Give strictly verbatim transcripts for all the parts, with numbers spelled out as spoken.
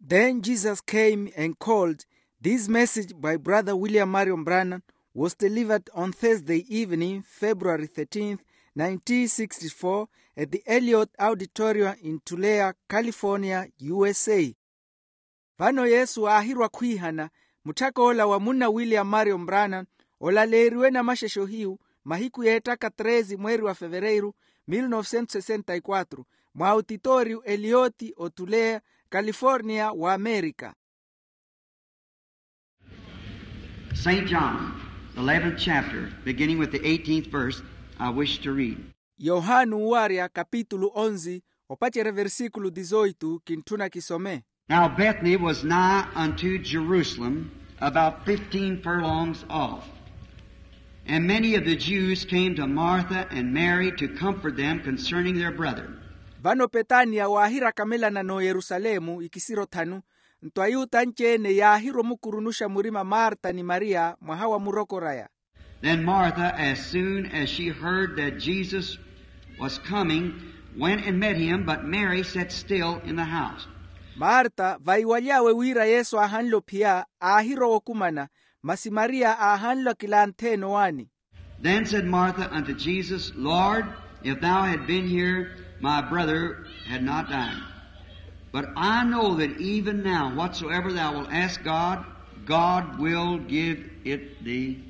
Then Jesus came and called. This message by Brother William Marion Branham was delivered on Thursday evening, February thirteenth, nineteen sixty-four, at the Elliott Auditorium in Tulare, California, U S A. Vano Yesu aahirwa khwiihana, mutthak'ola wa munna William Marion Branham, olaleeriwe namaxexe ohiyu, mahiku yeettaka treze mweeri wa fevereiru, mil novecentos sessenta y quatro, mwa autitooriyu Elliott o Tulare, California, wa Amerika. Saint John, the eleventh chapter, beginning with the eighteenth verse, I wish to read. Yohani owarya kapitulu onzi, opacerya versikulu dizoitu, kintthuna kisome. Now Bethany was nigh unto Jerusalem, about fifteen furlongs off. And many of the Jews came to Martha and Mary to comfort them concerning their brother. Vano Petaniya waahirakamelana n'oyerusalemu ikisiro thanu, nto ayuta anci-ene yaahirwa omukurunuxa murima Marta ni Mariya mwaha wa murokor'aya. Then Martha, as soon as she heard that Jesus was coming, went and met him, but Mary sat still in the house. Marta, vaiwaly'awe wira Yesu aahanle ophiya, aahirowa okumana, masi Mariya aahanle akilanthe-ene owaani. Then said Martha unto Jesus, Lord, if thou had been here, my brother had not died. But I know that even now, whatsoever thou wilt ask God, God will give it thee.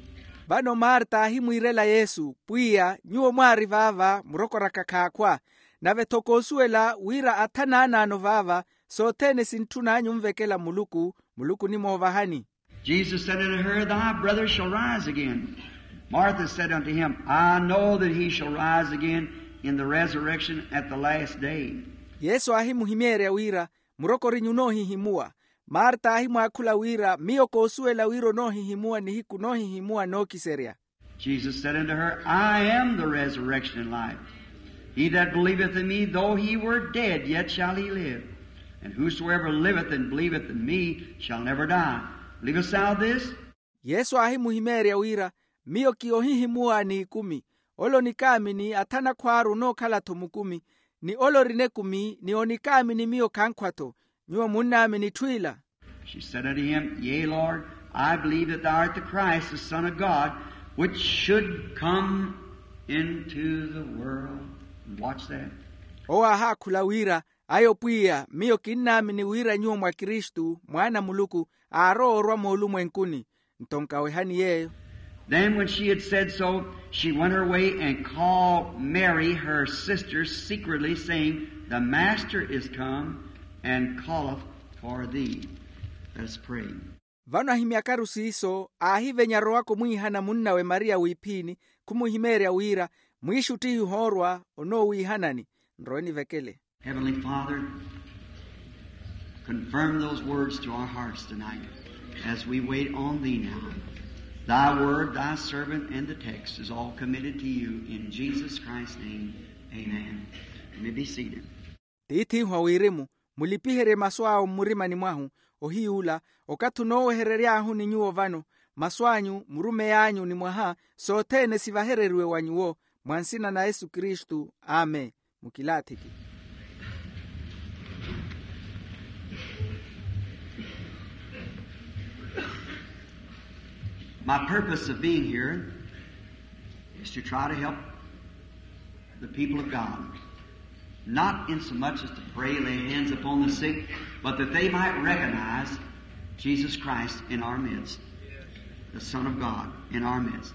Vano Marta aahimwiirela Yesu, Pwiya, nyuwo mwaari vaava, murokoraka khaakhwa, nave-tho koosuwela wira athanaanaano vaava, sothene sintthun'anyu onvekela Muluku, Muluku onimoovahani. Jesus said unto her, Thy brother shall rise again. Martha said unto him, I know that he shall rise again in the resurrection at the last day. Yesu aahimuhimeerya wira, Murokorinyu onoohihimuwa. Marta aahimwaakhula wira, Miyo koosuwela wira onoohihimuwa nihiku noohihimuwa nookiserya. Jesus said unto her, I am the resurrection and life. He that believeth in me, though he were dead, yet shall he live. And whosoever liveth and believeth in me shall never die. Believest thou this? Yesu aahimuhimeerya wira, Miyo ki ohihimuwa n'ikumi. Ole onikaamini athana khwaaru onookhala-tho mukumi, ni ole orina ekumi ni onikaamini miyo khankhwa-tho. Nyuwo munnaamini etthu ila? She said unto him, Yea, Lord, I believe that thou art the Christ, the Son of God, which should come into the world. And watch that. Owo aahaakhula wira, Ayo Pwiya, miyo kinnaamini wira nyuwo mwa Kristu, Mwaana a Muluku, aarowa orwa moolumwenkuni. Nto nkawehani yeeyo. Then when she had said so, she went her way and called Mary, her sister, secretly, saying, The Master is come and calleth for thee. Let us pray. Vano ahimyakaru siiso, aahivenya arowaka omwiihana munnawe Mariya wiiphiini, khumuhimeerya wira, Mwiixuttihi ohoorwa, onoowiihanani. Nrowe nivekele. Heavenly Father, confirm those words to our hearts tonight as we wait on thee now. Thy word, thy servant, and the text is all committed to you in Jesus Christ's name. Amen. You may be seated. Tiith'ihu a wirimu, mulipiherye masu awo mmurimani mwahu. Ohiy'ula, okathi onooweherery'ahu ni nyuwo vano, masu anyu, murumey'anyu ni mwaha, sothene sivahereriwe wa nyuwo, mwa nsina na Yesu Kristu. Amen. Mukilaathiki. My purpose of being here is to try to help the people of God, not in so much as to pray, lay hands upon the sick, but that they might recognize Jesus Christ in our midst, the Son of God in our midst.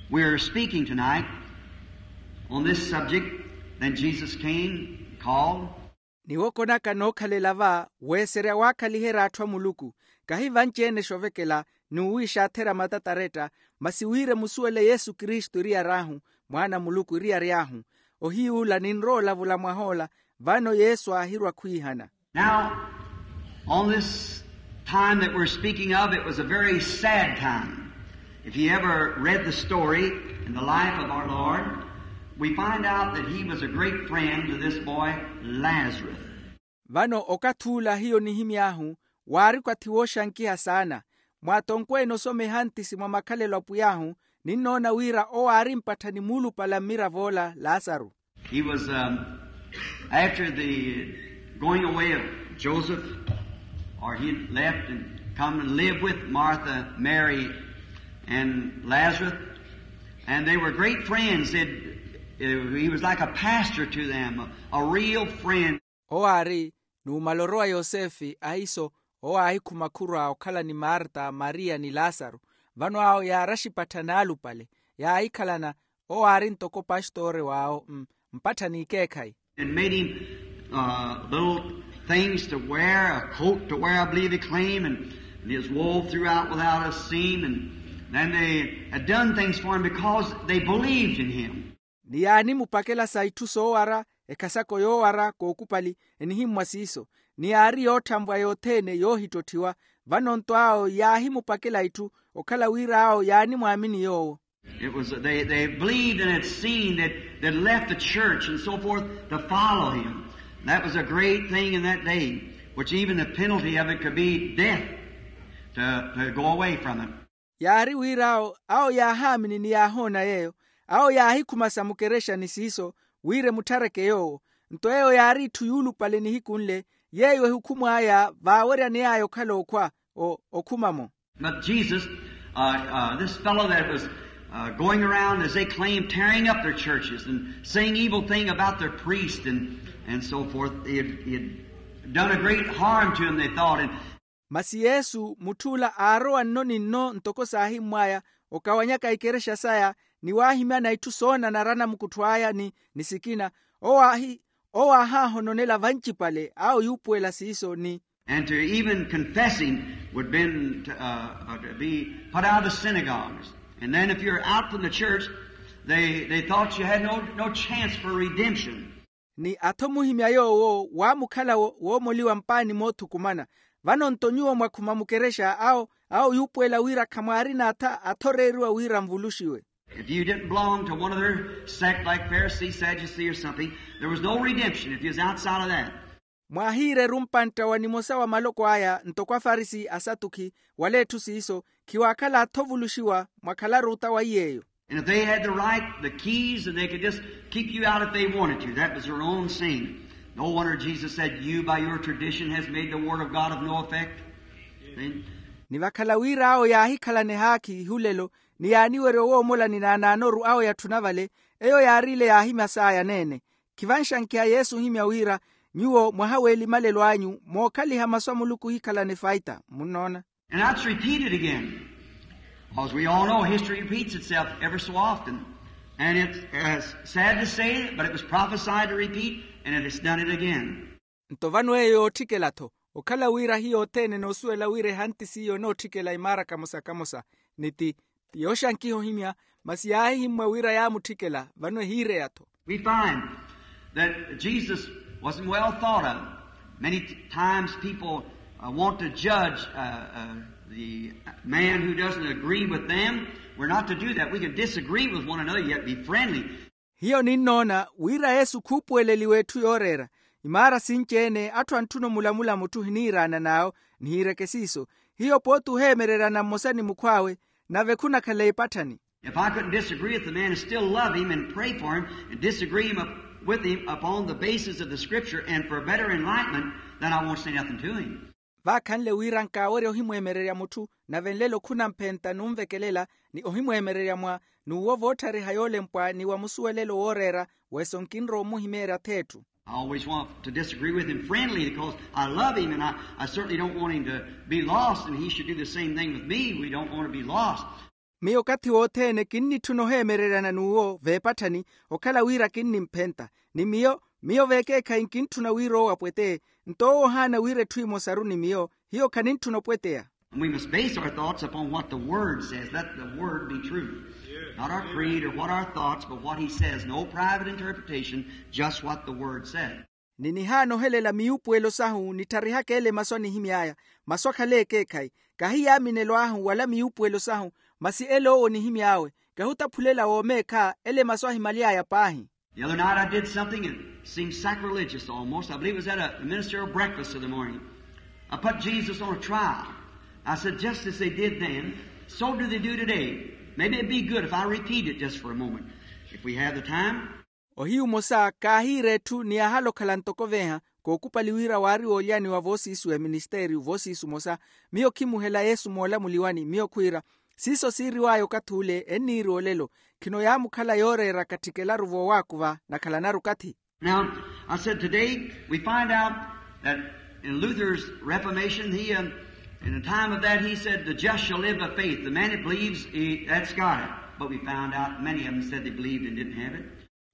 We're speaking tonight on this subject. Then Jesus came, called. Niwokonaka nookhalela va, weeserya waakhaliherya atthu a Muluku, kahi vanci-ene xovekela, n'uwiixatherya matataretta, masi wira emusuwele Yesu Kristu eriyari ahu, Mwaana a Muluku eriyari ahu. Ohiy'ula ninrowa olavula mwah'ola, vano Yesu aahirwa khwiihana. Now, on this time that we're speaking of, it was a very sad time. If you ever read the story in the life of our Lord, we find out that he was a great friend to this boy, Lazarus. Vano okathi ula hiyo nihimy'ahu, waari okathi wooxankiha saana. Mwaatonkwene osoma ehantisi mwa makhalelo a pwiy'ahu, ninnoona wira owo aari mpatthani muulupale a mmirav'ola lasaru. He was, um, after the going away of Joseph, Or he had left and come and lived with Martha, Mary, and Lazarus. And they were great friends. They'd, uh, he was like a pastor to them, a, a real friend. Owo aari numala orowa yosefe ahiiso, owo aahikhuma khurwa okhala ni marta, mariya ni lasaru. Vano awo yaaraxa ipattha naalupale, yaahikhalana. Owo aari ntoko pastori w'awo, mpatthani ikeekhayi. And made him, uh, little things to wear, a coat to wear, I believe he claimed, and, and his wool throughout without a seam, and then they had done things for him because they believed in him. Ni yaanimupakela sa itthu soowara, ekhasako yoowara kookupali, enihimmwa siiso. Ni yaari yootthanvwa yothene yoohittotthiwa. Vano-nto awo yaahimupakela itthu, okhala wira awo yaanimwaamini yoowo. It was, they, they believed and had seen that, that left the church and so forth to follow him. That was a great thing in that day, which even the penalty of it could be death to, to go away from it. Yaari wira awo, awo yaahaamini ni yaahoona yeeyo, awo yaahikhuma sa mukerexani siiso, wira emutthareke yoowo. Nto eyo yaari itthu yuulupale nihiku nle, yeeyo ehukhumw'aya vaaweryaney'aya okhala okhwa, o, okhuma-mo. But Jesus, uh, uh, this fellow that was, uh, going around, as they claimed, tearing up their churches and saying evil thing about their priest and, and so forth, he had, he had done a great harm to them, they thought. And masi yesu mutth'ula aarowa nno ni nno ntoko saahimmw'aya, okawanyaka ikerexa saya, ni waahimyana itthu soonanara anamukuttho aya ni, ni sikina, owo aahi, owo aahaahononela vancipale awo yuupuwela siiso ni. And to even confessing would been to, uh, uh, to be put out of the synagogues. And then if you're out from the church, they, they thought you had no, no chance for redemption. Ni atho muhimya yoowo waamukhala wo-, woomoliwa mpaani moothukumana. Vano-nto nyuwo mwakhuma mukerexa awo, awo yuupuwela wira khamwaarina atha athoreeriwa wira nvuluxiwe. If you didn't belong to one of their sect like Pharisee, Sadducee, or something, there was no redemption if you was outside of that. Mwaahiireru mpantta wa nimosa wa maloko aya ntoko afarisi, asatukhi, wala etthu siiso, khiwaakhala atho ovuluxiwa, mwakhalaru ota wa iy'eyo. And if they had the right, the keys, and they could just keep you out if they wanted to. That was their own sin. No wonder Jesus said, you by your tradition has made the word of God of no effect. See? Ni vakhala wira awo yaahikhalane haakhi ihulelo, ni yaaniwerya owoomola ni naanaanoru awo ya tthuna vale, eyo yaari ile yaahimya saya neene. Khivanxankiha yesu ohimya wira, nyuwo mwaha w'elimalelo anyu mookhaliha masu a muluku ohikhalana efaita munnoona. And that's repeated again. Because we all know history repeats itself ever so often. And it's, uh, sad to say, but it was prophesied to repeat, and it has done it again. Nto vano eyo yootthikela-tho, okhala wira hiyo othene enoosuwela wira ehanti s'iyo enootthikela imaara kamosa kamosa, ni ti, ti yooxankiha ohimya, masi yaahihimmwa wira yaamutthikela, vano ehiireya-tho. We find that Jesus wasn't well thought of. Many t-, times people, uh, want to judge, uh, uh, the man who doesn't agree with them. We're not to do that. We can disagree with one another, yet be friendly. Hiyo ninnoona wira yesu khuupuweleliwa etthu yooreera. Imaara sinci-ene atthu antthuna omulamula mutthu ohiniiraanan'awo, nihiireke siiso. Hiyo pooti oheemereryana mmosa ni mukhw'awe, nave khunakhala epatthani. If I couldn't disagree with the man and still love him and pray for him and disagree him up, with him upon the basis of the scripture and for better enlightenment, then I won't say nothing to him. Vaakhanle wira nkaawerya ohimweemererya mutthu, nave nlelo khunamphenta numvekelela, ni ohimweemererya mwa, n'uwo voottharihaya olempwa ni wa musuwelelo wooreera, weso nkinrowa omuhimeerya ath'etthu. I always want to disagree with him friendly because I love him and I, I certainly don't want him to be lost and he should do the same thing with me. We don't want to be lost. Miyo okathi wothene kinnitthuna oheemereryana n'uwo veepatthani, okhala wira kinnimphenta. Ni miyo, miyo veekeekhayi nkintthuna wira owo apweteye. Nto owo ohaana wira etthu emosaru ni miyo, hiyo khanintthuna opweteya. And we must base our thoughts upon what the Word says. Let the Word be true. Not our creed or what our thoughts, but what He says. No private interpretation, just what the Word says. Ni nihaana ohelela miyuupuwelo sahu, nittharihaka ele masu anihimy'aya, masu akhale ekeekhayi. Kahi yaaminelo ahu wala miyuupuwelo sahu, masi ele owo onihimy'awe. Kahutaphulela woomeekha, ele masu ahimaly'aya paahi. The other night I did something that seemed sacrilegious almost. I believe it was at a ministerial breakfast of the morning. I put Jesus on a trial. I said, just as they did then, so do they do today. Maybe it'd be good if I repeat it just for a moment, if we have the time. Ohiyu omosa kaahiira etthu ni yaahala okhala ntoko veeha, kookupali wira waari woolyaniwa voosiisu eministeriyu voosiisu mosa. Miyo khimuhela yesu moolamuliwani miyo khwiira siiso siiriwaya okathi ule enniiri olelo. Khino yaamukhala yooreera katthikelaru voowaakuva nakhalanaru okathi. Now, I said today we find out that in Luther's Reformation, he, um, in the time of that, he said, "The just shall live by faith." The man that believes, he, that's got it. But we found out many of them said they believed and didn't have it.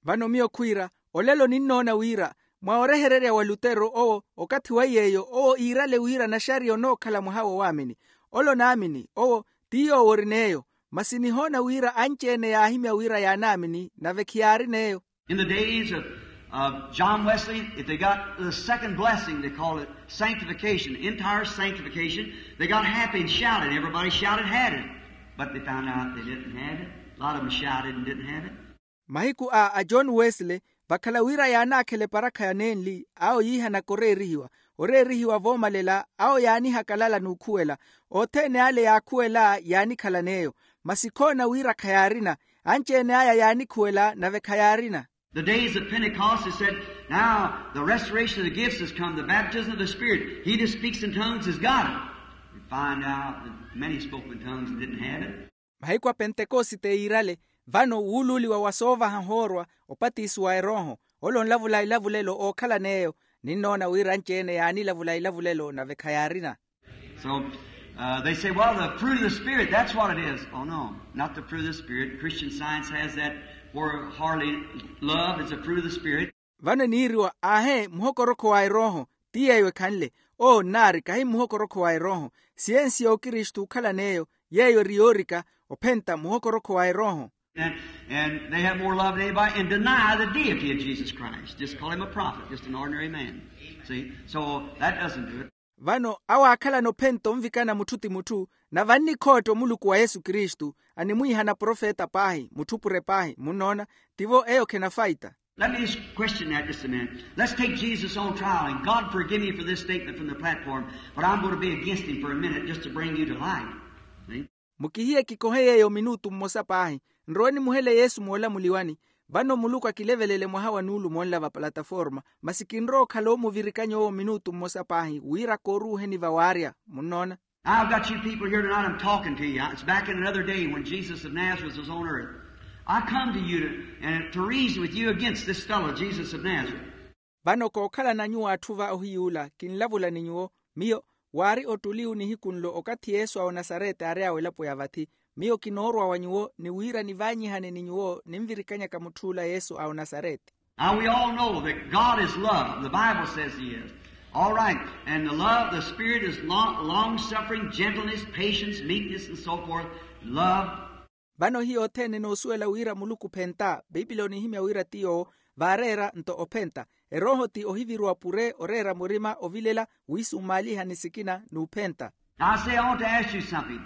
Vano miyo khwiira, olelo ninnoona wira mwa orehererya wa lutero owo okathi wa yeeyo owo iirale wira naxariya onookhala mwaha wowaamini. Ole onaamini owo ti yoowo ori n'eyo. Masi nihoona wira anci-ene yaahimya wira yaanaamini nave khiyaari n'eyo. In the days of, of John Wesley, if they got the second blessing, they called it sanctification, entire sanctification, they got happy and shouted. Everybody shouted, had it. But they found out they didn't have it. A lot of them shouted and didn't have it. Mahiku a a john wesley, vakhala wira yaanaakhela eparakha ya nenli awo yiihanaka oreerihiwa. Oreerihiwa voomalela awo yaanihakalala n'ukhuwela. Othene ale yaakhuwela yaanikhala n'eyo. Masi khoona wira khayaarina. Anci-ene aya yaanikhuwela nave khayaarina. The days of Pentecost, they said, "Now the restoration of the gifts has come, the baptism of the Spirit. He that speaks in tongues has got it." We find out that many spoke in tongues and didn't have it. Mahiku a pentekosite yiirale. Vano wuuluuliwa wa soovaha hoorwa opatisi wa erooho. Ole onlavula elavulelo ookhala n'eyo. Ninnoona wira anci-ene yaanilavula elavulelo nave khayaarina. So, uh, they say, "Well, the fruit of the Spirit, that's what it is." Oh no, not the fruit of the Spirit. Christian Science has that, for hardly love is the fruit of the Spirit. Vano eniiriwa aahe muhokorokho wa erooho. Ti yeeyo ekhanle. Oo nnaari kahi muhokorokho wa erooho. Siyensi y'okristu okhala n'eyo yeeyo eri yoorika ophenta muhokorokho wa erooho. And, and they have more love than anybody and deny the deity of Jesus Christ. Just call him a prophet, just an ordinary man. See? So that doesn't do it. Vano awo aakhalana ophenta onvikana mutthu ti mutthu. Na vannikhootta omuluku wa yesu kristu animwiihana profeta paahi mutthu pure paahi munnoona. Tivo eyo khenafaita. Let me just question that just a minute. Let's take Jesus on trial, and God forgive me for this statement from the platform, but I'm going to be against him for a minute just to bring you to light. See? Mukihiye kikohe yeeyo minutu mmosa paahi. Nrowe nimuhele yesu moolamuliwani. Vano muluku akilevelele mwaha wa nuulumo nla va plataforma. Masi kinrowa okhala omuvirikanya owo minutu mmosa paahi wira kooruuheni vawaarya. Munnoona? I've got you people here tonight, I'm talking to you. It's back in another day when Jesus of Nazareth was on earth. I come to you to, and to reason with you against this fellow, Jesus of Nazareth. Vano kookhalana nyuwo atthu va ohiy'ula kinlavula ni nyuwo. Miyo waari ottuliwu nihiku nlo okathi yesu a onasarete aari awo elapo ya vathi. Miyo kinoorwa wa nyuwo ni wira nivaanyihane ni nyuwo ninvirikanyaka mutth'ula yesu a onasarete. Now we all know that God is love. The Bible says he is. All right. And the love, the Spirit is long, long-suffering, gentleness, patience, meekness, and so forth. Love. Vano hiyo othene enoosuwela wira muluku ophenta. Piipili onihimya wira ti yoowo vaareera nto ophenta. Erooho ti ohiviruwa pure oreera murima ovilela wiisummaaliha ni sikina n'uphenta. Now I say I want to ask you something.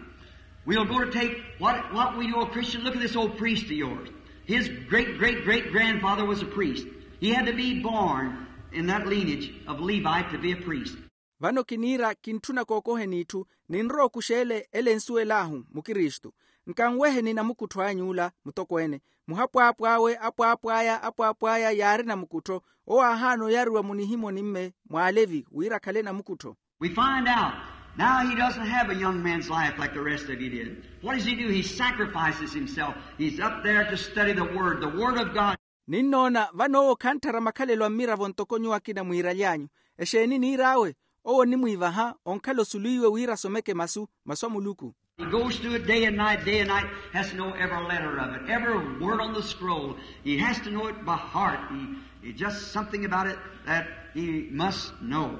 We'll go to take what, what we know a Christian. Look at this old priest of yours. His great great great grandfather was a priest. He had to be born in that lineage of Levite to be a priest. Vano kiniira kintthuna kookoheni itthu. Ninrowa okuxeele ele ensuwel'ahu mukristu. Nkanweheni namukuttho any'ula mutokweene. Muhapwaapw'awe apwaapw'aya apwaapw'aya yaari namukuttho. Owo aahaana oyariwa munihimoni-mme mw'alevi wira akhale namukuttho. We find out now he doesn't have a young man's life like the rest of you did. What does he do? He sacrifices himself. He's up there to study the word, the word of God. Ninnoona vano owo khantthara makhalelo a mmiravo ntoko nyuwo akina mwiiraly'anyu. Exeeni niir'awe? Owo onimwiivaha onkhala osuluiwe wira asomeke masu masu a muluku. He goes through it day and night, day and night, has to know every letter of it, every word on the scroll. He has to know it by heart. He, he just something about it that he must know.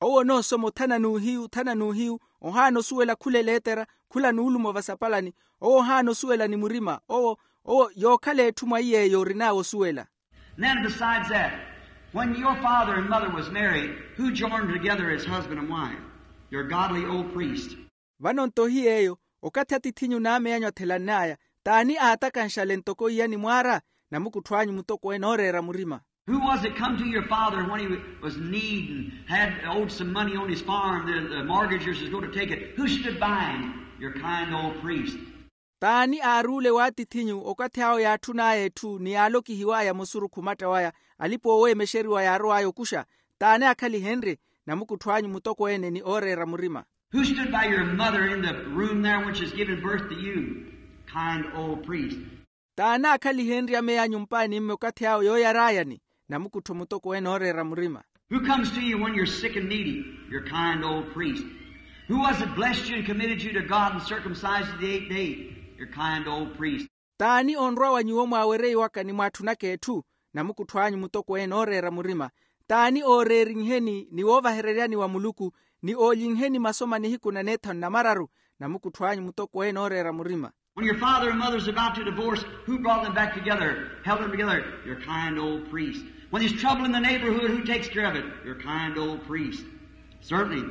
Owo onoosoma othana n'uhiyu othana n'uhiyu. Ohaana osuwela khula eleetera khula nuulumo vasapalani. Owo ohaana osuwela ni murima owo owo yookhala etthu mwa iy'eyo orin'awe osuwela. Then besides that, when your father and mother was married, who joined together as husband and wife? Your godly old priest. Vano nto hiy'eyo okathi atithinyu n'amey'anyu athelann'aya t'ani aatakanxale ntoko iyani mwaara? Namukuttho anyu mutokweene ooreera murima. Who was it come to your father when he was in need and had owed some money on his farm? The, the mortgagers was going to take it. Who stood by him? Your kind old priest. T'ani aaruule w'atithinyu okathi awo yaatthun'aya etthu ni yaalokihiw'aya musuru khumatta waya alipa ooweemexeriwa yaarow'aya okuxa? T'ani aakhalihenrye namukuttho anyu mutokweene ni ooreera murima? Who stood by your mother in the room there when she's giving birth to you? Kind old priest. T'ani aakhalihenrye ameya anyu mpaani mme okathi awe yooyar'ayani? Namukuttho mutokweene ooreera murima. Who comes to you when you're sick and needy? Your kind old priest. Who was it blessed you and committed you to God and circumcised you the eighth day? Your kind old priest. T'ani onrwa wa nyuwo mwaawereiwaka ni mwaatthunaka etthu? Namukuttho anyu mutokweene ooreera murima. T'ani ooreerinheni ni woovahereryani wa muluku ni oolinheni masoma nihiku na neethanu na mararu? Namukuttho anyu mutokweene ooreera murima. When your father and mother is about to divorce, who brought them back together, held them together? Your kind old priest. When there's trouble in the neighborhood, who takes care of it? Your kind old priest. Certainly.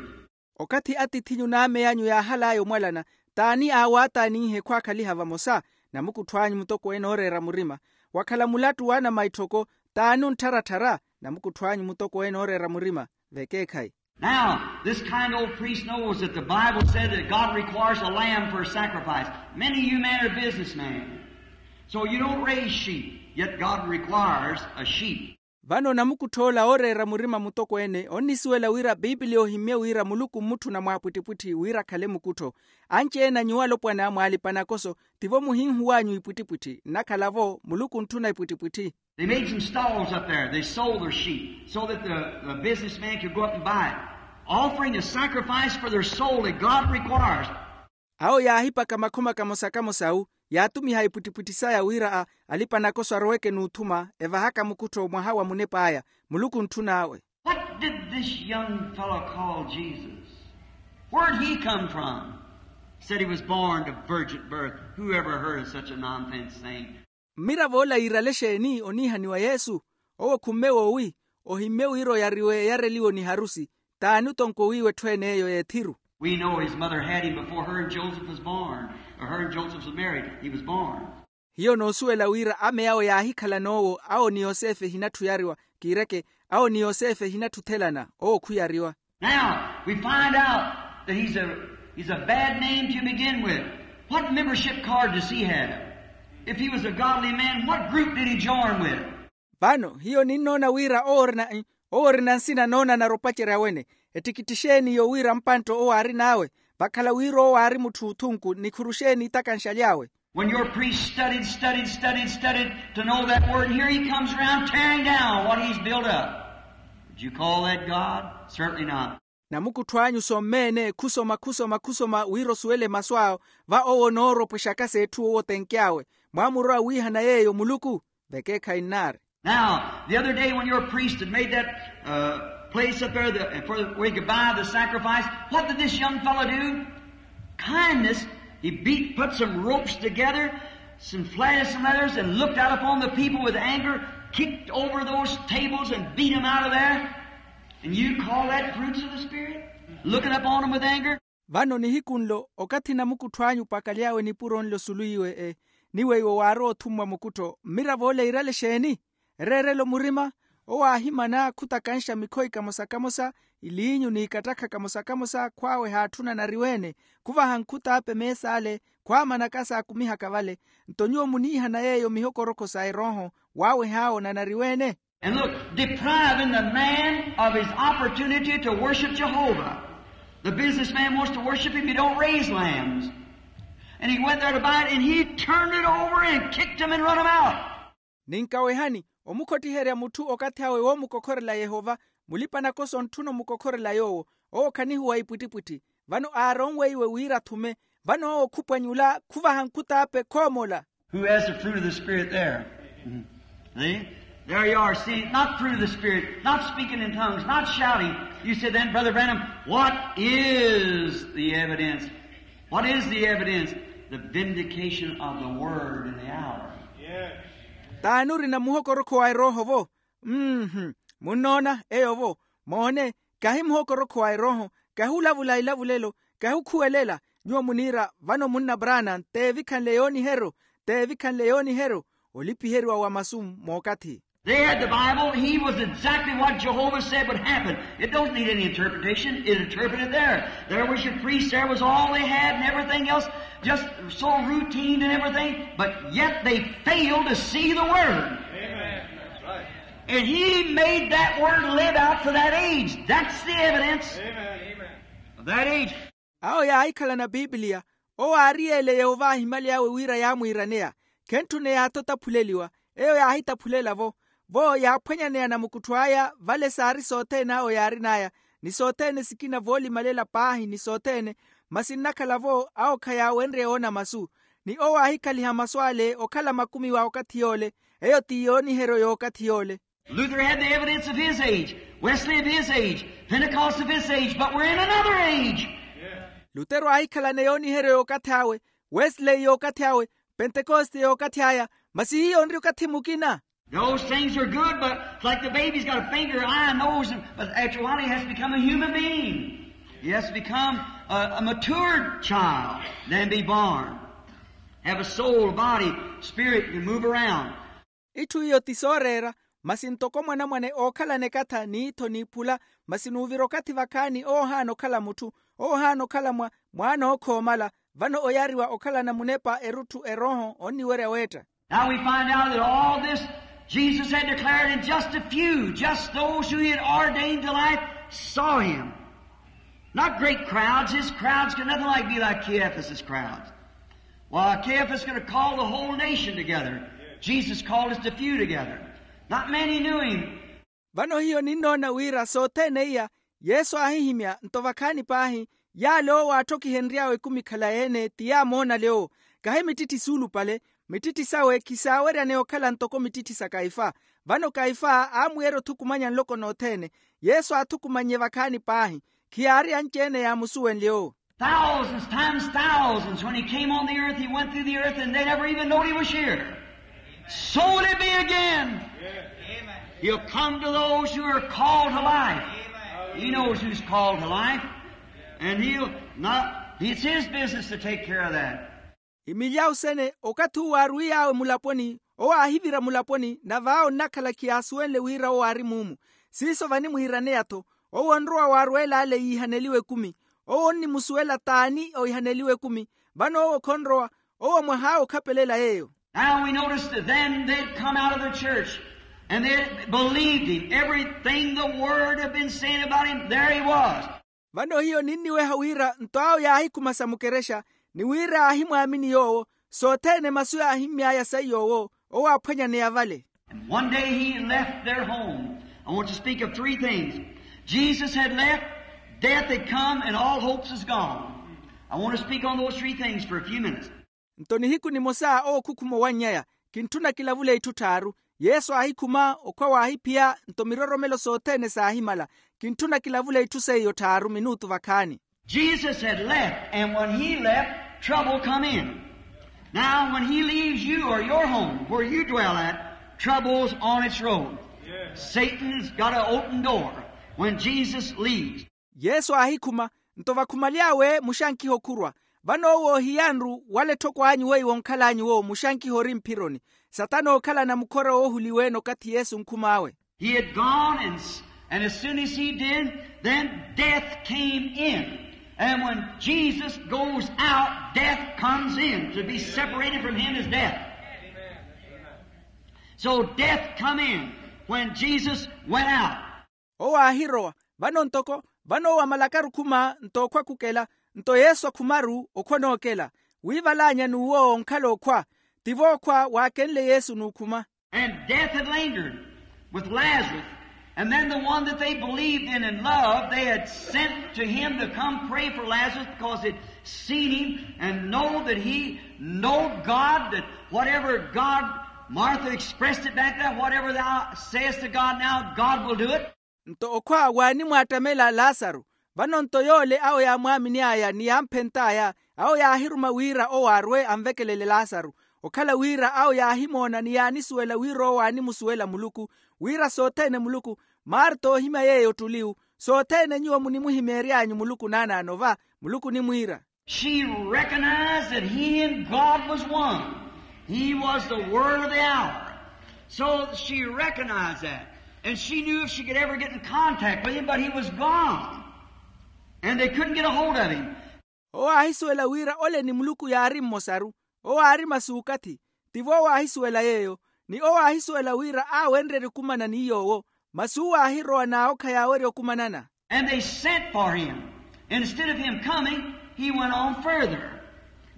Okathi atith'inyu n'amey'anyu yaahal'aya omwalana, t'ani aawaataaninhe khwaakhaliha vamosa? Namukuttho anyu mutokweene ooreera murima. Wakhala mulattu w'anamaitthoko, t'ani onttharatthar'a? Namukuttho anyu mutokweene ooreera murima. Vekeekhayi. Now this kind old priest knows that the Bible said that God requires a lamb for a sacrifice. Many of you men are businessmen, so you don't raise sheep, yet God requires a sheep. Vano namukuttho ola ooreera murima mutokweene onnisuwela wira piipiliya ohimmye wira muluku mmutthuna mwaapwittipwitthi wira akhale mukuttho. Anci-ene a nyuwo alopwana mwaalipa nakoso, tivo muhinhuw'anyu ipwittipwitthi nnakhala-vo muluku ontthuna ipwittipwitthi. They made some stalls up there. They sold their sheep so that the, the businessman could go up and buy it, offering a sacrifice for their soul that God requires. Awo yaahipaka makhoma kamosa kamosa awu, yaatumiha ipwittipwitthi saya wira a alipa nakoso aroweke n'uthuma evahaka mukuttho mwaha wa munep'aya. Muluku ontthun'awe. What did this young fellow call Jesus? Where'd he come from? Said he was born to virgin birth. Whoever heard of such a nonsense thing? Mmirav'ola yiirale exeeni oniihaniwa yesu? Owo khumme woowi, ohimmye wira oyariwe eyareliwo ni harusi. T'ani otonko wiiwa etthu ene eyo y'ethiru? We know his mother had him before her and Joseph was born, or her and Joseph was married, he was born. Hiyo noosuwela wira ame awo yaahikhala n'owo awo ni yosefe ehinatthu oyariwa. Kiireke, awo ni yosefe ehinatthu othelana, owo khuyariwa. Now we find out that he's a, he's a bad name to begin with. What membership card does he have? If he was a godly man, what group did he join with? Vano hiyo ninnoona wira owo orina, owo orina nsina noonanara opacerya wene. Ettikitti exeeni iyo wira mpantta owo aarin'awe? Vakhala wira owo aari mutthu othunku nikhuru exeeni itakanxaly'awe? When your priest studied, studied, studied, studied to know that word, here he comes around tearing down what he's built up. Would you call that God? Certainly not. Namukuttho anyu sommeene khusoma khusoma khusoma wira osuwele masu awo, va owo onooropwexaka s'etthu owo otenky'awe. Mwaamurowa wiihana yeeyo muluku? Vekeekhayi nnaari. Now the other day when your priest had made that place up there for where he could buy the sacrifice, what did this young fellow do? Kindness. He beat, put some ropes together, some flags and letters, and looked out upon the people with anger, kicked over those tables and beat them out of there. And you call that fruits of the Spirit? Looking upon them with anger? Vano nihiku nlo okathi namukuttho anyu opakalyawe nipuro nlo sulu iwe e, ni weiwo waarowa othummwa mukuttho mmirav'ola yiirale exeeni? Ereerelo murima. Owo aahimana khutakanxa mikhoyi kamosa kamosa, iliinyu n'ikattakha kamosa kamosa khwaawe haatthuna anariweene, khuvaha nkhut'ape mees'ale, khwaamanaka saakumihaka vale. Nto nyuwo muniihana yeeyo mihokorokho sa erooho waaweh'awo na anariweene. And look, depriving the man of his opportunity to worship Jehovah. The businessman wants to worship him, you don't raise lambs. And he went there to buy it, and he turned it over and kicked him and run him out. Ninkawehani omukhottiherya mutthu okathi awe woomukokhorela yehova, mulipa-nakoso ontthuna omukokhorela yoowo. Owo khanihuwa ipwittipwitthi. Vano aaronweiwe wira athume. Vano owo khupwanyula khuvaha nkhut'ape khoomola. Who has the fruit of the Spirit there? See? There you are. See, not fruit of the Spirit, not speaking in tongues, not shouting. You say, "Then, Brother Branham, what is the evidence? What is the evidence?" The vindication of the word in the hour. T'ani orina muhokorokho wa erooho-vo? Mmm. Munnoona eyo-vo? Moone, kahi muhokorokho wa erooho, kahi olavula elavulelo, kahi okhuwelela. Nyuwo muniira vano munna brana t'evikhanle yooniheryo, t'evikhanle yooniheryo. Olipiheriwa wa masu mookathi. They had the Bible. He was exactly what Jehovah said would happen. It don't need any interpretation. It interpreted there. There was your priest. There was all they had and everything else. Just so routine and everything. But yet they failed to see the word. Amen. That's right. And he made that word live out for that age. That's the evidence of that age. Awo yaahikhalana pipiliya. Owo aari yeele yeova ahimaly'awe wira yaamwiiraneya. Khentthuna eyaatha otaphuleliwa. Eyo yaahitaphulela-vo. Vo yaaphwanyaneya namukuttho aya vale saari sothene awo yaarin'aya, ni sothene sikina voolimalela paahi ni sothene. Masi nnakhala-vo awo khayaawenrye oona masu. Ni owo aahikhaliha masu ale okhala makumi wa okathi yoole. Eyo ti yooniheryo y'okathi yoole. Luther had the evidence of his age, Wesley of his age, Pentecost of his age, but we're in another age. Lutero aahikhalana yooniheryo y'okathi awe, wesley y'okathi awe, pentekoste y'okathi aya. Masi hiyo onri okathi mukina. Those things are good, but it's like the baby's got a finger, eye, nose, and, but after a while he has to become a human being. He has to become a, a matured child, then be born. Have a soul, body, spirit, can move around. Itthu iyo ti sooreera. Masi ntoko mwanamwane ookhalana ekatha n'ittho n'iphula, masi n'uvira okathi vakhaani owo ohaana okhala mutthu. Owo ohaana okhala mwa mwaana ookhoomala. Vano oyariwa okhalana munepa erutthu erooho onniwerya weetta. Now we find out that all this Jesus had declared, and just a few, just those who he had ordained to life, saw him. Not great crowds. His crowds could nothing like be like Caiaphas's crowds. Why, Caiaphas could have called the whole nation together. Jesus called just a few together. Not many knew him. Vano hiyo ninnoona wira sothene iya yesu aahihimya nto vakhaani paahi. Yaale owo aatthokihenry'awe ekumi khalayi-ene ti yaamoonale owo. Kahi mittitti suulupale. Mittitti sawe khisaaweryaneya okhala ntoko mittitti sa kaifa. Vano kaifa aamwiira othukumanya nloko nothene. Yesu aathukumannye vakhaani paahi. Khiyaari anci-ene yaamusuwenlye owo. Thousands times thousands, when he came on the earth, he went through the earth, and they never even knowed he was here. So will it be again. He'll come to those who are called to life. He knows who's called to life. And he'll not, it's his business to take care of that. Imilyawu sene okathi uwo aaruwiy'awe mulaponi. Owo aahivira mulaponi nave awo nnakhala khiyaasuwenle wira owo aari muumu. Siiso vanimwiiraneya-tho. Owo onrowa waarweel'ale yiihaneliwe ekumi. Owo onnimusuwela t'ani oihaneliwe ekumi. Vano owo khonrowa. Owo mwah'awe okhapelela yeeyo. Now we noticed that then they'd come out of the church, and they believed him. Everything the word had been saying about him, there he was. Vano hiyo ninniweha wira nto awo yaahikhuma sa mukerexa, ni wira aahimwaamini yoowo. Sothene masu yaahimmy'aya saiy'owo. Owo aaphwanyaneya vale. And one day he left their home. I want to speak of three things. Jesus had left, death had come, and all hopes is gone. I want to speak on those three things for a few minutes. Nto nihiku nimosa owo okhukhuma owanny'aya. Kintthuna kilavule itthu tthaaru. Yesu aahikhuma okhwa waahiphiya nto miroromelo sothene saahimala. Kintthuna kilavule itthu seiyo tthaaru minutu vakhaani. Jesus had left, and when he left, trouble come in. Now when he leaves you or your home where you dwell at, trouble's on its road. Satan's got an open door when Jesus leaves. Yesu aahikhuma, nto vakhumaly'awe muxankiha okhurwa. Vano owo ohiyanru wala etthoko anyu weiwo onkhal'anyu wo muxankiha ori mphironi. Satana ookhalana mukhora woohuliwe-ene okathi yesu onkhum'awe. He had gone, and, and as soon as he did, then death came in. And when Jesus goes out, death comes in to be separated from him is death. So death come in when Jesus went out. Owo aahirowa. Vano ntoko vano owo amalakaru okhuma nto okhwa khukela. Nto yesu akhumaru okhwa onookela. Wiivalaanya n'uwo onkhala okhwa. Tivo okhwa waakenle yesu n'ukhuma. And death had lingered with Lazarus. And then the one that they believed in and loved, they had sent to him to come pray for Lazarus because they'd seen him and know that he knowed God, that whatever God, Martha expressed it back there, whatever thou sayest to God now, God will do it. Nto okhwa waanimwaattamela lasaru. Vano nto yoole awo yaamwaamini'aya ni yaamphent'aya, awo yaahiruma wira owo arwe anvekelele lasaru. Okhala wira awo yaahimoona ni yaanisuwela wira owo aanimusuwela muluku, wira sothene muluku. Marta oohimya yeeyo ottuli-u. Sothene nyuwo munimuhimeery'anyu muluku naanaano va. Muluku onimwiira. She recognized that he and God was one. He was the word of the hour. So she recognized that. And she knew if she could ever get in contact with him, but he was gone. And they couldn't get a hold of him. Owo aahisuwela wira ole ni muluku yaari mmosaru. Owo aari masuukathi. Tivo owo aahisuwela yeeyo. Ni owo aahisuwela wira aawenrerye okumana ni yoowo, masi uwo aahirowa n'awokha yaawerya okumanana. And they sent for him. Instead of him coming, he went on further.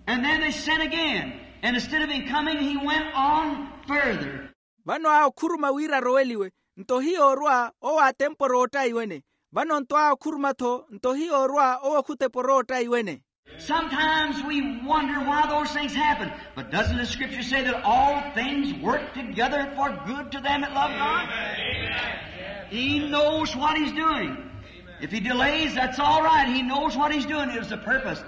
And then they sent again. And instead of him coming, he went on further. Vano aakhuruma wira aroweliwe, nto hiyoorwa owo aatemporowa ottaiwene. Vano nto aakhuruma-tho, nto hiyoorwa owo khuteporowa ottaiwene. Sometimes we wonder why those things happen. But doesn't the scripture say that all things work together for good to them that love God? He knows what he's doing. If he delays, that's all right. He knows what he's doing. It was a purpose.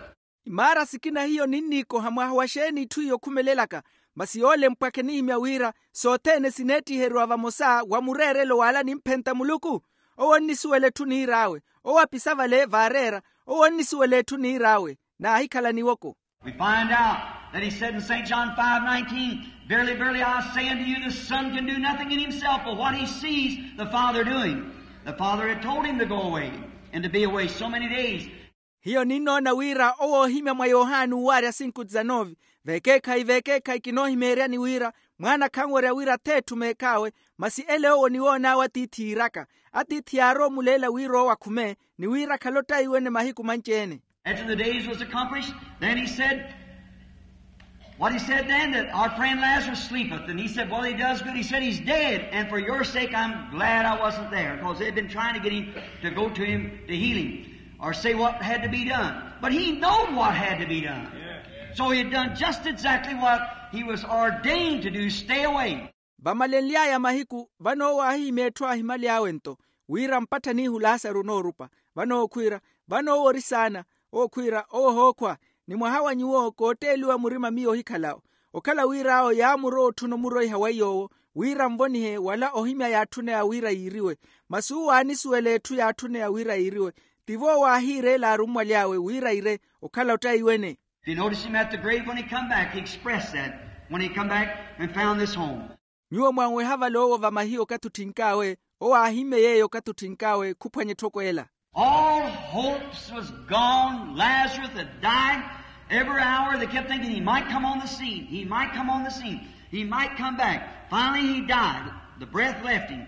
Imaara sikina hiyo ninniikoha mwaha wa xeeni itthu iyo okhumelelaka? Masi yoole mpwakhe nihimya wira sothene sineettiheriwa vamosa wa mureerelo w'ala nimphenta muluku. Owo onnisuwela etthu niir'awe. Owo apisa vale vaareera. Owo onnisuwela etthu niir'awe. Naahikhala niwoko. We find out that he said in St. John five nineteen, verily, verily, I say unto you, the Son can do nothing in himself but what he sees the Father doing. The Father had told him to go away and to be away so many days. Hiyo ninnoona wira owo oohimya mwa yohani uuwaarya sinku dizanove, veekeekhayi veekeekhayi kinoohimeeryani wira mwaana khanwerya wira ath'etthu meekh'awe. Masi ele owo oniwoon'awe atiithi yiiraka. Atiithi yaarowa omuleela wira owo akhume, ni wira akhale ottaiwene mahiku manci-ene. After the days was accomplished, then he said, what he said then, that our friend Lazarus sleepeth. And he said, well, he does good. He said, he's dead. And for your sake, I'm glad I wasn't there, because they'd been trying to get him to go to him to heal him, or say what had to be done. But he knowed what had to be done. So he had done just exactly what he was ordained to do, stay away. Vamalenly'aya mahiku, vano owo aahihimya etthu ahimaly'awe-nto, wira mpattha n'ihu lasaru onoorupa. Vano owo khwiira, vano owo ori saana. Owo khwiira, owo ohookhwa, ni mwaha wa nyuwo kootteeliwa murima miyo ohikhala-wo. Okhala wira awo yaamurowa otthuna omuroiha wa iy'owo, wira anvonihe wala ohimya yaatthuneya wira yiiriwe. Masi uwo aanisuwela etthu yaatthuneya wira yiiriwe. Tivo owo aahiireela arummwaly'awe wira aire okhala ottaiwene. If you notice him at the grave when he come back, he expressed that when he come back and found this home. Nyuwo mwanweha vale owo vamahiye okathi otthink'awe, owo aahimmye yeeyo okathi otthink'awe khuphwanya etthoko ela. All hopes was gone. Lazarus had died. Every hour they kept thinking he might come on the scene. He might come on the scene. He might come back. Finally he died. The breath left him.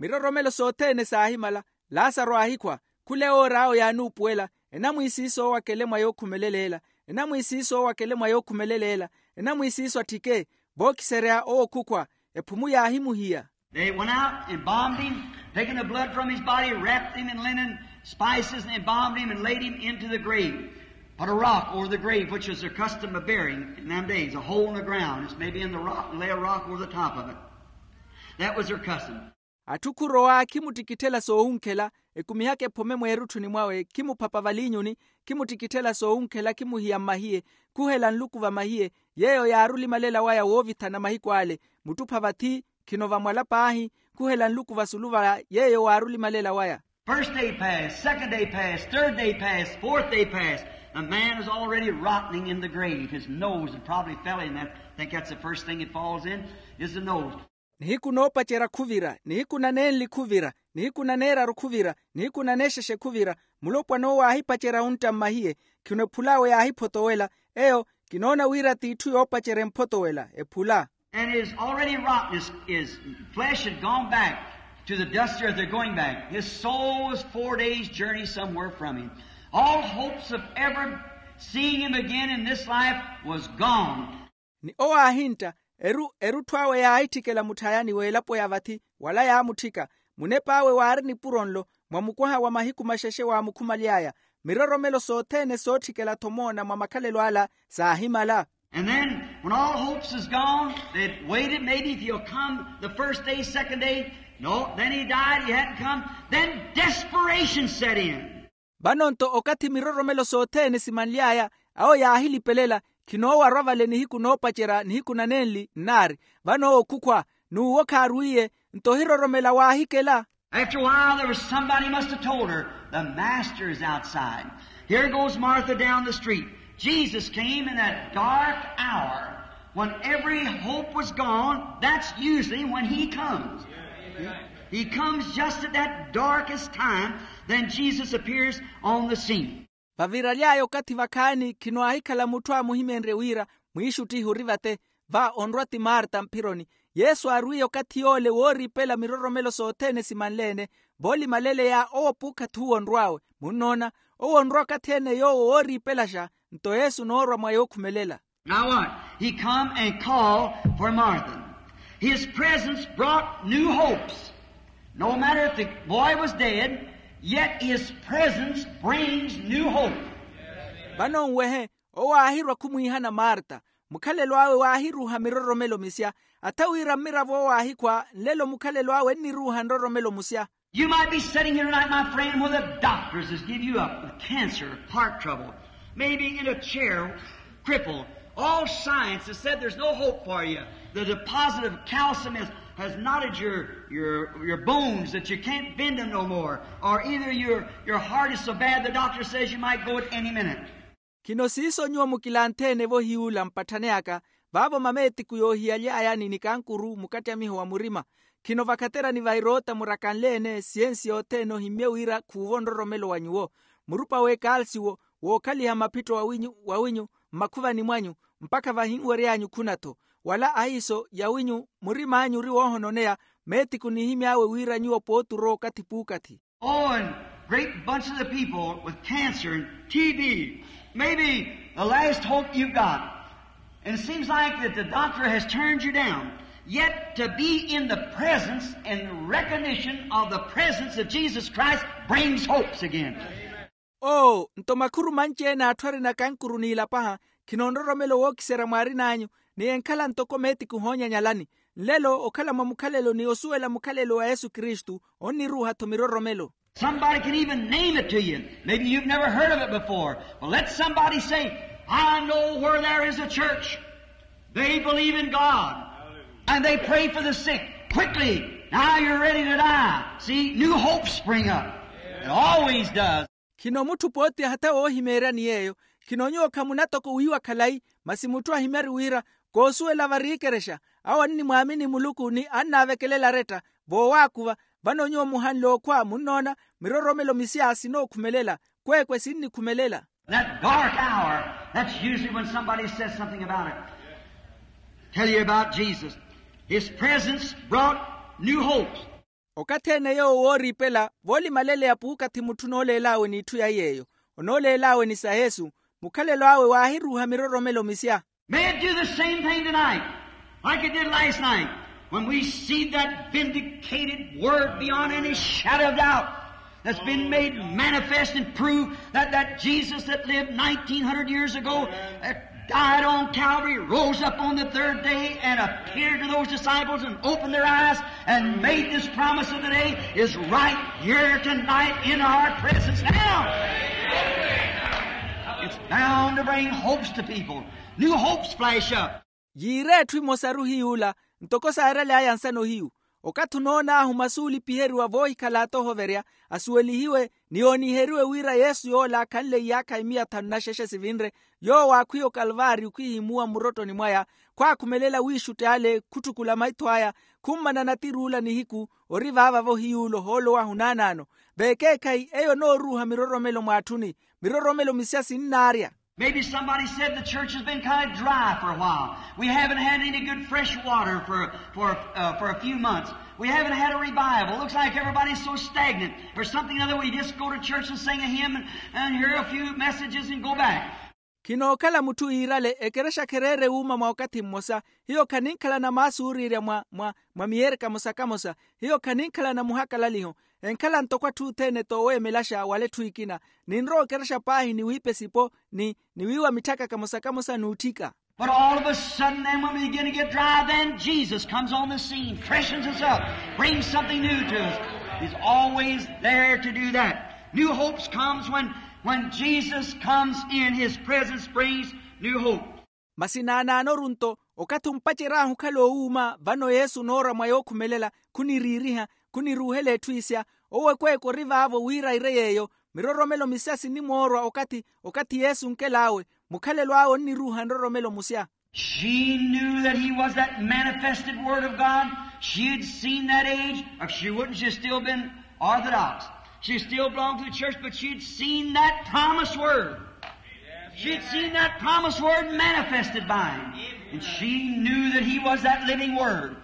Miroromelo sothene saahimala. Lasaro aahikhwa. Khula ewoor'awe yaanuupuwela. Enamwiisiisa owakele mwa yookhumelelela. Enamwiisiisa owakele mwa yookhumelelela. Enamwiisiisa atthike. Vookiserya owo khukhwa. Ephumu yaahimuhiya. They went out, embalmed him, taking the blood from his body, wrapped him in linen spices, and embalmed him and laid him into the grave. Put a rock over the grave, which was their custom of burying in them days, a hole in the ground. It's maybe in the rock, and lay a rock over the top of it. That was their custom. Atthu khurowa khimuttikitthela soowunkhela, ekumihaka ephome mweerutthuni mwawe, khimuphapa valiinyuni, khimuttikitthela soowunkhela khimuhiya mmahiye, khuhela nluku vamahiye. Yeeyo yaari olimalela waya woovithana mahiku ale. Muttupa vathi, khino vamwala paahi, khuhela nluku vasulu va yeeyo waari olimalela waya. First day passed, second day passed, third day passed, fourth day passed. The man is already rotting in the grave. His nose had probably fell in that. I think that's the first thing it falls in, is the nose. Nihiku noopacerya khuvira, nihiku nanenli khuvira, nihiku naneeraru khuvira, nihiku naneexexe khuvira. Mulopwana owo aahipacerya ontta mmahiye. Khino ephul'awe yaahiphotowela. Eyo kinoona wira t'itthu yoopacerya emphotowela ephula. And is already rotten. His, his flesh had gone back to the dust of the earth. They're going back. His soul was four days' journey somewhere from him. All hopes of ever seeing him again in this life was gone. Ni owo aahintta, eru erutthu awe yaahitthikela mutthayani w'elapo ya vathi, wala yaamutthika. Munep'awe waari nipuro nlo, mwa mukwaha wa mahiku maxexe waamukhumaly'aya. Miroromelo sothene sootthikela-tho moona mwa makhalelo ala saahimala. And then, when all hopes is gone, they'd waited, maybe if he'll come the first day, second day. No, then he died, he hadn't come. Then desperation set in. Vano-nto okathi miroromelo sothene simanly'aya, awo yaahilipelela, khinoowarwa vale nihiku noopacerya nihiku nanenli nnaari. Vano owo khukhwa, n'uwo khaarwiiye. Nto ohiroromela waahikela. After a while, there was somebody must have told her, the master is outside. Here goes Martha down the street. Jesus came in that dark hour when every hope was gone. That's usually when he comes. He comes just at that darkest time, then Jesus appears on the scene. Vaviraly'aya okathi vakhaani khino aahikhala mutthu aamuhimeenrye wira mwiixuttihi ori vate. Va onrwa ti marta mphironi. Yesu aarwiye okathi yoole wooriipela miroromelo sothene simanle-ene. Voolimaleleya owo puukhathi uwo onrw'awe munnoona, owo onrwa okathi-ene yoowo wooriipelaxa. Nto yesu onoorwa mwa yookhumelela. Now what? He come and call for Martha. His presence brought new hopes. No matter if the boy was dead, yet his presence brings new hope. Vano nwehe, owo aahirwa khumwiihana marta. Mukhalelo awe waahiruuha miroromelo misya. Atha wira mmiravo owo aahikhwa nlelo mukhalelo awe enniruuha nroromelo musya. You might be sitting here tonight, my friend, where the doctors has give you up with cancer, heart trouble, maybe in a chair, crippled. All science has said there's no hope for you. The deposit of calcium has, has knotted your, your, your bones that you can't bend them no more. Or either your, your heart is so bad the doctor says you might go at any minute. Khino siiso nyuwo mukilanthe-ene vohiy'ula mpatthane aka, vaavo mameetiku yoohiyaly'aya ni nikankuru mukattamiho wa murima. Khino vakhaterani va eroota murakanle-ene siyensi yothene ohimmye wira khuuvo nroromelo wa nyuwo. Murupa w'ekalsiwo wookhaliha maphitto wawinyu mmakhuvani mwanyu, mpakha vahinwery'anyu khuna-tho. Wala ahiiso yawinyu murim'anyu ori woohononeya. Meetiku nihimy'awe wira nyuwo pooti orowa okathi puukathi. Oh, and great bunch of the people with cancer and T B, maybe the last hope you've got. And it seems like that the doctor has turned you down. Yet to be in the presence and recognition of the presence of Jesus Christ brings hopes again. Oo, nto makhuru manci-ene atthu ari nakankuru n'ilapaha, khino nroromelo wookiserya mwaarin'anyu, ni enkhala ntoko meetiku hoonyanyalani. Nlelo okhala mwa mukhalelo ni osuwela mukhalelo wa yesu kristu onniruuha-tho miroromelo. Somebody can even name it to you. Maybe you've never heard of it before. But let somebody say, I know where there is a church. They believe in God. And they pray for the sick. Quickly, now you're ready to die. See, new hopes spring up. It always does. Khino mutthu pooti ahatha woohimeeryani yeeyo. Khino nyuwo khamuna toko wiiwa khalayi, masi mutthu ahimyari wira koosuwela vari ekerexa, awo annimwaamini muluku ni annaavekelela aretta. Voowaakuva, vano nyuwo muhanle okhwa munnoona, miroromelo misya sinookhumelela, kweekwe sinnikhumelela. That dark hour, that's usually when somebody says something about it. Tell you about Jesus. His presence brought new hopes. Okathi-ene yoowo wooriipela voolimaleleya puukathi mutthu onooleel'awe n'itthu ya yeeyo, onooleel'awe ni sa yesu, mukhalelo awe waahiruuha miroromelo misya. May it do the same thing tonight, like it did last night, when we see that vindicated word beyond any shadow of doubt that's been made manifest and proved that that Jesus that lived nineteen hundred years ago, that died on Calvary, rose up on the third day, and appeared to those disciples and opened their eyes and made this promise of the day is right here tonight in our presence now. It's bound to bring hopes to people. New hopes flash up. Yiira etthu emosaru hiy'ula, ntoko saarery'aya nsano hiyu. Okathi onoon'ahu masi oolipiheriwa voohikhala atohoverya, asuwelihiwe ni yooniheriwe wira yesu yoola akhanle iyaakha imiya thanu na xexe sivinre, yoowo aakhwiya okalvaariyo khwihimuwa mmurottoni mwaya, khwaakhumelela wiixutti ale khutthukula maitho aya, khummana natir'ula nihiku. Ori vaava-vo hiy'ula ohoolo wahu naanaano. Veekeekhayi eyo onooruuha miroromelo mw'atthuni. Miroromelo misya sinnaarya. Maybe somebody said the church has been kind of dry for a while. We haven't had any good fresh water for, for, uh, for a few months. We haven't had a revival. Looks like everybody's so stagnant. There's something or other. We just go to church and sing a hymn and, and hear a few messages and go back. Khinookhala mutthu yiirale ekerexa khereere wuuma mwa okathi mmosa. Hiyo khaninkhalana maasi ooriirya mwa mwa mwa miyeeri kamosa kamosa. Hiyo khaninkhalana muhakalaliho. Enkhala ntoko atthu othene tooweemelaxa wala etthu ekina. Ninrowa okerexa paahi ni wiipa esipo ni niwiiwa mitthaka kamosa kamosa n'utthika. But all of a sudden then when we begin to get dry, then Jesus comes on the scene, freshens us up, brings something new to us. He's always there to do that. New hopes comes when, when Jesus comes in. His presence brings new hope. Masi naanaanoru nto okathi ompacer'ahu okhala owuuma vano yesu onoorwa mwa yookhumelela, khuniriiriha, khuniruuhela etthu isya. Owo ekweeke ori vaavo wira ire yeeyo. Miroromelo misya sinimoorwa okathi okathi yesu onkel'awe. Mukhalelo awe onniruuha nroromelo musya. She knew that he was that manifested word of God. She had seen that age. If she wouldn't, she'd still been orthodox. She still belonged to the church, but she'd seen that promised word. She'd seen that promised word manifested by him. And she knew that he was that living word.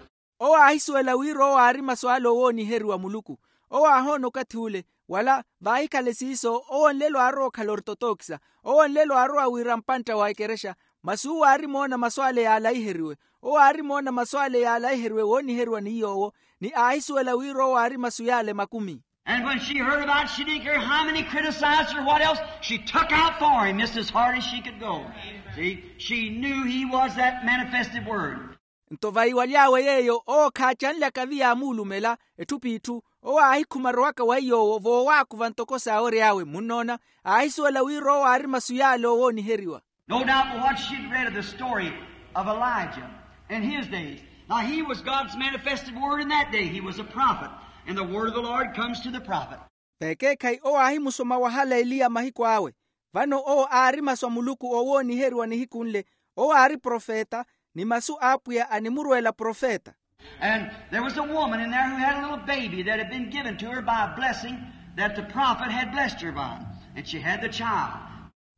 owo aahisuwela wira owo aari masu ale owooniheriwa muluku. Owo aahoona okathi ule, wala vaahikhale siiso owo nlelo aarowa okhala ortotokisa. Owo nlelo aarowa wira mpantta wa ekerexa. Masi uwo aarimoona masu ale yaalaiheriwe. Owo aarimoona masu ale yaalaiheriwe wooniheriwa ni yoowo, ni aahisuwela wira owo aari masu yaale makumi. And when she heard about it, she didn't care how many criticized her or what else, she took out for him just as hard as she could go. See, she knew he was that manifested word. Nto vaiwaly'awe yeeyo owo khaacanlyaka viya amuulumela. Etthu p'itthu owo aahikhuma arowaka wa iy'owo voowaakuva ntoko saawory'awe munnoona. Aahisuwela wira owo aari masu yaale owooniheriwa. No doubt but what she'd read of the story of Elijah in his days. Now he was God's manifested word in that day. He was a prophet, and the word of the Lord comes to the prophet. Veekeekhayi owo aahimusoma wahala eliya mahiku awe. Vano owo aari masu a muluku owooniheriwa nihiku nle. Owo aari profeta, ni masu a apwiya animurweela profeta. And there was a woman in there who had a little baby that had been given to her by a blessing that the prophet had blessed her by, and she had the child.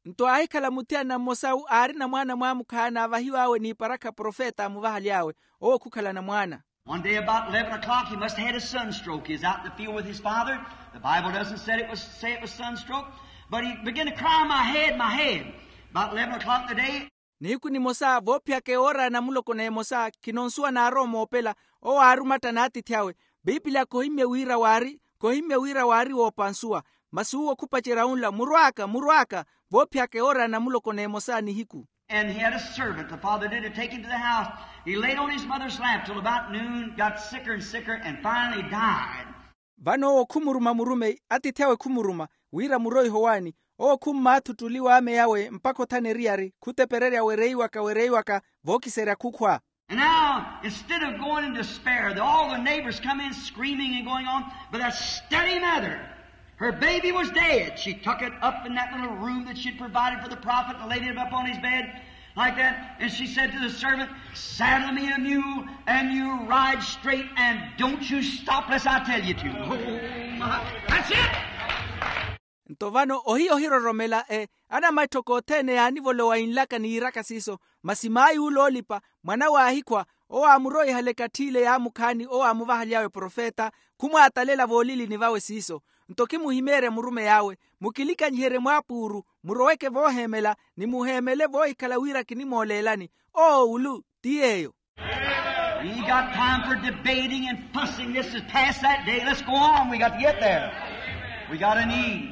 Nto aahikhala muthiyana mmosawu aarina mwaana mwaamukhaana aavahiw'awe n'iparakha profeta aamuvahaly'awe. Owo khukhalana mwaana. One day about eleven o'clock, he must have had a sunstroke. He was out in the field with his father. The Bible doesn't say it was, say it was sunstroke, but he began to cry, "My head, my head." About eleven o'clock in the day. Nihiku nimosa voophiyaka ewoora ya namuloko n'emosa, khino nsuwa naarowa omoopela. Owo aarumatta n'atiithi awe. Piipiliya khohimmye wira waari khohimmye wira waari woopa nsuwa. Masi uwo khupacerya unla, murw'aka, murw'aka. Voophiyaka ewoora ya namuloko n'emosa nihiku. And he had a servant, the father did, to take him to the house. He laid on his mother's lap till about noon, got sicker and sicker, and finally died. Vano owo khumuruma murumeyi, atiithi awe khumuruma, wira muroihe owaani. Owo khummaatha ottuli w'ame yawe mpakha othana eriyari, khutepererya wereiwaka wereiwaka, vookiserya khukhwa. And now, instead of going in despair, the, all the neighbors come in screaming and going on, but that steady mother, her baby was dead. She took it up in that little room that she'd provided for the prophet and laid it up on his bed like that. And she said to the servant, "Saddle me a mule and you ride straight and don't you stop lest I tell you to." Oh, my. That's it. Nto vano ohiya ohiroromela, e, anamatthoko othene yaanivolowa inlaka ni yiiraka siiso. Masi mayi ule oolipa, mwan'awe aahikhwa, owo aamuroihale ekatthi ile yaamukhaani owo aamuvahaly'awe profeta, khumwaatalela voolilini vawe siiso. Nto khimuhimeerya murumeyi awe, mukilikanyiherye mwaapuuru, muroweke vooheemela, ni muheemele voohikhala wira kinimooleelani. Oo ulu ti yeeyo. We got time for debating and fussing. This is past that day. Let's go on. We got to get there. We got a need.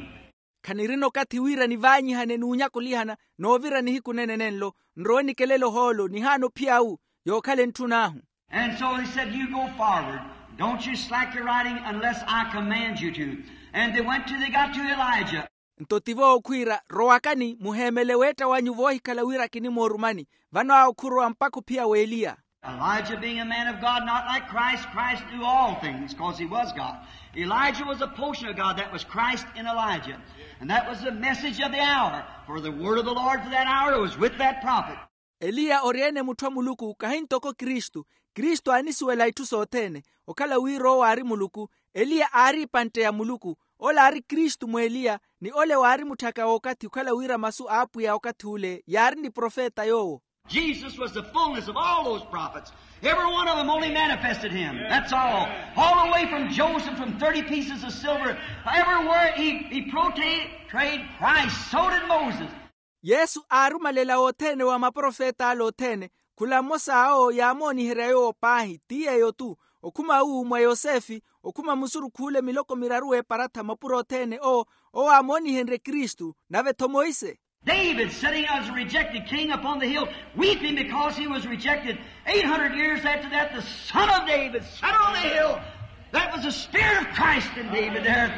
Khanirina okathi wira nivaanyihane n'unyakulihana n'ovira nihiku nene nenlo. Nrowe nikelele ohoolo nihaana ophiya awu, yookhala entthun'ahu. And so he said, "You go forward. Don't you slack your riding unless I command you to." And they went to, they got to Elijah. Nto tivo okhwiira, rowakani muheemele weetta wanyu voohikhala wira kinimoorumani. Vano awo khurowa mpakha ophiya w'eliya. Elijah being a man of God, not like Christ, Christ knew all things, 'cause he was God. Elijah was a portion of God, that was Christ in Elijah. And that was the message of the hour, for the word of the Lord for that hour was with that prophet. Eliya ori-ene mutthu a muluku kahi ntoko kristu. Kristu aanisuwela itthu sothene. Okhala wira owo aari muluku, eliya aari epantte ya muluku. Ole aari kristu mw'eliya, ni ole waari mutthaka w'okathi okhala wira masu a apwiya okathi ule yaari ni profeta yoowo. Jesus was the fullness of all those prophets. Every one of them only manifested him. That's all. All the way from Joseph, from thirty pieces of silver, everywhere he, he portrayed Christ. So did Moses. Yesu aarumalela wothene wa maprofet'ale othene. Khula mmosa awo yaamooniherya yoowo paahi, ti yeeyo-tu. Okhuma uwu mwa yosefe, okhuma musurukh'ule miloko miraru w'eparatha mapuro othene owo, owo aamoonihenrye kristu. Nave-tho monse. David sitting as a rejected king upon the hill, weeping because he was rejected. Eight hundred years after that, the son of David sat on the hill. That was the spirit of Christ in David there.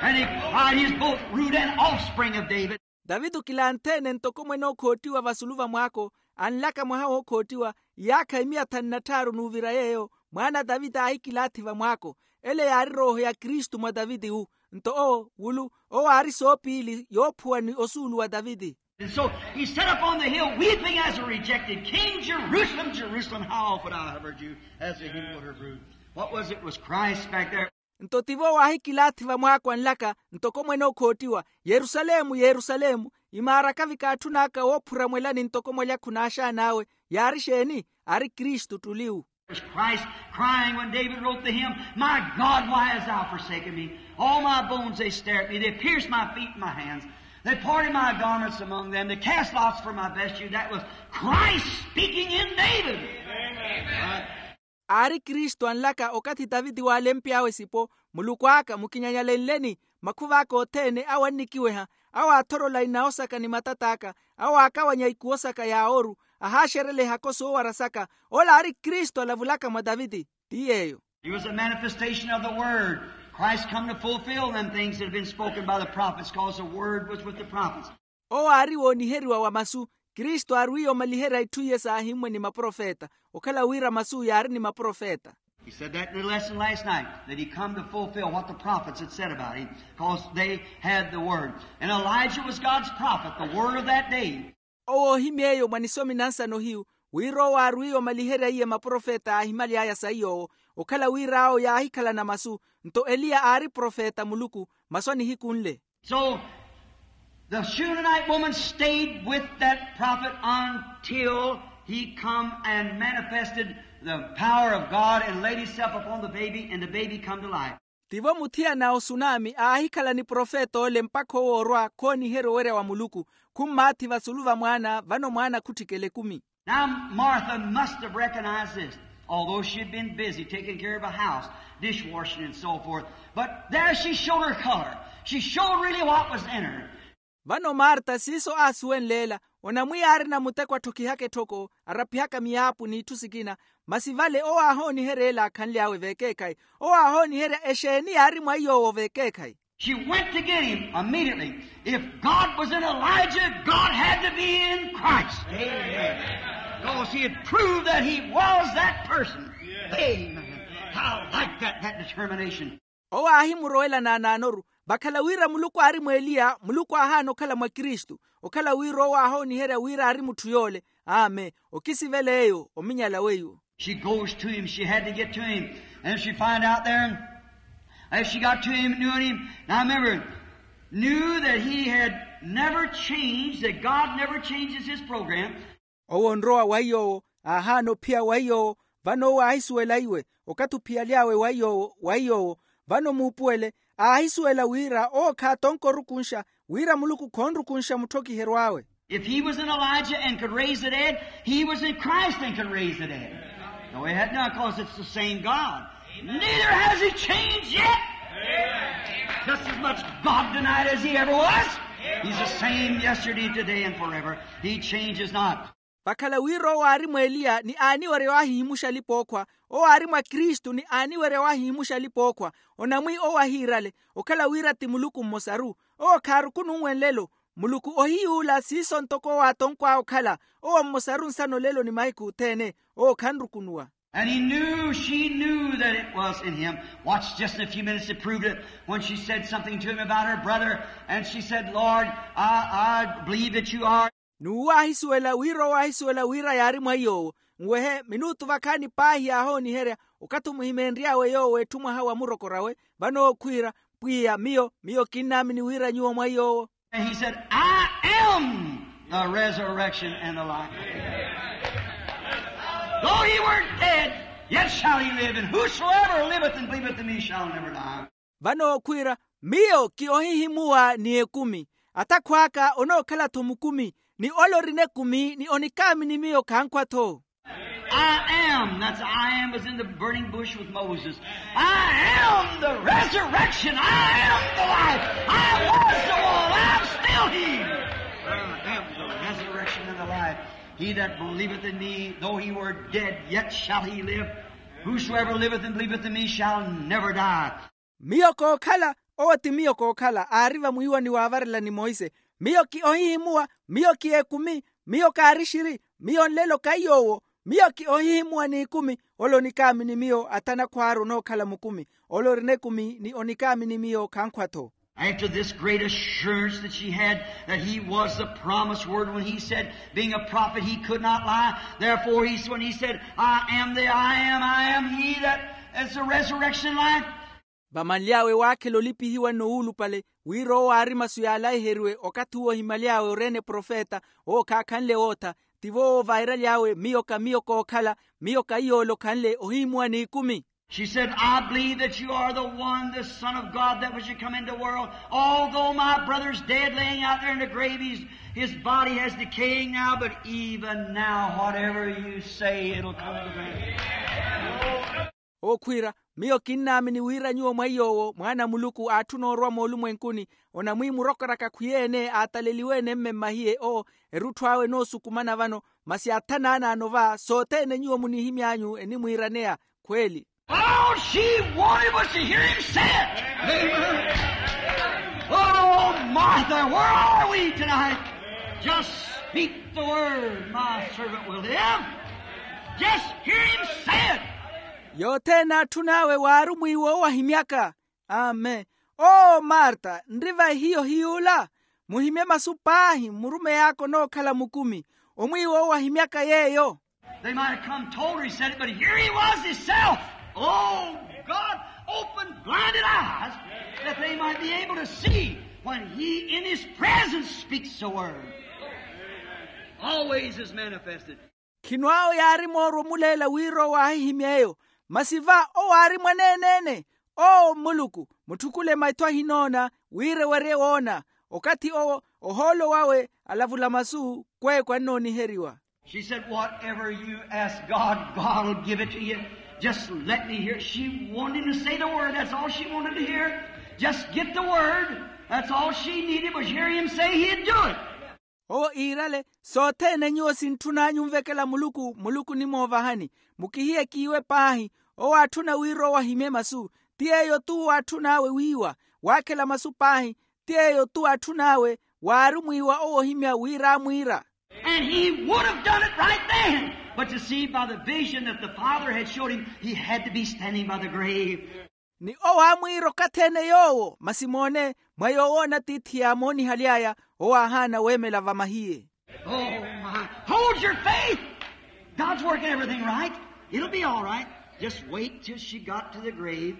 And he cried, he is both root and offspring of David. Daviti okilanthe-ene ntoko mwene ookhootiwa vasulu va mwaako. Anlaka mwaha wookhootiwa, iyaakha imiya thanu na tthaaru n'uvira yeeyo, mwaana a daviti aahikilaathi va mwaako. Ele yaari rooho ya kristu mwa daviti-wu. Nto owo wulu, owo aari soopiili yoophuwa ni osuulu wa daviti. And so he sat up on the hill weeping as a rejected king, "Jerusalem, Jerusalem, how often I have heard you as a hen would her brood." What was it? Was Christ back there. Nto tivo waahikilaathi va mwaako anlaka, ntoko mwene okhoottiwa, yerusalemu, yerusalemu, imaaraka vikaatthun'aka woophura mwelani ntoko mwalya khunaaxaan'awe. Yaari exeeni? Aari kristu ttuliwu. Christ crying when David wrote the hymn, "My God, why hast thou forsaken me? All my bones, they stare at me. They pierced my feet and my hands. They parted my garments among them. They cast lots for my vesture." That was Christ speaking in David. Amen. Aari kristu anlaka okathi taviti waalempy'awe sipo, muluku aka mukinyanyalenleni, makhuv'aka othene awo annikiweha, awo aathorola inawo saka ni matat'aka, awo aakawanya ikuwo saka ya ooru, ahaaxerela ehako soowara saka. Ola aari kristu alavulaka mwa taviti. Ti yeeyo. He was a manifestation of the word. Christ come to fulfill them things that had been spoken by the prophets, 'cause the word was with the prophets. Owo aari wooniheriwa wa masu. Kristu aarwiiye omaliherya itthu iye saahimmwe ni maprofeta, okhala wira masu yaari ni maprofeta. He said that in the lesson last night, that he come to fulfill what the prophets had said about him, 'cause they had the word. And Elijah was God's prophet, the word of that day. Owo ohimy'eyo mwa nisomi na nsano hiyu, wira owo aarwiiye omaliherya iye maprofeta aahimaly'aya saiy'owo, okhala wira awo yaahikhalana masu. Nto eliya aari profeta muluku, masu a nihiku nle. So the Shunammite woman stayed with that prophet until he come and manifested the power of God and laid himself upon the baby, and the baby come to life. Tivo muthiyana osunami aahikhala ni profeta ole mpakha owoorwa khooniherya owerya wa muluku, khummaathi vasulu va mwaana vano mwaana khutthikela ekumi. Now Martha must have recognized this, although she had been busy taking care of a house, dishwashing and so forth. But there she showed her color. She showed really what was in her. Vano marta siiso aasuwenle ela, onamwiya aarina muteko atthokihaka etthoko, araphihaka miyaapu n'itthu sikina. Masi vale owo aahooniherya ela aakhanly'awe veekeekhayi. Owo aahooniherya exeeni yaari mwa iy'owo veekeekhayi. She went to get him immediately. If God was in Elijah, God had to be in Christ. Amen. Because he had proved that he was that person. Amen. I like that, that determination. Owo aahimurowela naanaanoru, vakhala wira muluku aari mw'eliya muluku aahaana okhala mwa kristu. Okhala wira owo aahooniherya wira aari mutthu yoole. Amen. Okisivela eyo ominyala weiwo. She goes to him. She had to get to him. And she find out there, as she got to him, knew him. Now remember, knew that he had never changed, that God never changes his program. Owo onrowa wa iy'owo, aahaana ophiya wa iy'owo. Vano owo aahisuwela iwe, okathi ophiyaly'awe wa iy'owo wa iy'owo. Vano muupuwele, aahisuwela wira owo khaatonka orukunxa, wira muluku khoonrukunxa mutthokiheryo awe. If he was in Elijah and could raise the dead, he was in Christ and could raise the dead. No, he had not, 'cause it's the same God. Neither has he changed yet. Just as much God tonight as he ever was. He's the same yesterday, today, and forever. He changes not. Vakhala wira owo aari mw'eliya ni aaniwerya waahihimuxa alipa-ookhwa. Owo aari mwa kristu ni aaniwerya waahihimuxa alipa-ookhwa. Onamwi owo ahiirale, okhala wira ti muluku mmosaru. Owo khaarukununwe nlelo. Muluku ohiyuula siiso ntoko owo aatonkw'awe okhala. Owo mmosaru nsana olelo ni mahiku othene. Owo khanrukunuwa. And he knew, she knew that it was in him. Watch just in a few minutes to prove it. When she said something to him about her brother, and she said, "Lord, I, I believe that you are." N'uwo aahisuwela wira owo aahisuwela wira yaari mwa iy'owo. Nwehe minutu vakhaani paahi yaahooniherya, okathi omuhimeenry'awe yoowo etthu mwaha wa murokor'awe. Vano owo khwiira, "Pwiya, miyo, miyo kinnaamini wira nyuwo mwa iy'owo." And he said, "I am the resurrection and the life. Though he were dead, yet shall he live, and whosoever liveth and believeth in me shall never die." Vano okhwiira, "Miyo ki ohihimuwa ni ekumi. Athakhw'aka onookhala-tho mukumi, ni ole orina ekumi ni onikaamini miyo khankhwa-tho." I am, that's I am was in the burning bush with Moses. I am the resurrection. I am the life. I was the wall. I'm still he. I am the resurrection and the life. He that believeth in me, though he were dead, yet shall he live. Whosoever liveth and believeth in me shall never die. Miyo kookhala, owo ti miyo kookhala, aari vamwiiwani waavarela ni monse. Miyo ki ohihimuwa, miyo ki ekumi, miyo kaari xiri, miyo nlelo ka iy'owo. Miyo ki ohihimuwa n'ikumi, ole onikaamini miyo athanakhwaaru onookhala mukumi, ole orina ekumi ni onikaamini miyo khankhwa-tho. After this great assurance that she had, that he was the promised word, when he said, being a prophet, he could not lie. Therefore, he, when he said, "I am the I am, I am he that is the resurrection and life." Vamanly'awe waakhela olipihiwa n'uwulupale, wira owo aari masu yaalaiheriwe okathi uwo ohimaly'awe oreene profeta, owo khaakhanle wootha. Tivo ovairaly'awe miyo ka miyo kookhala. Miyo ka iy'ole okhanle ohihimuwa n'ikumi. She said, I believe that you are the one, the Son of God that was to come into the world. Although my brother's dead, laying out there in the grave, he's, his body has decaying now, but even now, whatever you say, it'll come to pass. Okhwiira, miyo kinnaamini wira nyuwo mwa iy'owo mwaana a muluku aatthuna orwa moolumwenkuni. Onamwiimurokoraka khwiyeene aataleliwe-ene mme mmahiye owo erutthu awe enoosukumana vano. Masi atha naanaano va sothene nyuwo munihimy'anyu enimwiiraneya. Khweeli. All she wanted was to hear him say it. Amen. Oh, Martha, where are we tonight? Just speak the word, my servant will live. Just hear him say it. Yothene atthun'awe waari omwiiwa owo ahimyaka. Amen. Oo marta, nri vai hiyo hiy'ula? Muhimye masu paahi murumey'aka onookhala mukumi. Omwiiwa owo ahimyaka yeeyo. They might have come told her he said it, but here he was himself. Oh, God, open blinded eyes that they might be able to see when he in his presence speaks a word. Always is manifested. Khino awo yaari moorwa omuleela wira owo aahihimya eyo. Masi va owo aari mwaneene-ene. Owo mmuluku, mutthukule maitho ahinoona wira ewerye woona. Okathi owo ohoolo wawe alavula masu kweeko annooniheriwa. She said, whatever you ask God, God will give it to you. Just let me hear. She wanted him to say the word. That's all she wanted to hear. Just get the word. That's all she needed was hear him say he'd do it. Owo iirale, sothene nyuwo sintthun'anyu onvekela muluku, muluku onimoovahani. Mukihiye kiiwe paahi. Owo aatthuna wira owo ahimye masu. Ti yeeyo-tu owo aatthun'awe wiiwa. Waakhela masu paahi. Ti yeeyo-tu aatthun'awe. Waari omwiiwa owo ohimya wira aamwiira. And he would have done it right then, but you see, by the vision that the father had showed him, he had to be standing by the grave. Ni owo aamwiira okathi-ene yoowo, masi moone, mwa yoowoona tiithi yaamoonihaly'aya, owo aahaana weemela vamahiye. Oh, my. Hold your faith. God's working everything right. It'll be all right. Just wait till she got to the grave.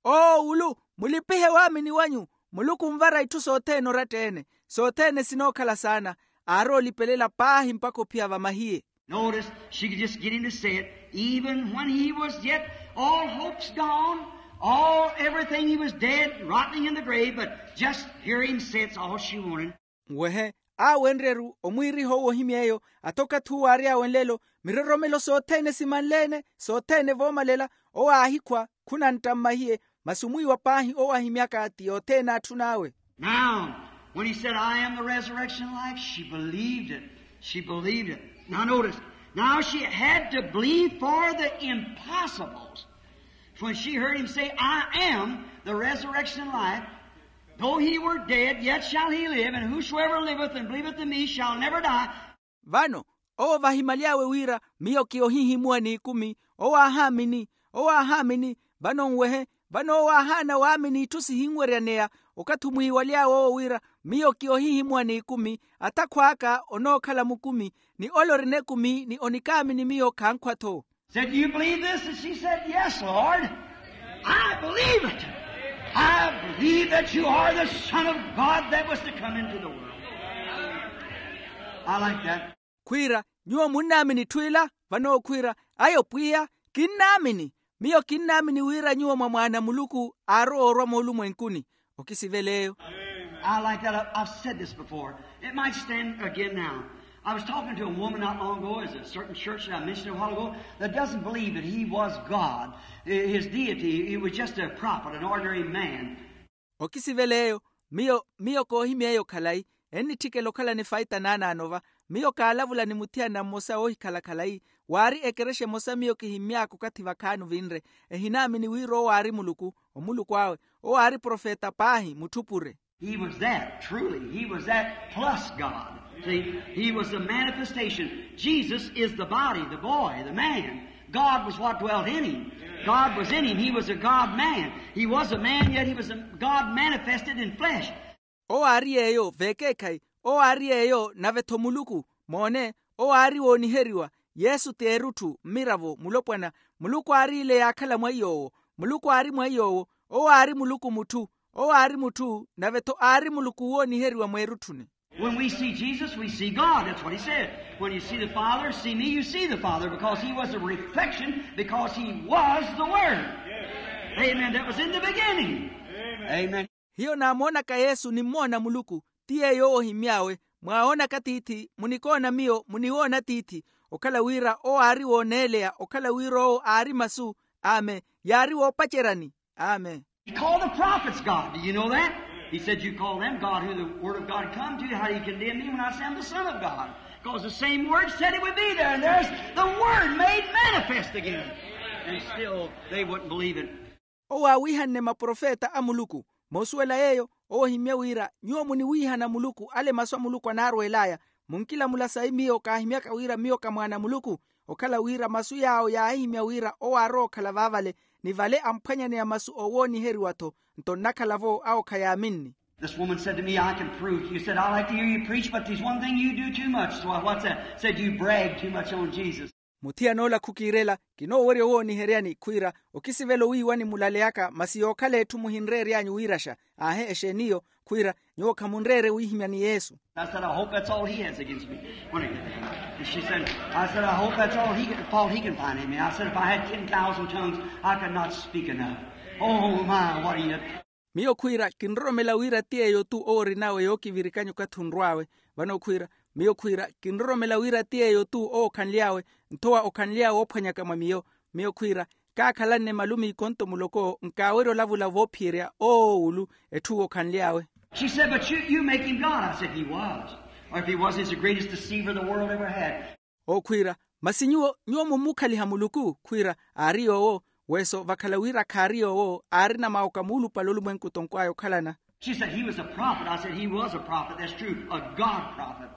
Oowulu, mulipihe waamini wanyu. Muluku onvara itthu sothene oratta-ene. Sothene sinookhala saana. Aari olipelela paahi mpakha ophiya vamahiye. Notice, she could just get him to say it, even when he was yet all hopes gone, all everything, he was dead, rotting in the grave, but just hear him say it's all she wanted. Nwehe, aawenrye-ru omwiiriha owo ohimya eyo. Ata okathi uwo aary'awe nlelo, miroromelo sothene simanle-ene, sothene voomalela. Owo aahikhwa, khunantta mmahiye. Masi omwiiwa paahi owo ahimyaka ti yothene aatthun'awe. Now, when he said, I am the resurrection and life, she believed it. She believed it. Now notice, now she had to believe for the impossibles. When she heard him say, I am the resurrection and life, though he were dead, yet shall he live, and whosoever liveth and believeth in me shall never die. Vano, owo vahimaly'awe wira, miyo ki ohihimuwa n'ikumi. Owo aahaamini. Owo aahaamini. Vano nwehe, vano owo aahaana waamini itthu sihinweryaneya. Okathi omwiiwaly'awe owo wira, miyo ki ohihimuwa n'ikumi. Ata khw'aka onookhala mukumi, ni ole orina ekumi ni onikaamini miyo khankhwa-tho. Said, do you believe this? And she said, yes, Lord. I believe it. I believe that you are the Son of God that was to come into the world. I like that. Khwiira, nyuwo munnaamini itthu ila? Vano okhwiira, ayo pwiya, kinnaamini. Miyo kinnaamini wira nyuwo mwa mwaana a muluku aarowa orwa moolumwenkuni. Okisivela eyo. I like that. I- I've said this before. It might stand again now. I was talking to a woman not long ago, is a certain church that I mentioned a while ago, that doesn't believe that he was God. I- his deity, he was just a prophet, an ordinary man. Okisivela eyo. Miyo miyo koohimya eyo khalayi. Ennitthikela okhalani faita naanaano va. Miyo kaalavula ni muthiyana mmosa oohikhala khalayi. Waari ekerexa emosa miyo kihimmy'aka okathi vakhaani ovinre. Ehinaamini wira owo aari muluku. Omuluku awe. Owo aari profeta paahi mutthupure. He was that, truly. He was that plus God. See, he was the manifestation. Jesus is the body, the boy, the man. God was what dwelt in him. God was in him. He was a God man. He was a man, yet he was a God manifested in flesh. Owo aari yeeyo veekeekhayi. Owo aari yeeyo nave-tho muluku. Moone, owo aari wooniheriwa. Yesu ti erutthu, mmiravo, mulopwana. Muluku aariile yaakhala mwa iy'owo. Muluku aari mwa iy'owo. Owo aari muluku mutthu. Owo aari mutthu nave-tho aari muluku wooniheriwa mweerutthuni. When we see Jesus, we see God. That's what he said. When you see the Father, see me, you see the Father, because he was a reflection, because he was the Word. Amen. That was in the beginning. Amen. Hiyo naamoonaka yesu nimmoona muluku. Ti yeeyo owo ohimy'awe. Mwaawoonaka tiithi, munikoona miyo muniwoona tiithi. Okhala wira owo aari wooneeleya, okhala wira owo aari masu. Amen. Yaari woopaceryani. Amen. He called the prophets God. Do you know that? He said, "You call them God, who the word of God come to. How do you condemn me when I say I'm the Son of God?" Because the same word said it would be there, and there's the word made manifest again. And still they wouldn't believe it. Owo aawiihanne maprofeta a muluku. Moosuwela yeeyo, owo ohimye wira nyuwo muniwiihana muluku ale masu a muluku anaarweel'aya. Munkilamula sayi miyo kaahimyaka wira miyo ka mwaana a muluku. Okhala wira masu yaawo yaahihimya wira owo aarowa okhala vaavale, ni vale amphwanyaneya masu oowooniheriwa-tho. Nto nnakhala-vo awo khayaaminni. This woman said to me, "I can prove to you." Said, "I like to hear you preach, but there's one thing you do too much." So I, "What's that?" Said, "You brag too much on Jesus." Muthiyana ola khukiirela, kinoowerya owooniheryani khwiira, okisivela owiiwani mulaleyaka masi yookhala etthu muhinreery'anyu wiiraxa. Aahe exeen'iyo. Khwiira, nyuwo khamunreere wiihimyani yesu. I said, "I hope that's all he has against me." When he, she said, I said, "I hope that's all he, fault he can find in me." I said, "If I had ten thousand tongues, I could not speak enough." Oh my, what he had. Miyo khwiira kinroromela wira ti yeeyo-tu owo orinawe yookivirikanya okathi onrw'awe. Vano khwiira, miyo khwiira kinroromela wira ti yeeyo-tu owo okhanly'awe, nthowa okhanly'awe oophwanyaka mwa miyo. Miyo khwiira kaakhalanne malumiiko nto muloko nkaawerya olavula voophiyerya oowulu etthu okhanly'awe. She said, "But you, you make him God." I said, "He was. Or if he wasn't, he's the greatest deceiver the world ever had." Owo khwiira, masi nyuwo nyuwo mummukhaliha muluku? Khwiira, aari yoowo. Weso vakhala wira khaari yoowo, aarina mawoka muulupale olumwenku tonkw'aya okhalana. She said, "He was a prophet." I said, "He was a prophet, that's true, a God prophet.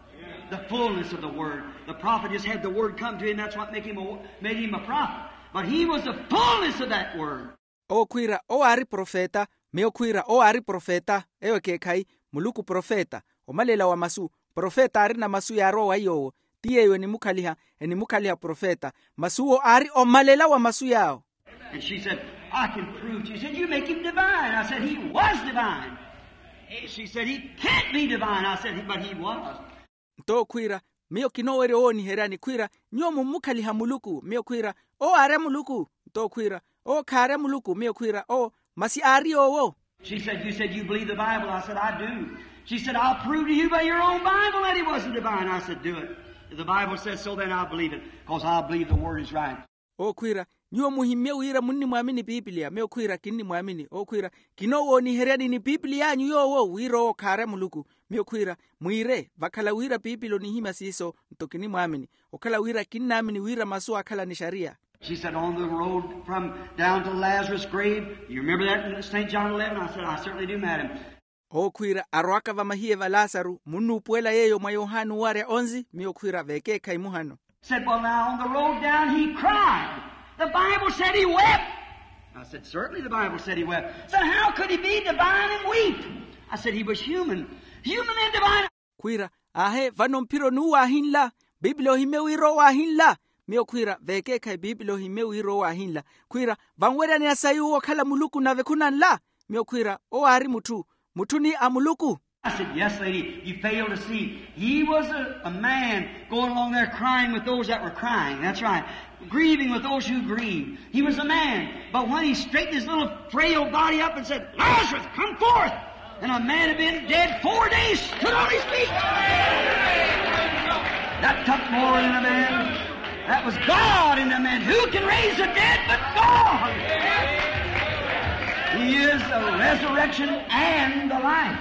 The fullness of the word. The prophet just had the word come to him, that's what make him a, made him a prophet. But he was the fullness of that word." Owo khwiira owo aari profeta. Miyo khwiira owo aari profeta. Eyo ekeekhayi. Muluku profeta, omalela wa masu. Profeta aarina masu yaarowa wa iy'owo. Ti yeeyo enimukhaliha, enimukhaliha profeta. Masi uwo aari omalela wa masu yaawo. And she said, "I can prove to you." She said, "You make him divine." I said, "He was divine." She said, "He can't be divine." I said, "But he was." Nto khwiira, miyo kinoowerya owooniheryani khwiira, nyuwo mummukhaliha muluku? Miyo khwiira, owo aarya muluku? Nto khwiira, owo khaarya muluku? Miyo khwiira, owo, masi aari yoowo. She said, "You said you believe the Bible." I said, "I do." She said, "I'll prove to you by your own Bible that he wasn't divine." I said, "Do it. If the Bible says so, then I'll believe it, because I believe the word is right." Owo khwiira, nyuwo muhimmye wira munnimwaamini piipiliya? Miyo khwiira, kinnimwaamini. Owo khwiira, kinoowooniheryani ni piipiliy'anyu yoowo wira owo khaarya muluku? Miyo khwiira, mwiire, vakhala wira piipili onihimya siiso, nto kinimwaamini. Okhala wira kinnaamini wira masu aakhala ni xariya. She said, "On the road from down to Lazarus' grave, you remember that in Saint John eleven?" I said, "I certainly do, madam." Owo khwiira, arwaka vamahiye va lasaru, munnuupuwela yeeyo mwa yohani owarya onzi? Miyo khwiira, vekeekhayi muhano. Said, "Well, now, on the road down, he cried. The Bible said he wept." I said, "Certainly the Bible said he wept." Said, "How could he be divine and weep?" I said, "He was human. Human and divine." Khwiira, aahe, vano mphiro n'uwo aahinla? Piipili ohimmye wira owo aahinla? Miyo khwiira, vekeekhayi, piipili ohimmye wira owo aahinla. Khwiira, vanweryaneya sayi uwo okhala muluku nave khunanla? Miyo khwiira, owo aari mutthu, mutthu ni a muluku. I said, "Yes, lady, you fail to see. He was a, a man going along there crying with those that were crying. That's right. Grieving with those who grieved. He was a man. But when he straightened his little frail body up and said, 'Lazarus, come forth!' And a man had been dead four days stood on his feet." That took more than a man. That was God in a man. Who can raise the dead but God? He is the resurrection and the life.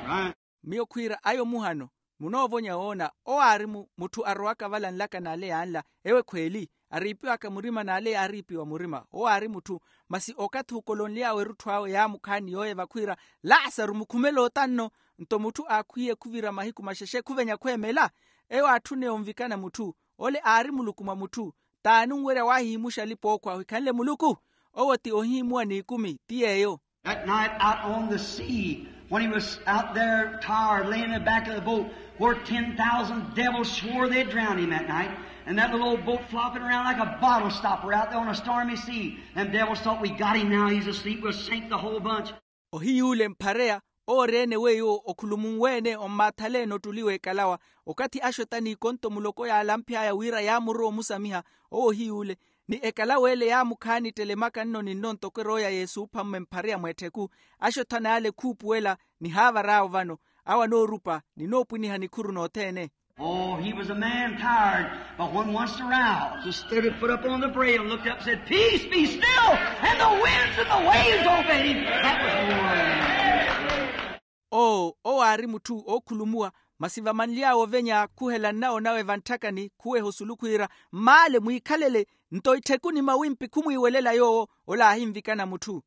Right. Miyo khwiira, ayo muhano. Munoovonya woona, owo aari mu-, mutthu arowaka vala nlaka n'ale yanla. Eyo ekhweeli, ariipiwaka murima n'ale yaariipiwa murima. Owo aari mutthu, masi okathi okolonly'awe erutthu awe yaamukhaani yooyeva khwiira, "Lasaru, mukhumele ota nno." Nto mutthu aakhwiye khuvira mahiku maxexe khuvenya khweemela. Eyo aatthune onvikana mutthu. Ole aari muluku mwa mutthu. T'ani onwerya waahihimuxa alipa ookhwa ohikhanle muluku? Owo ti ohihimuwa n'ikumi, ti yeeyo. That night out on the sea, when he was out there tired, laying in the back of the boat, where ten thousand devils swore they'd drown him that night, and that little old boat flopping around like a bottle stopper out there on a stormy sea. Them devils thought, "We got him now, he's asleep, we'll sink the whole bunch." Ohiy'ule mphareya, Owo ori-ene weiwo okhulumunwe-ene ommaathale-ene ottuli w'ekalawa. Okathi axota n'ikonto muloko yaalamph'aya wira yaamurowa omusamiha, owo ohiy'ule. Ni ekalawa ele yaamukhaani ttelemaka nno ni nno ntoko erooya y'esuupha mmwe mphari ya mweettheku. Axota n'ale khuupuwela, nihaavar'awo vano. Awo anoorupa ninoopwiniha nikhuru nothene. Oh, he was a man tired, but when once aroused, just stood his foot up on the brail and looked up and said, peace, be still, and the winds and the waves obeyed him. That was more than. Oo owo aari mutthu ookhulumuwa. Masi vamanly'awe ovenya khuhela nnawo nawe vantthakani khuweha osulu khwiira, mmaale mwiikhalele, nto ittheku ni mawimpi khumwiiwelela yoowo. Ola aahinvikana mutthu.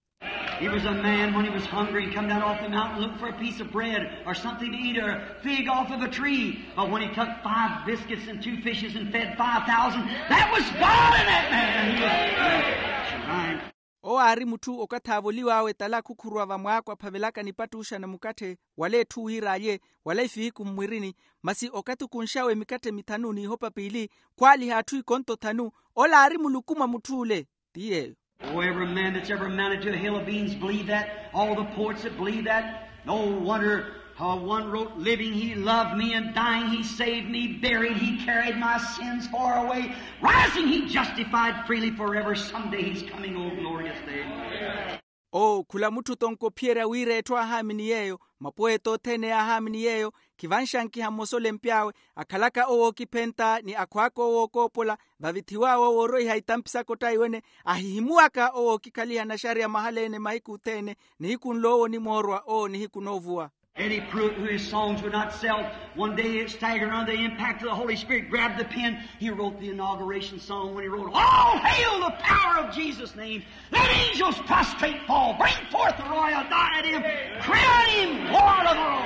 He was a man when he was hungry and come down off the mountain looking for a piece of bread or something to eat or a fig off of a tree. But when he took five biscuits and two fishes and fed five thousand, that was God in that man. He was. Owo aari mutthu okathi aavoliw'awe tala khukhuruwa vamwaako aphavelaka nipattuuxana mukatthe wala etthu wira alye wala ifiiku mmwirini. Masi okathi okunx'awe mikatthe mithanu n'ihopa piili khwaaliha atthu ikonto thanu. Ola aari muluku mwa mutth'ule. Ti yeeyo. Oh, every man that's ever amounted to a hill of beans believe that. All the poets that believe that. No wonder how one wrote, living he loved me, and dying he saved me, buried he carried my sins far away, rising he justified freely forever. Someday he's coming, oh glorious day. Oo khula mutthu tonkophiyerya wira etthu aahaamini yeeyo, mapoeta othene yaahaamini yeeyo. Khivanxankiha mmosa olempy'awe akhalaka owookiphenta ni akhwaaka owookoopola. Vavithiw'awe owooroiha itampi saka ottaiwene, ahihimuwaka owookikhaliha naxariya mahala-ene mahiku othene. Nihiku nl'owo onimoorwa owo nihiku noovuwa. Eddie Pruitt, who his songs would not sell, one day staggered under the impact of the Holy Spirit, grabbed the pen. He wrote the inauguration song when he wrote, all hail the power of Jesus' name. Let angels prostrate fall, bring forth the royal diadem, crown him Lord of all.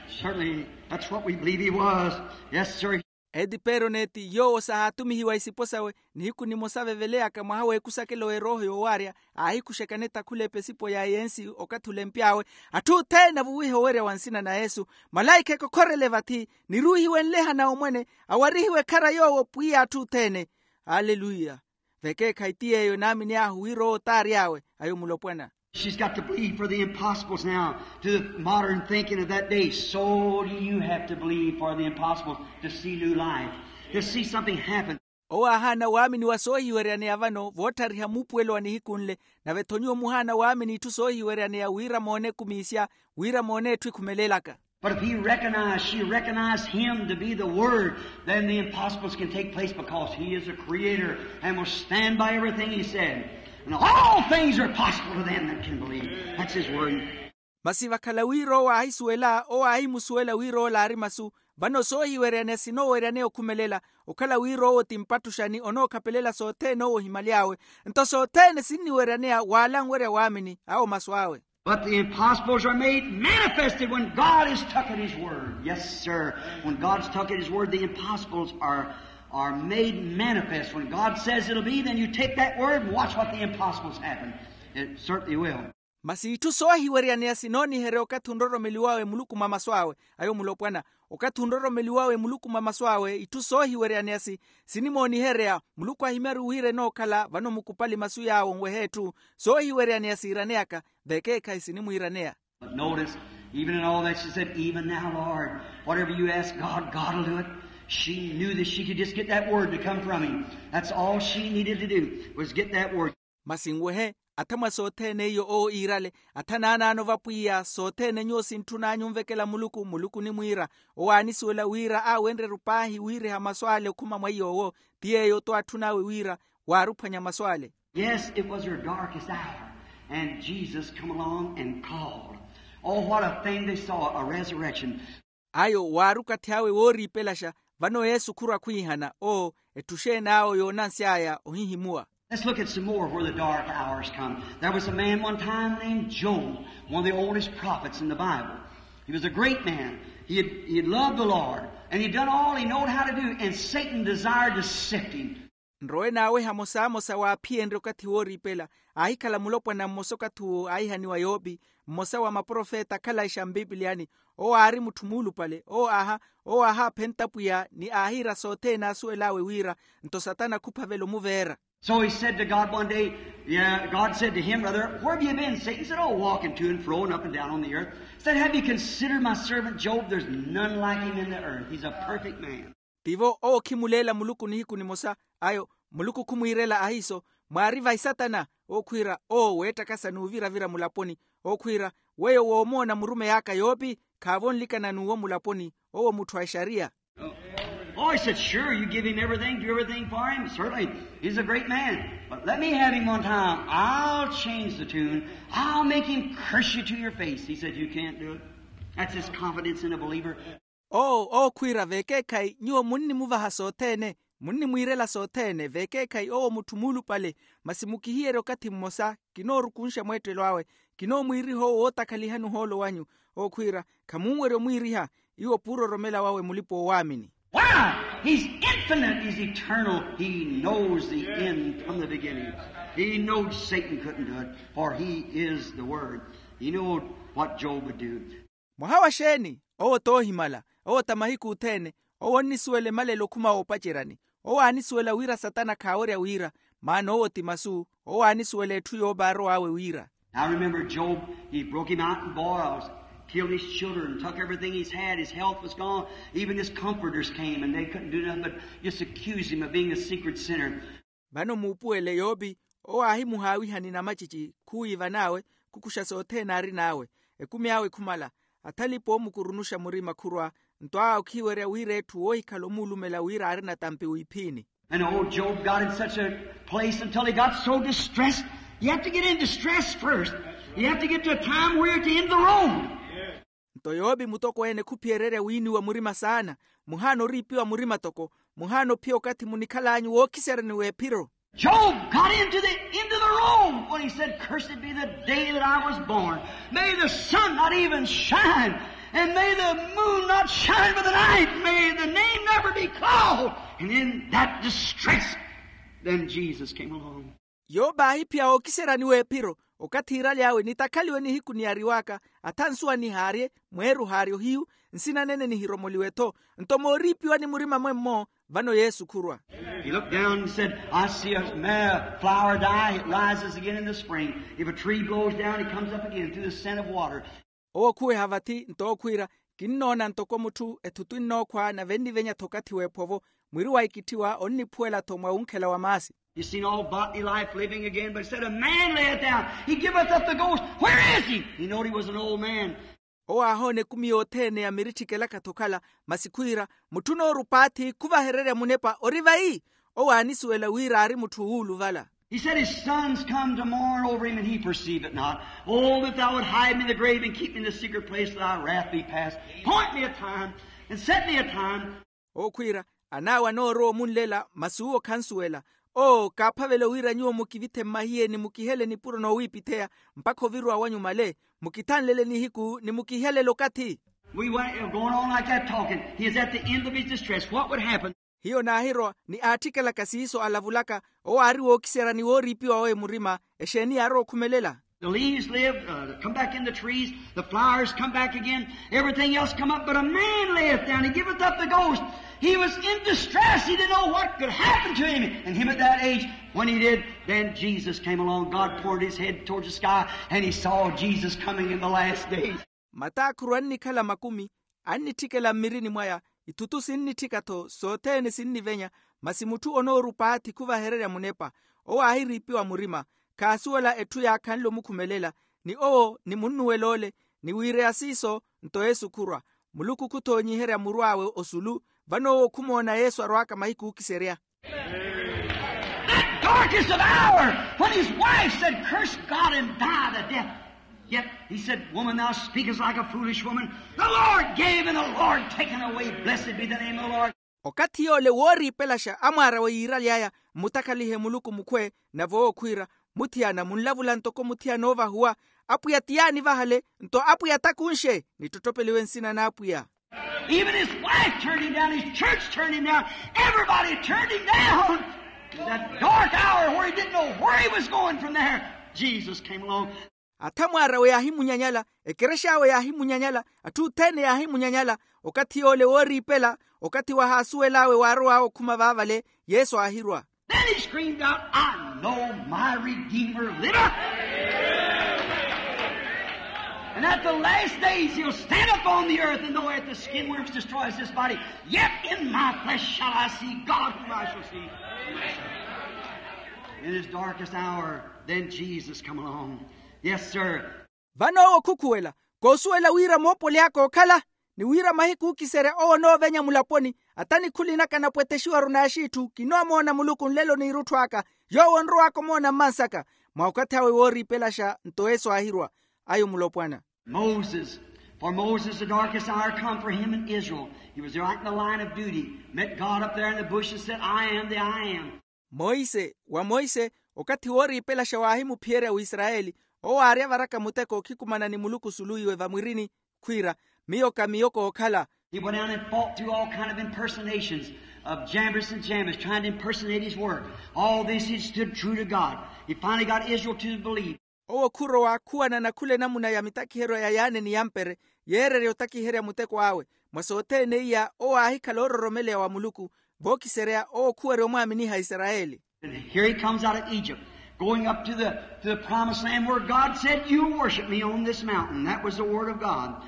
Certainly, that's what we believe he was. Yes, sir. Edi peroneti yoowo sahaatumihiwa isipo sawe. Nihiku nimosa aveveleyaka mwaha w'ekusakelo w'erooho yoowaarya, aahikuxekane takhula epesipo ya yensi okathi olempy'awe. Atthu othene avuwihe owerya wa nsina na yesu. Malaikha ekokhorele vathi, niruuhiwe nlehana omwene, awarihiwe ekhara yoowo pwiya atthu othene. Aleluya. Vekeekhayi ti yeeyo enaamin'ahu wira owo t'ary'awe. Ayo mulopwana. She's got to believe for the impossibles now to the modern thinking of that day. So do you have to believe for the impossibles to see new life, to see something happen. Owo aahaana waamini wa soohiweryaneya vano vootthariha muupuwelo wa nihiku nle. Nave-tho nyuwo muhaana waamini itthu soohiweryaneya wira moone ekumiisya, wira moone etthu ekhumelelaka. But if he recognized, she recognized him to be the Word, then the impossibles can take place because he is a creator and will stand by everything he said. And all things are possible to them that can believe. That's his word. Masi vakhala wira owo aahisuwela owo aahimusuwela wira ola aari masu. Vano soohiweryaneya sinooweryaneya okhumelela, okhala wira owo ti mpattuxani onookhapelela sothene owo ohimaly'awe. Nto sothene sinniweryaneya wala anwerya waamini awo masu awe. But the impossibles are made manifested when God has took at his word. Yes, sir. When God's took at his word, the impossibles are, are made manifest. When God says it'll be, then you take that word and watch what the impossibles happen. It certainly will. Masi itthu soohiweryaneya sinooniherya okathi onroromeliwawe muluku mwa masu awe. Ayo mulopwana. Okathi onroromeliwawe muluku mwa masu awe itthu soohiweryaneya si, sinimooniherya. Muluku ahimyaru wira enookhala vano mukupali masu yaawo onweha etthu. Soohiweryaneya siiraneyaka. Vekeekhayi sinimwiiraneya. But notice, even in all that she said, even now, Lord, whatever you ask God, God will do it. She knew that she could just get that word to come from him. That's all she needed to do, was get that word. Masi nwehe, athamwa sothene iyo owo iirale. Athanaanaano va pwiya sothene nyuwo sintthun'anyu onvekela muluku muluku onimwiira. Owo aanisuwela wira aawenrye-ru paahi wiiriha masu ale okhuma mwa iy'owo. Ti yeeyo-to aatthun'awe wira waaruphwanya masu ale. Yes, it was her darkest hour, and Jesus come along and called. Oh, what a thing they saw, a resurrection. Ayo waari okathi awe wooriipelaxa. Vano yesu khurwa khwiihana oo, etthu xeen'awo yoonansy'aya ohihimuwa. Let's look at some more where the dark hours come. There was a man one time named Job, one of the oldest prophets in the Bible. He was a great man. He had, he had loved the Lord, and he'd done all he knowed how to do, and Satan desired to sift him. Nrowe naawe hamosamosa waaphiyenrye okathi wooriipela. Aahikhala mulopwana mmosa okathi owo aahihaniwa yopi, mmosa wa maprofeta akhalayi xa mpipiliyani. Owo aari mutthu muulupale owo aaha, owo aahaaphenta pwiya ni aahiira sothene aasuwel'awe wira. Nto satana khuphavela omuveera. So he said to God one day, yeah, God said to him, rather, "Where have you been, Satan?" He said, "Oh, walking to and fro and up and down on the earth." Said, "Have you considered my servant Job? There's none like him in the earth. He's a perfect man." Tivo owo khimuleela muluku nihiku nimosa. Ayo muluku khumwiirela ahiiso, mwaari vahi satana? Owo khwiira, owo weettakasa n'uviravira mulaponi. Owo khwiira, weyo woomoona murumeyi aka yopi, khaavo onlikana n'uwo mulaponi. Owo mutthu a exariya. Oh, he said, "Sure, you give him everything, do everything for him. Certainly, he's a great man. But let me have him one time. I'll change the tune. I'll make him curse you to your face." He said, "You can't do it." That's his confidence in a believer. Owo owo khwiira veekeekhayi nyuwo munnimuvaha sothene, munnimwiirela sothene veekeekhayi owo mutthu muulupale. Masi mukihiyerye okathi mmosa, kinoorukunxa mweettelo awe, kinoomwiiriha owo wootakhalihani ohoolo wanyu. Owo khwiira, khamunwerya omwiiriha. Iwo puuroromela wawe mulipa-oowaamini. Why? He's infinite, he's eternal, he knows the end from the beginning. He knowed Satan couldn't do it, for he is the word. He knowed what Job would do. Mwaha wa xeeni? Owo t'ohimala. Owo ta mahiku othene. Owo onnisuwela emalelo okhuma woopaceryani. Owo aanisuwela wira satana khaawerya wiira, maana owo ti masu. Owo aanisuwela etthu yoopa arow'awe wiira. Now remember Job, he broke him out in boils, killed his children, took everything he's had, his health was gone, even his comforters came and they couldn't do nothing but just accuse him of being a secret sinner. Vano muupuwele yopi, owo aahimuhaawihani namacici khuwiivan'awe, khukuxa sothene aarin'awe. Ekumi awe khumala, athalipa oomukurunuxa murima khurwa, nto awe okhiwerya wira etthu woohikhala omuulumela wira aari natampi wiiphiini. And old Job got in such a place until he got so distressed. You have to get in distress first. You have to get to a time where you're at the end of the road. Nto yopi mutokweene khuphiyererya wiiniwa murima saana. Muhaana oriipiwa murima toko. Muhaana ophiya okathi munikhal'anyu wookhiseryani w'ephiro. Job got into the end of the road when he said, "Cursed be the day that I was born. May the sun not even shine, and may the moon not shine by the night. May the name never be called." And in that distress, then Jesus came along. Yope aahiphiya ookiseryani w'ephiro, okathi iirali awe nitakhaliwe nihiku niyariw'aka, atha nsuwa nihaarye, mweeru haarye ohiyu, nsina nene nihiromoliwe-tho. Nto mooriipiwani murima mwemmo, vano yesu khurwa. He looked down and said, "I see a ma- flower die, it rises again in the spring. If a tree blows down, it comes up again through the scent of water." Owo okhuweha vathi nto okhwiira, kinnoona ntoko mutthu ethutu ennookhwa nave ennivenya-tho okathi w'ephovo, mwiri wa ikitthiwa onniphuwela-tho mwa wunkhela wa maasi. You seen all bodily life living again, but instead of man lay it down, he giveth up the ghost. Where is he? He knowed he was an old man. Owo aahoona ekumi yothene ya miritthi kelaka-tho okhala, masi khwiira, mutthu onoorupaathi khuvahererya munepa ori vayi? Owo aanisuwela wira aari mutthu wuuluvala. He said, "His sons come to mourn over him, and he perceive it not. Oh, that thou would hide me in the grave and keep me in the secret place till thy wrath be past. Point me a time and set me a time." Owo khwiira, an'awe anoorowa omunlela masi uwo khansuwela. Oo kaaphavela wira nyuwo mukivithe mmahiye ni mukihele nipuro noowiipitheya, mpakha oviruwa wanyu male, mukithanlele nihiku ni mukihelele okathi. We went going on like that talking. He is at the end of his distress. What would happen? Hiyo naahirowa ni aatthikelaka siiso alavulaka. Owo aari wookiseryani wooriipiwa wawe murima. Exeeni yaarowa okhumelela? The leaves live, uh, come back in the trees. The flowers come back again. Everything else come up, but a man layeth down. He giveth up the ghost. He was in distress. He didn't know what could happen to him. And him at that age, when he did, then Jesus came along. God poured his head towards the sky, and he saw Jesus coming in the last days. Matakhuru annikhala makumi, annitthikela mmirini mwaya, ithutu sinnitthika-tho sothene sinnivenya, masi mutthu onoorupaathi khuvahererya munepa. Owo aahiriipiwa murima, khaasuwela etthu yaakhanle omukhumelela, ni owo ni munnuwel'ole, ni wiireya siiso nto yesu khurwa. Muluku khuthoonyiherya muru awe osulu. Vano owo khumoona yesu arwaka mahiku ookiserya. That darkest of hour, when his wife said, "Curse God and die the death." Yet he said, "Woman, thou speakest like a foolish woman. The Lord gave and the Lord taken away. Blessed be the name of the Lord." Okathi yoole wooriipelaxa amwaarawe yiiraly'aya, mmutakhalihe muluku mukhwe. Nave owo khwiira, muthiyana munlavula ntoko muthiyana oovahuwa. Apwiya ti yaanivahale, nto apwiya takunxe, nittotopeliwe nsina n'apwiya. Even his wife turned him down, his church turned him down, everybody turned him down. In that dark hour where he didn't know where he was going from there, Jesus came along. Atha mwaarawe yaahimunyanyala, ekerex'awe yaahimunyanyala, atthu othene yaahimunyanyala. Okathi yoole wooriipela, okathi wahaasuwel'awe waarow'awe okhuma vaavale, yesu aahirwa. And he screamed out, "I know my Redeemer liveth. And at the last days he'll stand upon the earth, and though at the skin worms destroys this body, yet in my flesh shall I see God whom I shall see." In his darkest hour, then Jesus come along. Yes, sir. Vano owo khukhuwela, koosuwela wira moopoli aka ookhala, ni wira mahiku ookiserya owo onoovenya mulaponi, ata nikhuli naka napwetexiwaru n'axiitthu kinoomoona muluku nlelo n'irutthu aka, yoowo onrowaka omoona mmansaka. Mwa okathi awe wooriipelaxa nto yesu aahirwa. Ayo mulopwana. Moses. For Moses the darkest hour come for him in Israel. He was right in the line of duty, met God up there in the bush and said, "I am the I am." Monse, wa monse, okathi wooriipelaxa waahimuphiyerya wisarayeli, owo aari avaraka muteko okhikumana ni muluku suluwiwe vamwirini, khwiira, miyo ka miyo kookhala. He went down and fought through all kind of impersonations of Jambres and Jambres, trying to impersonate his work. All this he stood true to God. He finally got Israel to believe. Owo khurowa khuwanana khula enamuna ya mitakiheryo ya yaane ni yampere, yeererya otakiherya muteko awe. Mwa sothene iya owo aahikhala oororomeleya wa muluku, vookiserya owo khuwerya omwaaminiha isarayeli. And here he comes out of Egypt, going up to the, to the promised land where God said, "You worship me on this mountain." That was the word of God.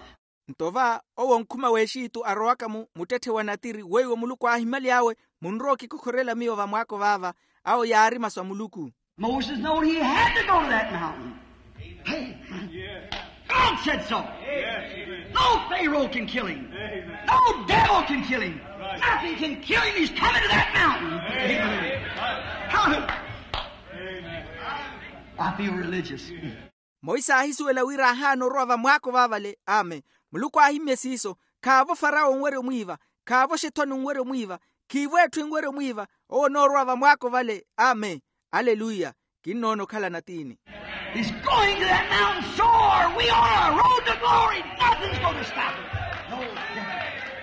Nto va owo onkhuma w'exitu arowaka-mu muttetthe wa natiri weiwo muluku aahimaly'awe, munrowa okikokhorela miyo vamwaako vaava. Awo yaari masu a muluku. Moses knowed he had to go to that mountain. Hey, God said so. No Pharaoh can kill him. No devil can kill him. Nothing can kill him. He's coming to that mountain. Hallelujah. I feel religious. Monse aahisuwela wira ahaana orowa vamwaako vaavale. Amen. Muluku aahimye siiso. Khaavo farawo onwerya omwiiva. Khaavo xethoni onwerya omwiiva. Khiivo etthu enwerya omwiiva. Owo onoorowa vamwaako vale. Amen. Aleluya. Kinnoona okhala natiini. He's going to that mountain, so are we on our road to glory. Nothing's going to stop it. No,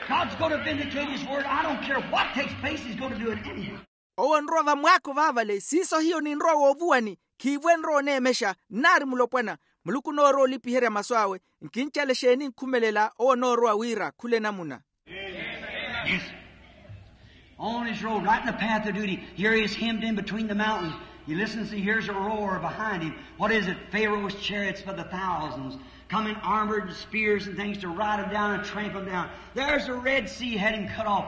God's going to vindicate his word. I don't care what takes place, he's going to do it anyhow. Owo onrowa vamwaako vaavale siiso hiyo ninrowa woovuwani. Khiivo enrowa oneemexa nnaari mulopwana. Muluku onoorowa olipiherya masu awe. Nkincale exeeni nkhumelela owo onoorowa wira khula enamuna. Yes. On his road, right in the path of duty, here he is hemmed in between the mountains. He listens, he hears a roar behind him. What is it? Pharaoh's chariots by the thousands, coming armored with spears and things to ride him down and tramp him down. There's the Red Sea had him cut off.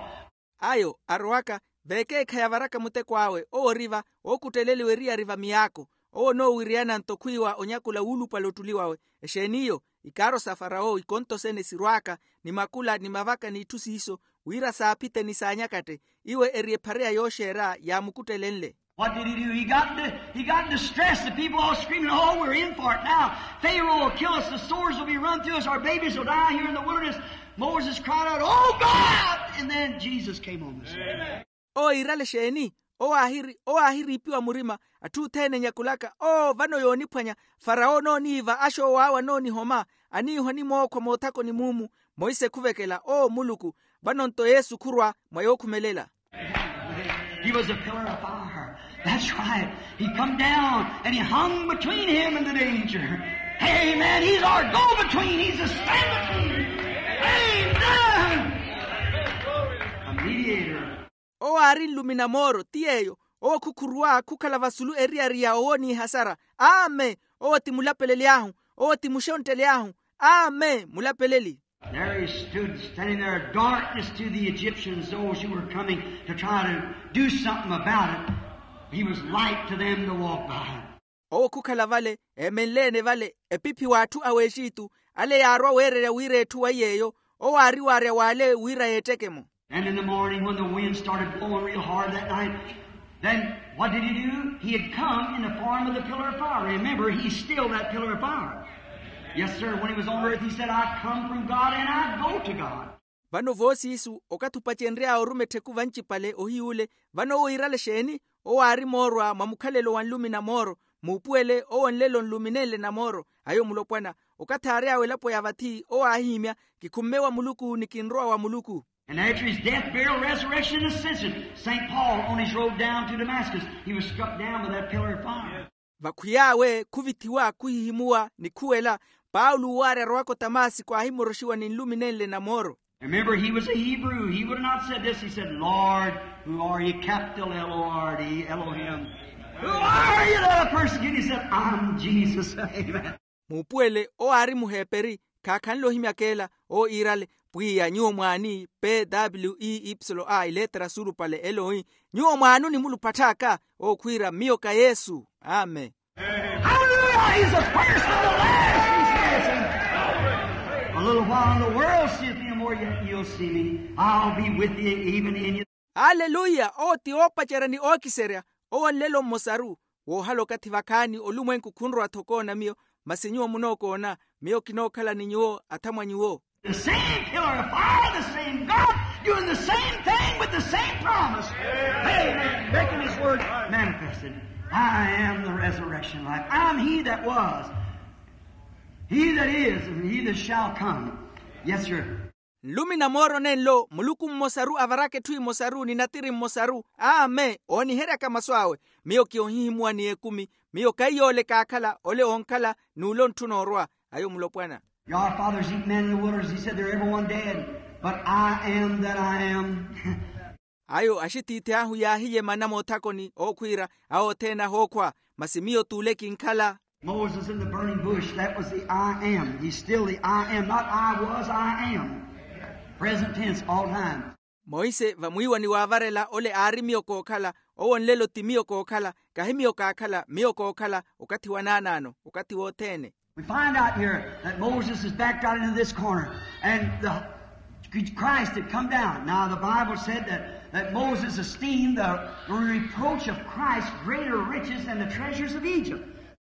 Ayo arowaka, vekeekhayi avaraka muteko awe owo ori va, ookutteleliwa eriyari va miyaako. Owo onoowiriyana nto khwiiwa onyakula wuulupale ottuli wawe. Exeeni iyo? Ikaaro sa farawo ikonto sene sirwaaka, ni makula ni mavaka n'itthu siiso, wira saaphite ni saanyakatte. Iwe eri ephareya yooxeera yaamukuttelenle. What did he do? He got, he got distressed. The people all screaming, "Oh, we're in for it now. Pharaoh will kill us. The swords will be run through us. Our babies will die here in the wilderness." Moses cried out, "Oh, God!" And then Jesus came on the scene. Owo iirale exeeni? Owo aahiri owo aahiriipiwa murima. Atthu othene enyakulaka, oo vano yooniphwanya. Farawo onooniiva, axoowo awe anoonihoma, aniihwa ni mookhwa moothakoni muumu. Monse khuvekela, oo muluku. Vano nto yesu khurwa mwa yookhumelela. He was a pillar of fire. That's right. He come down and he hung between him and the danger. Amen. He's our go-between. He's the stand-between. Amen. A mediator. Owo aari nlumi na mooro ti yeeyo. Owo khukhuruwa khukhala vasulu eriyari ya owooniihasara. Amen. Owo ti mulapeleli ahu. Owo ti muxontteli ahu. Amen. Mulapeleli. There he stood, standing there, a darkness to the Egyptians, those who were coming to try to do something about it. He was light to them to walk by. Owo khukhala vale, eemenle-ene vale, epiphi w'atthu a w'exitu. Ale yaarowa weererya wira etthu wa yeeyo. Owo aari waarya w'ale wira yeetteke-mo. And in the morning, when the wind started blowing real hard that night, then what did he do? He had come in the form of the pillar of fire. Remember, he's still that pillar of fire. Yes, sir. When he was on earth, he said, "I come from God and I go to God." Vano voosiisu okathi opacenry'awe oruma ettheku vancipale ohiy'ule. Vano owo iirale exeeni? Owo aari moorwa mwa mukhalelo wa nlumi na mooro. Muupuwele owo nlelo nlumi nenle na mooro. Ayo mulopwana. Okathi aary'awe elapo ya vathi owo aahihimya, kikhumme wa muluku ni kinrowa wa muluku. And after his death, burial, resurrection, and ascension, Saint Paul, on his road down to Damascus, he was struck down by that pillar of fire. Vakhwiy'awe khuvithiwa khuhihimuwa ni khuwela. Paulo waarya arowaka otamasiko aahimoroxiwa ni nlumi nenle na mooro. Remember, he was a Hebrew. He would have not said this. He said, Lord, who are you? Capital L O R D, Elohim. Who are you that are persecuting? He said, I'm Jesus. Amen. Muupuwele owo aari muheperi, khaakhanle ohimyaka ela. Owo iirale, pwiya nyuwo mwaani? P W E Y A, ilettera surupale elohi. Nyuwo mwaani onimulupatth'aka? Owo khwiira, miyo ka yesu. Amen. Hallelujah. He's the first and the last, he says. A little while and the world seeth me no more, yet you'll see me. I'll be with you even in you. Aleluya. Owo ti oopacerya ni ookiserya. Owo nlelo mmosaru. Woohala okathi vakhaani olumwenku khunrowa-tho okoona miyo, masi nyuwo munookoona. Miyo kinookhala ni nyuwo athamwa nyuwo. The same pillar of fire, the same God, doing the same thing with the same promise. Amen. Making his word manifested. I am the resurrection life. I'm he that was, he that is, and he that shall come. Yes, sir. Nlumi na mooro nenlo, muluku mmosaru avaraka etthu emosaru ni natiri mmosaru. Amen. Ooniheryaka masu awe. Miyo ki ohihimuwa ni ekumi. Miyo kaiyoole kaakhala, ole oonkhala n'ule ontthuna orwa. Ayo mulopwana. Your fathers eat manna in the wilderness, he said, they're everyone dead, but I am that I am. Ayo axitiithi ahu yaahiyemana moothakoni ookhwiira, awo othene ahookhwa, masi miyo t'ule kinkhala. Moses in the burning bush, that was the I am. He's still the I am. Not I was, I am. Present tense all time. Monse vamwiiwani waavarela ole aari miyo kookhala. Owo nlelo ti miyo kookhala. Kahi miyo kaakhala, miyo kookhala okathi wa naanaano, okathi wothene. We find out here that Moses is backed out into this corner, and the, Christ had come down. Now, the Bible said that, that Moses esteemed the reproach of Christ greater riches than the treasures of Egypt.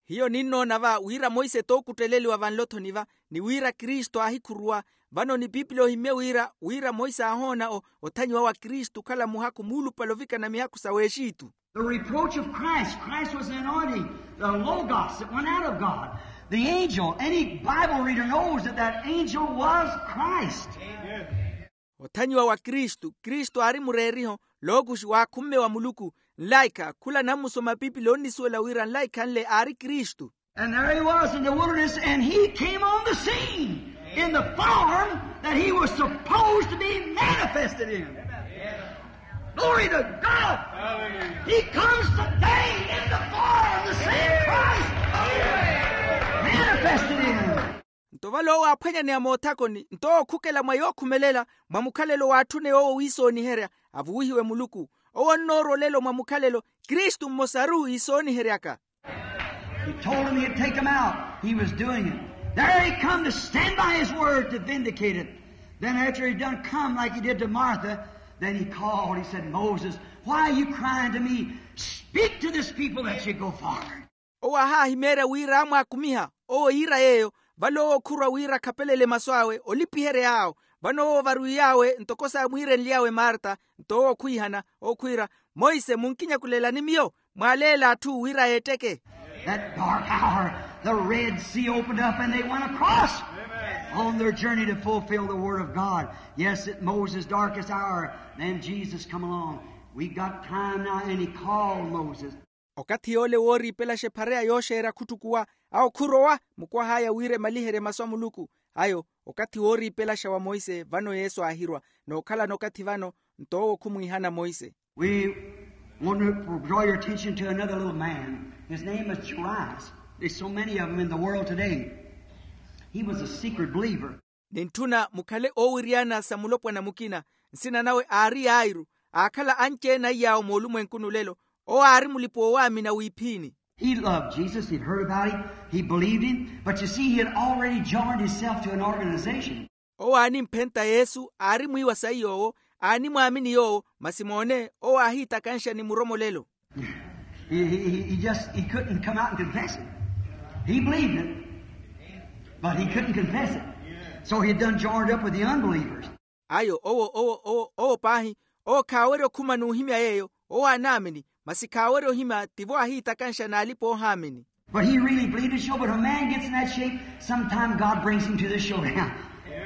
Hiyo ninnoona va wira monse t'okutteleliwa vanlo-tho ni va, ni wira kristu aahikhuruwa. Vano ni pipili ohimmye wira wira monse aahoona othanyiwa wa kristu okhala muhakhu muulupale ovikana mihakhu sa w'exitu. The reproach of Christ. Christ was the anointing, the Logos that went out of God. The angel, any Bible reader knows that that angel was Christ. Othanyiwa wa kristu. Kristu aari mureeriho, lookuxi waakhumme wa muluku. Nlaikha khula nammusoma pipili onnisuwela wira nlaikhanle aari kristu. And there he was in the wilderness, and he came on the scene in the form that he was supposed to be manifested in. Glory to God. He comes today in the form, the same Christ, manifested in him. Nto vale owo aaphwanyaneya moothakoni, nto owo okhukela mwa yookhumelela, mwa mukhalelo waatthune owo wiisooniherya, avuwihiwe muluku. Owo onnoorwa olelo mwa mukhalelo, kristu mmosaru iisooniheryaka. He told him he'd take him out. He was doing it. There he come to stand by his word to vindicate it. Then after he'd done come like he did to Martha, then he called, he said, Moses, why are you crying to me? Speak to this people that you go forward. Owo aahaahimeerya wira aamwaakumiha. Owo iira yeeyo, vale owo okhurwa wira akhapelele masu awe olipiherya yaawo. Vano owo ovarwiy'awe ntoko saamwiirenly'awe marta. Nto owo okhwiihana, okhwiira, monse munkinyakulelani miyo? Mwaaleele atthu wira yeetteke. That dark hour, the Red Sea opened up and they went across on their journey to fulfill the word of God. Yes, at Moses' darkest hour, then Jesus come along. We got time now, and he called Moses. Okathi yoole wooriipelaxa ephareya yooxeerya khuttukuwa, awo khurowa mukwah'aya wira emaliherye masu a muluku. Ayo okathi wooriipelaxa wa monse vano yesu aahirwa. Nookhalana okathi vano, nto owo khumwiihana monse. We want to draw your attention to another little man. His name is Jairus. There's so many of them in the world today. He was a secret believer. Nintthuna mukhale oowiriyana sa mulopwana mukina. Nsina nawe aari yairu. Aakhala anci-ene aiy'awo moolumwenkuni olelo. Owo aari mulipa-oowaamina wiiphiini. He loved Jesus. He'd heard about him. He believed him. But you see, he had already joined himself to an organization. Owo aanimphenta yesu, aari mwiiwa saiy'owo, aanimwaamini yoowo. Masi moone, owo aahiitakanxa ni muromolelo. He, he, he, he just, he couldn't come out and confess it. He believed it, but he couldn't confess it. So he had done joined up with the unbelievers. Ayo owo owo owo owo paahi, owo khaawerya okhuma n'uhimya yeeyo. Owo aanaamini, masi khaawerya ohimya tivo aahiitakanxa n'alipa-oohaamini. But he really believed it, sure. But if a man gets in that shape, sometime God brings him to the showdown.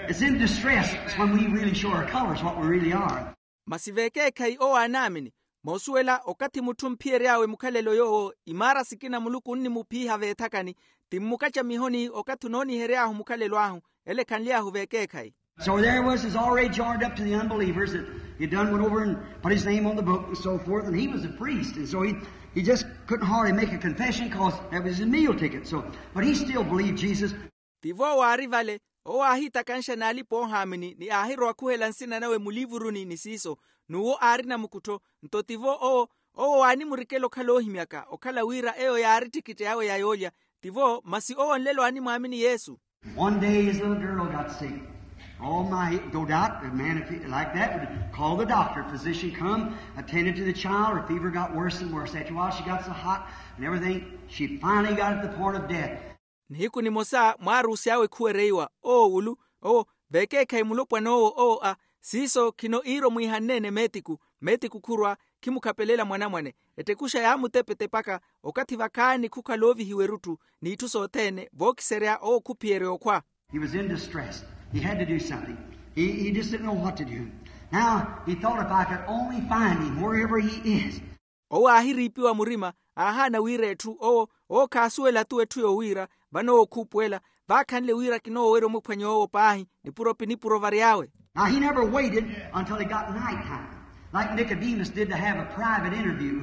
It's in distress. It's when we really show our colors, what we really are. Masi vekeekhayi owo aanaamini. Moosuwela okathi mutthu omphiyery'awe mukhalelo yoowo imaara sikina muluku onnimuphiiha veethakani. Ti mmukacamihoni okathi onoonihery'ahu mukhalelo ahu. Ele khanly'ahu vekeekhayi. So there he was, is already joined up to the unbelievers that he done went over and put his name on the book and so forth, and he was a priest, and so he, he just couldn't hardly make a confession because that was his meal ticket. So, but he still believed Jesus. Tivo waari vale, owo aahiitakanxa n'alipa oohaamini ni aahirowa khuhela nsina nawe mulivuruni ni siiso, n'uwo aari namukuttho. Nto tivo owo, owo waanimurikela okhala oohimyaka okhala wira eyo yaari ttikitti awe ya yoolya. Tivo masi owo nlelo aanimwaamini yesu. One day his little girl got sick. Oh my, no doubt a man, if he, like that, would call the doctor. Physician come, attended to the child. Her fever got worse and worse. After a while she got so hot and everything, she finally got at the point of death. Nihiku nimosa mwaarusi awe khuwereiwa owo wulu, owo veekeekhayi mulopwana owo owo a siiso khino iiro mwiihanneene meetiku, meetiku khurwa khimukhapelela mwanamwane. Ettekuxa yaamutepetepaka okathi vakhaani khukhala oovihiwa erutthu, n'itthu sothene vookiserya owo khuphiyerya okhwa. He was in distress. He had to do something. He, he just didn't know what to do. Now he thought, if I could only find him wherever he is. Owo aahiriipiwa murima, aahaana wira etthu owo, owo khaasuwela-tu etthu yoowiira. Vano owo khuupuwela, vaakhanle wira kinoowerya omuphwanya owo paahi, nipuro pi nipuro vary'awe. Now he never waited until it got night time, like Nicodemus did, to have a private interview.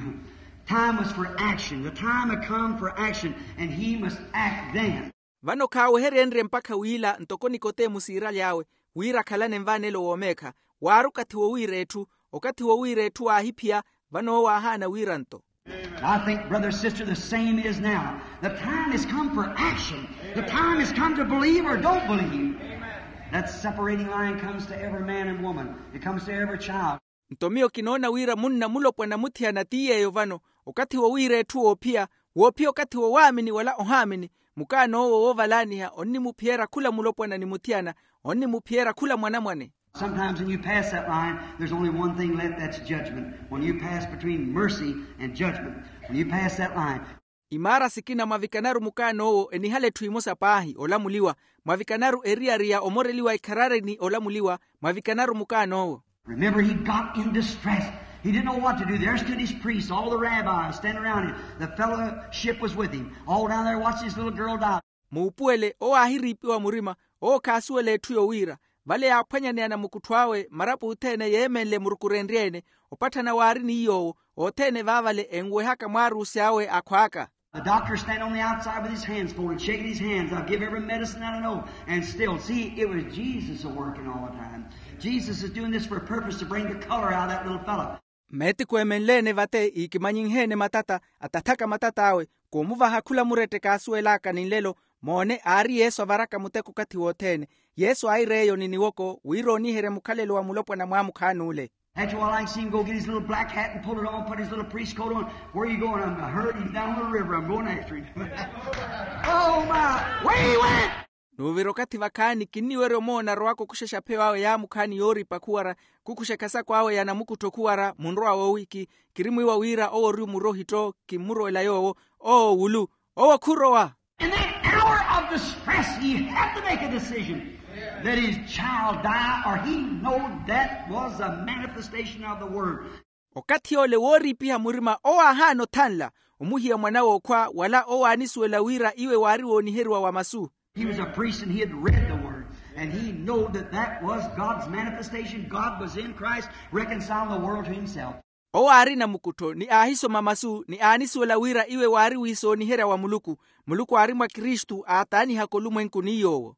Time was for action. The time had come for action, and he must act then. Vano khaaweheryenrye mpakha wiila ntoko nikoteemu siiraly'awe, wira akhalane nvaanelo woomeekha. Waari okathi wowiira etthu, okathi wowiira etthu waahiphiya. Vano owo aahaana wiira nto. I think, brother, sister, the same is now. The time has come for action. The time has come to believe or don't believe. That separating line comes to every man and woman. It comes to every child. Nto miyo kinoona wira munna mulopwana muthiyana ti yeeyo vano, okathi wowiira etthu woophiya, woophiya okathi wowaamini wala ohaamini. Mukaan'owo woovalaaniha onnimuphiyerya khula mulopwana ni muthiyana, onnimuphiyerya khula mwanamwane. Sometimes when you pass that line, there's only one thing left, that's judgment. When you pass between mercy and judgment, when you pass that line. Imaara sikina mwavikanaru mukaan'owo enihala etthu emosa paahi olamuliwa, mwavikanaru eriyari ya omoreliwa ikharari ni olamuliwa, mwavikanaru mukaan'owo. Remember, he got in distress. He didn't know what to do. There stood his priests, all the rabbis standing around him. The fellowship was with him. All down there watching his little girl die. Muupuwele owo aahiriipiwa murima, owo khaasuwela etthu yowiira. Vale yaaphwanyaneya namukuttho awe marapo othene yeemenle murukurenrye-ene. Opatthana waari ni yoowo, othene vaavale enwehaka mwaarusi awe akhwaaka. The doctor standing on the outside with his hands folded, shaking his hands. I'll give every medicine that I know. And still, see, it was Jesus a working all the time. Jesus is doing this for a purpose to bring the color out of that little fellow. Meetiku emenleene vate iikimanyinheene matata, atathaka matata awe, koomuvaha khula murette kaasuwel'aka ni nlelo. Moone, aari yesu avaraka muteko okathi wothene. Yesu aair'eyo ni niwoko wira ooniherya mukhalelo wa mulopwana mwaamukhaani ole. After a while I can see him go get his little black hat and pull it on, put his little priest coat on. Where are you going? I'm hurt. He's down the river. I'm going after him. Oh my! Where he went! N'uvira okathi vakhaani kinniwerya omoona arowaka okuxexa pheyo awe yaamukhaani yooripa khuwara, khukuxa ekhasako awe ya namukuttho khuwara munrowa woowiki. Kirimwiiwa wira owo ori omurohitto. Kimmurowela yoowo. Owo wulu. Owo khurowa. In that hour of distress he had to make a decision. Let his child die or he knowed that was a manifestation of the word. Okathi ole wooriipiha murima owo aahaana othanla omuhiya mwan'awe okhwa wala owo aanisuwela wira iwe waari wooniheriwa wa masu. He was a priest and he had read the word, and he knowed that that was God's manifestation. God was in Christ, reconciling the world to himself. Owo aari namukuttho ni aahisoma masu ni aanisuwela wira iwe waari wiisooniherya wa muluku. Muluku aari mwa kristu aataanihaka olumwenku ni yoowo.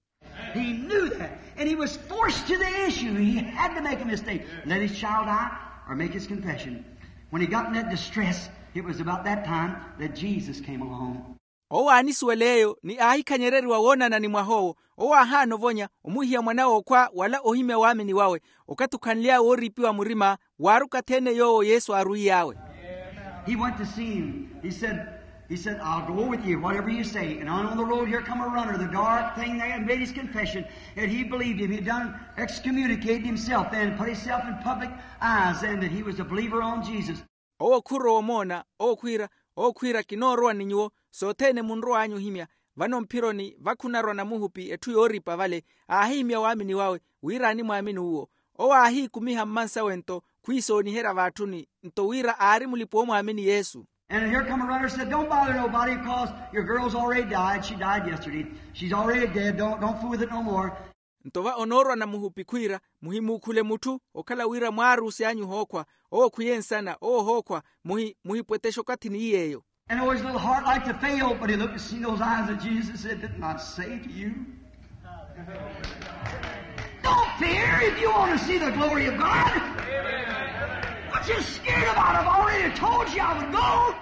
He knew that, and he was forced to the issue. He had to make a mistake. Let his child die or make his confession. When he got in that distress, it was about that time that Jesus came along. Owo aanisuwela eyo ni aahikhanyereriwa woonana ni mwah'owo. Owo aahaana ovonya omuhiya mwan'awe okhwa wala ohimya waamini wawe. Okathi okhanly'awe wooriipiwa murima, waari okathi-ene yoowo yesu aarwiy'awe. He went to see him. He said, he said, I'll go with you, whatever you say. And on, on the road, here come a runner, the dark thing there, and made his confession that he believed him. He done excommunicated himself then, put himself in public eyes then, that he was a believer on Jesus. Owo khurowa omoona, owo khwiira, owo khwiira kinoorowa ni nyuwo, sothene munrow'anyu ohimya. Vano mphironi vakhunarwa namuhupi etthu yooripa vale, aahihimya waamini wawe wira animwaamini uwo. Owo aahiikumiha mmansawe-nto khwiisooniherya vaatthuni, nto wira aari mulipa omwaamini yesu. And here come a runner, said, don't bother nobody, because your girl's already died. She died yesterday. She's already dead. Don't, don't fool with it no more. Nto va onoorwa namuhupi khwiira, muhimuukhule mutthu okhala wira mwaaruusi anyu ohookhwa. Owo khwiye nsana owo ohookhwa. Muhipwetexe okathi ni iy'eyo. And always a little heart like to fail, but he looked and seen those eyes of Jesus and said, didn't I say to you? Don't fear if you want to see the glory of God. What you scared about? I've already told you I would go.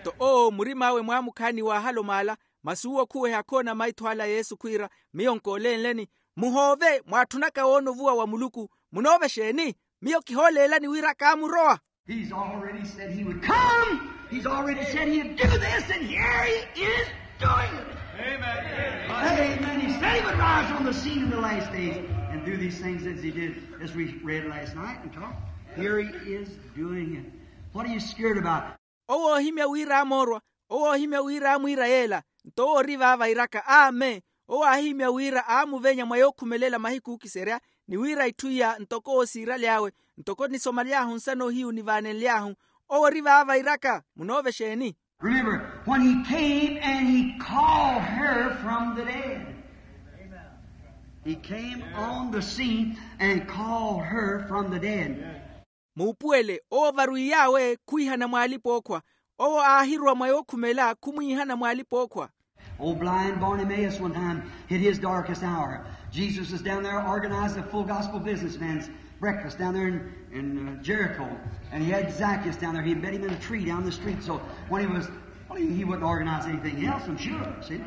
Nto owo murim'awe mwaamukhaani waahala omaala, masi uwo khuweha khoona maitho ala a yesu khwiira, miyo nkoolenleni. Muhoove mwaatthunaka woona ovuwa wa muluku. Munoovexa eni? Miyo kihooleelani wira kaamurowa. He's already said he would come. He's already said he'd do this, and here he is doing it. Amen. He said he would rise on the scene in the last days and do these things as he did, as we read last night and talked. Here he is doing it. What are you scared about? Owo oohimya wira aamoorwa. Owo oohimya wira aamwiira yeela. Nto owo ori vaavairaka amen. Owo aahihimya wira aamuvenya mwa yookhumelela mahiku ookiserya, ni wira itthu iya ntoko owo siiraly'awe, ntoko nisomaly'ahu nsana ohiyu nivaanenly'ahu. Owo ori vaavairaka. Munoovexa eni? Remember, when he came and he called her from the dead. He came on the scene and called her from the dead. Muupuwele owo varwiy'awe khwiihana mw'alipa-ookhwa. Owo aahirowa mwa yookhumela khumwiihana mw'alipa-ookhwa. Old blind Bartimaeus one time hit his darkest hour. Jesus was down there organizing a full gospel businessman's breakfast down there in, in uh, Jericho. And he had Zacchaeus down there. He met him in a tree down the street. So when he was, well, he, he wouldn't organize anything else, I'm sure. See?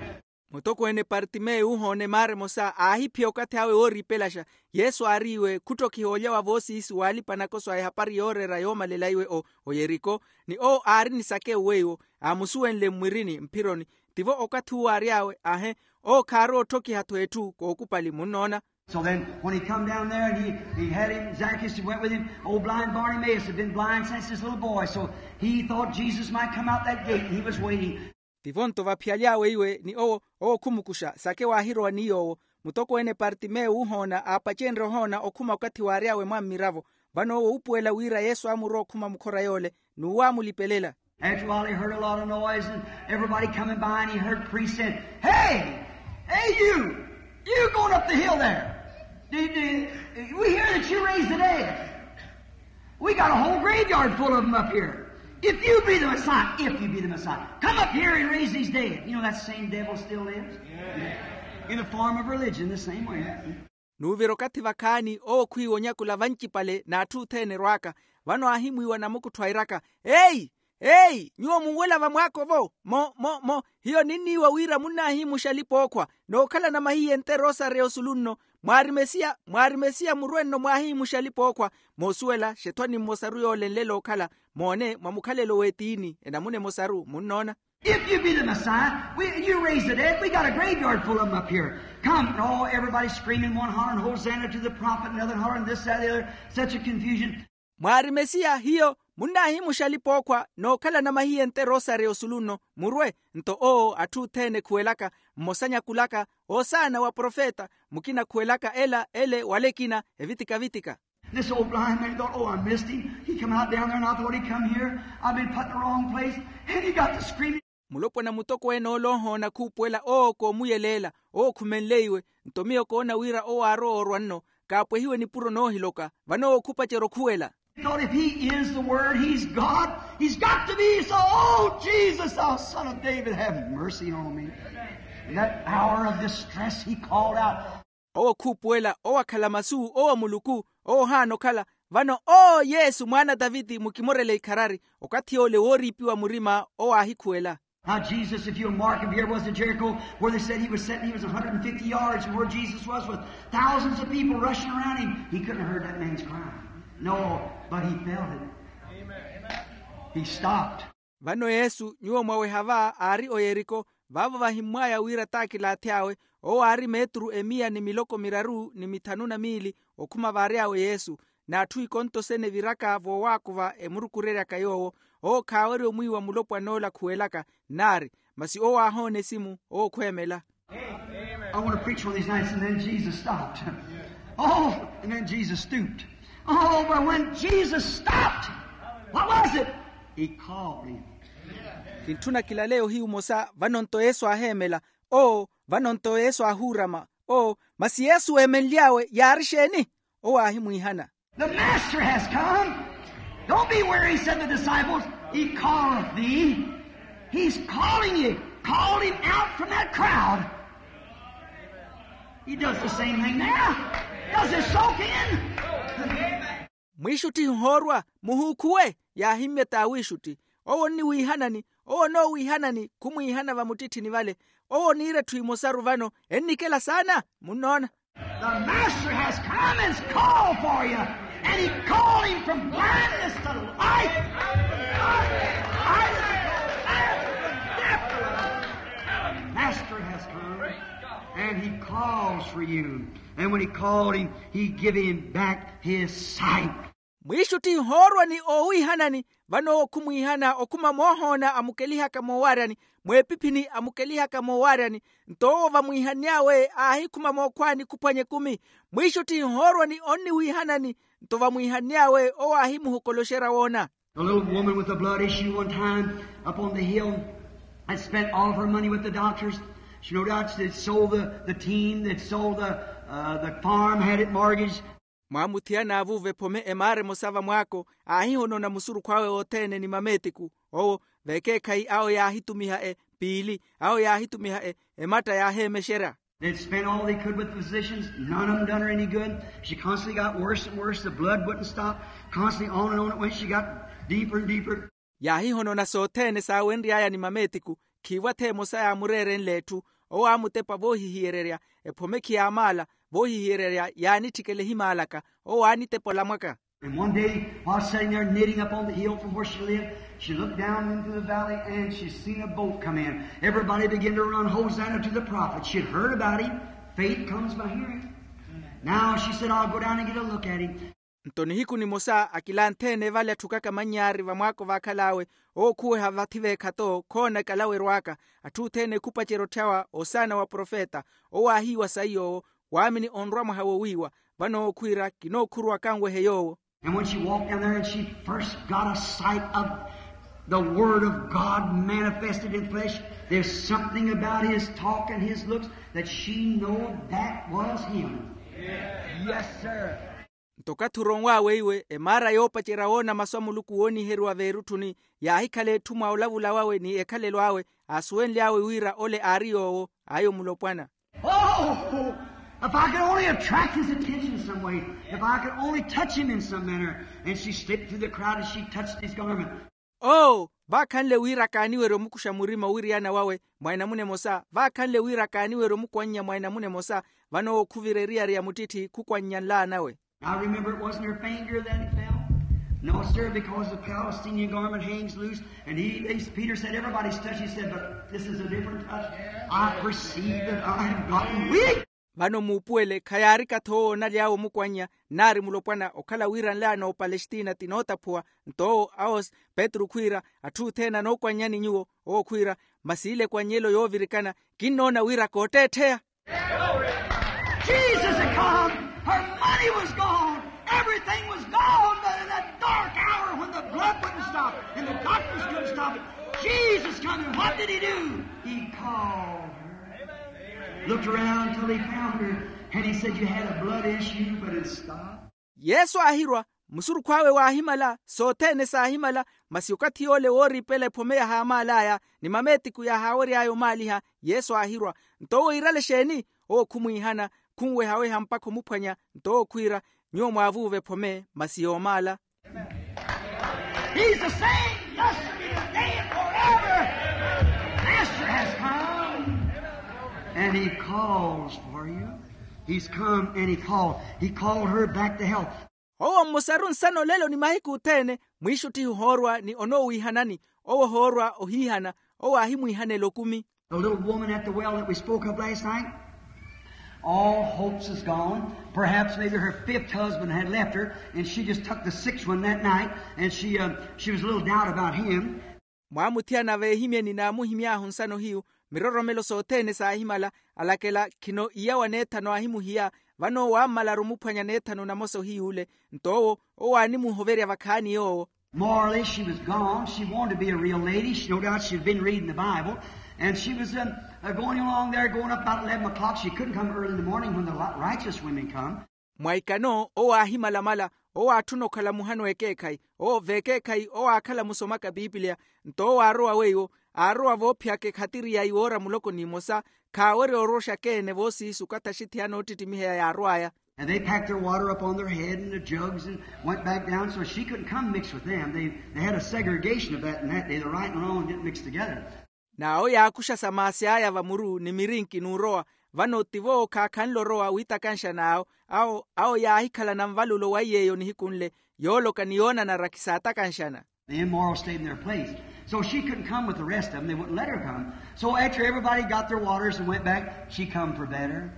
Mutokweene partimeu ohoona emaara emosa aahiphiya okathi awe wooriipelaxa. Yesu aariiwe khuttokhiha olya wa voosiisi w'alipa-nakoso a ehapari yooreera yoomalela iwe o oyeriko. Ni owo aari ni sakewu weiwo aamusuwenle mmwirini mphironi. Tivo okathi uwo aary'awe ahe. Owo khaarowa otthokiha-tho etthu kookupali munnoona. So then when he come down there and he, he had him, Zacchaeus went with him. Old blind Bartimaeus had been blind since his little boy, so he thought Jesus might come out that gate, and he was waiting. Tivo nto vaphiyaly'awe iwe ni owo owo khumukuxa sake waahirowa ni yoowo. Mutokweene partimeu uhoona aapacenrye ohoona okhuma okathi waary'awe mwa mmiravo. Vano owo uupuwela wira yesu aamurowa okhuma mukhora yoole n'uwo aamulipelela. After a while he heard a lot of noise and everybody coming by, and he heard priests saying, hey, hey, you, you going up the hill there. We hear that you raised the dead. We got a whole graveyard full of them up here. If you be the Messiah, if you be the Messiah, come up here and raise these dead. You know that same devil still lives in the form of religion the same way. N'uvira okathi vakhaani owo khwiiwa onyakula vancipale n'atthu othene erwaaka. Vano aahimwiiwa namukuttho airaka, eyi, eyi, nyuwo munwela vamwaako-vo? Mo mo mo, hiyo ninniiwa wira munnaahiimuxa alipa-ookhwa nookhalana mahiye nte rosaria osulu nno. Mwaari mesiya mwaari mesiya murwe nno mwaahiimuxa alipa-ookhwa. Moosuwela xethwani mmosaru yoole nlela ookhala. Moone mwa mukhalelo w'etiini enamuna emosaru munnoona. If you be the Messiah, we, you raise the dead, we got a graveyard full of them up here. Come. And all everybody screaming, one hollering hosanna to the prophet, another hollering this that the other. Such a confusion. Mwaari mesiya hiyo munnaahimuxa alipa-ookhwa nookhalana mahiye nte rosaria osulu nno. Murwe. Nto owo atthu othene khuwelaka mmosa nyakulaka, osaana wa profeta. Mukina khuwelaka ela ele wala ekina evitika-vitika. This old blind man thought, oh, I missed him. He come out down there and I thought he come here. I've been put in the wrong place. And he got to screaming. Mulopwana mutokweene ole ohoona khuupuwela owo koomuyeleela. Owo khumenleiwe. Nto miyo koona wira owo aarowa orwa nno. Kaapwehiwe nipuro noohiloka. Vano owo khupacerya okhuwela. Thought if he is the word, he's God. He's got to be. So, oh Jesus, thou son of David, have mercy on me. In that hour of distress he called out. Owo khuupuwela owo akhala masu owo muluku. Owo ohaana okhala. Vano oo yesu mwaana a taviti mukimorele ikharari. Okathi yoole wooriipiwa murima owo aahikhuwela. Now Jesus, if you'll mark him here, was in Jericho where they said he was sitting. He was a hundred and fifty yards from where Jesus was with thousands of people rushing around him. He couldn't have heard that man's cry. No, but he felt it. He stopped. Vano yesu nyuwo mwaweha va aari oyeriko. Vaavo vahimmwaya wira t'akilaathi awe. Owo aari meeturu emiya ni miloko miraru ni mithanu na miili okhuma vaary'awe yesu. N'atthu ikontosene eviraka voowaakuva emurukureryaka yoowo. Owo khaawerya omwiiwa mulopwan'ola khuwelaka. Nnaari masi owo aahoona esimu owo khweemela. I want to preach one of these nights, and then Jesus stopped. Oh, and then Jesus stooped. Oh, but when Jesus stopped, what was it? He called him. Kintthuna kilaleya ohiyu omosa vano nto yesu aaheemela. Oo vano nto yesu aahuurama. Oo, masi yesu weemenly'awe yaari exeeni? Owo aahimwiihana. The master has come. Don't be weary, said the disciples. He calleth thee. He's calling you. Called him out from that crowd. He does the same thing there. Does his soak in. Mwiixuttihi ohoorwa, muhuukhuwe. Yaahimmya t'awiixutti. Owo onniwiihanani. Owo onoowiihanani khumwiihana vamuttitthini vale. Owo oniira etthu emosaru vano ennikela saana. Munnoona. The master has come and called for you. And he called him from blindness to light. Master has come and he calls for you. And when he called him, he give him back his sight. Mwiixuttihi ohoorwa ni oowiihanani. Vano owo khumwiihana okhuma moohoona amukelihaka moowaryani, mweepiphini amukelihaka moowaryani. Nto owo vamwiihanny'awe aahikhuma mookhwaani khuphwanya ekumi. Mwiixuttihi ohoorwa ni onniwiihanani. Nto vamwiihanny'awe owo aahimuhokoloxerya woona. A little woman with a blood issue one time up on the hill had spent all of her money with the doctors. She no doubt had sold the, the team, had sold the, uh, the farm, had it mortgaged. Mwaamuthiyana avuuva ephome emaara emosa vamwaako. Aahihonona musurukhu awe othene ni mameetiku. Owo vekeekhayi awo yaahitumiha e piili, awo yaahitumiha e ematta yaaheemexerya. They'd spent all they could with the physicians. None of them done her any good. She constantly got worse and worse. The blood wouldn't stop. Constantly on and on it went. She got deeper and deeper. Yaahihonona sothene saawenry'aya ni mameetiku. Khiivo atha emosa yaamureerenle etthu. Owo aamutepa voohihiyererya. Ephome khiyaamaala. Voohihiyererya yaanitthikela ehimaalaka. Owo aanitepa olamwaka. And one day while sitting there knitting up on the hill from where she lived, she looked down into the valley and she seen a boat come in. Everybody began to run hosanna to the prophet. She had heard about him. Faith comes by hearing. Now she said, I'll go down and get a look at him. Nto nihiku nimosa akilanthene vale atthukaka mannyaari vamwaako vaakhal'awe. Owo khuweha vathi veekhato khoona ekalaweryo aka. Atthu othene khupacerya otthyawa osaana wa profeta. Owo aahiiwa sayi yoowo. Waamini onrwa mwaha wowiiwa. Vano owo khwiira kinookhurwa kanwehe yoowo. And when she walked down there and she first got a sight of the word of God manifested in flesh, there's something about his talk and his looks that she knowed that was him. Yes, sir. Nto okathi oronw'awe iwe emaara yoopacerya woona masu a muluku wooniheriwa veerutthuni, yaahikhala etthu mwa olavula wawe ni ekhalelo awe. Aasuwenly'awe wira ole aari yoowo. Ayo mulopwana. Oh, if I could only attract his attention some way, if I could only touch him in some manner. And she slipped through the crowd and she touched his garment. Oo, vaakhanle wira kaaniwerye omukuxa murima owiriyana wawe mwa enamuna emosa. Vaakhanle wira kaaniwerye omukwannya mwa enamuna emosa. Vano owo khuvira eriyari ya muttitthi khukwannya nlaanawe. I remember it wasn't her finger that it fell. No, sir, because the Palestinian garment hangs loose, and he, he, Peter said, everybody's touch. He said, but this is a different touch. I perceive that I have gotten weak. Vano muupuwele khayaari kathi owo onaly'awe omukwannya. Nnaari mulopwana okhala wira nlaana opalestina ti nootaphuwa. Nto owo awo petru khwiira, atthu othene anookwannyani nyuwo. Owo khwiira, masi ile ekwannyelo yoovirikana, kinnoona wira kootteettheya. Jesus had come. Her money was gone. Everything was gone. But in that dark hour when the blood wouldn't stop and the doctors couldn't stop it, Jesus come. And what did he do? He called her. Looked around till he found her. And he said, you had a blood issue, but it stopped. Yesu aahirwa, musurukhu awe waahimala, sothene saahimala. Masi okathi yoole wooriipela ephome yahaamaal'aya ni mameetiku yahaawery'aya omaaliha. Yesu aahirwa. Nto owo iirale exeeni? Owo khumwiihana, khunwehaweha mpakha omuphwanya. Nto owo khwiira, nyuwo mwaavuuva ephome masi yoomaala. He's the same yesterday, today, and forever. Master has come. And he calls for you. He's come and he called. He called her back to health. Owo mmosaru nsana olelo ni mahiku othene. Mwiixuttihi ohoorwa ni onoowiihanani. Owo ohoorwa ohiihana. Owo aahimwiihanela okumi. The little woman at the well that we spoke of last night, all hopes is gone. Perhaps maybe her fifth husband had left her and she just took the sixth one that night. And she, uh, she was a little doubt about him. Mwaamuthiyana veehimyeni naamuhimy'ahu nsano hiyu. Miroromelo sothene saahimala. Alakela khino iya wa neethano aahimuhiya. Vano owo aammalaru omuphwanya neethano namosa ohiy'ule. Nto owo owo aanimuhoverya vakhaani yoowo. Morally she was gone. She wanted to be a real lady. She, no doubt she'd been reading the Bible. And she was uh, uh, going along there, going up about eleven o'clock. She couldn't come early in the morning when the li- righteous women come. Mwa ikano owo aahimalamala, owo aatthuna okhala muhano ekeekhayi, owo veekeekhayi owo aakhala musomaka piipiliya. Nto owo aarowa weiwo, aarowa voophiyaka ekhatiri ya iwoora muloko n'imosa, khaawerya oroxa keene voosiisu okathi axithiya noottittimiheya yaarw'aya. And they packed their water up on their head and the jugs and went back down, so she couldn't come mix with them. They, they had a segregation of that in that day, the right and wrong didn't mix together. N'awo yaakuxa samaasi aya vamuru ni mirinki n'urowa. Vano tivo khaakhanle orowa wiitakanxana awo. Awo awo yaahikhalana nvalulo wa iy'eyo nihiku nle, yooloka ni yoonanara khisaatakanxana. The immoral stayed in their place. So she couldn't come with the rest of them. They wouldn't let her come. So after everybody got their waters and went back, she come for better.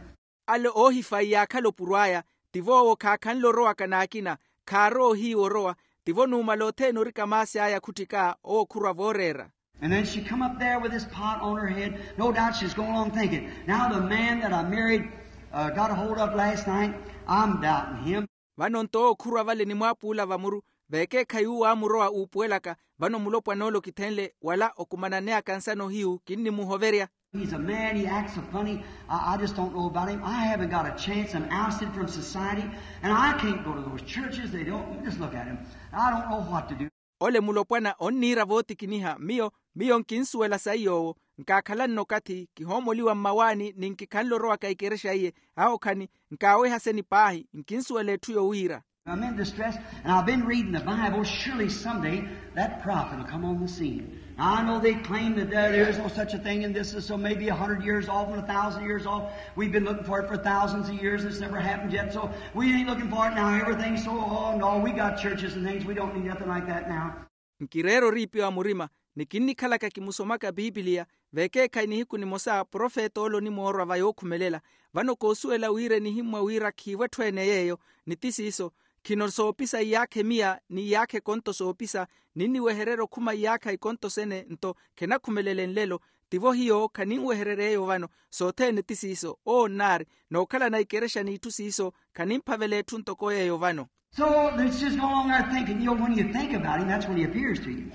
Ale oohifayi yaakhala opuro aya, tivo owo khaakhanle orowaka n'akina, khaarowa ohiiwa orowa. Tivo numala othene orika maasi aya khuttika owo khurwa vooreera. And then she come up there with this pot on her head. No doubt she's going along thinking, now the man that I married uh, got a hold of last night, I'm doubting him. Vano nto owo khurwa vale ni mwaapuula vamuru, veekeekhayi uwo aamurowa uupuwelaka. Vano mulopwana ole okithenle wala okumananeyaka nsano hiyu kinnimuhoverya. He's a man, he acts so funny. I, I just don't know about him. I haven't got a chance. I'm ousted from society, and I can't go to those churches. They don't, just look at him. I don't know what to do. Ole mulopwana onniira vootikiniha miyo, miyo nkinsuwela sayi yoowo. Nkaakhalanno okathi kihoomoliwa mmawaani ni nkikhanle orowaka ikerexa iye. Awo khani, nkaaweha seni paahi, nkinsuwela etthu yowiira. I'm in distress, and I've been reading the Bible. Surely someday that prophet will come on the scene. Now, I know they claim that there, there is no such a thing, and this is so maybe a hundred years off and a thousand years off. We've been looking for it for thousands of years, and it's never happened yet. So we ain't looking for it now. Everything's so, oh no, we got churches and things. We don't need nothing like that now. Nkireera oriipiwa murima, ni kinnikhalaka kimusomaka piipiliya, veekeekhayi nihiku nimosa profeta ole onimoorwa va yookhumelela. Vano koosuwela wira enihimmwa wira khiivo etthu ene yeeyo, ni ti siiso. Khino soopisa iyaakha emiya ni iyaakha ekonto soopisa, ninniwehererya okhuma iyaakha ikonto sene nto khenakhumelela enlelo. Tivo hiyo khaninwehererya eyo vano. Sothene ti siiso owo nnaari, nookhalana ikerexa n'itthu siiso khanimphavela etthu ntoko yeeyo vano. So it's just no longer thinking. You know, when you think about him, that's when he appears to you.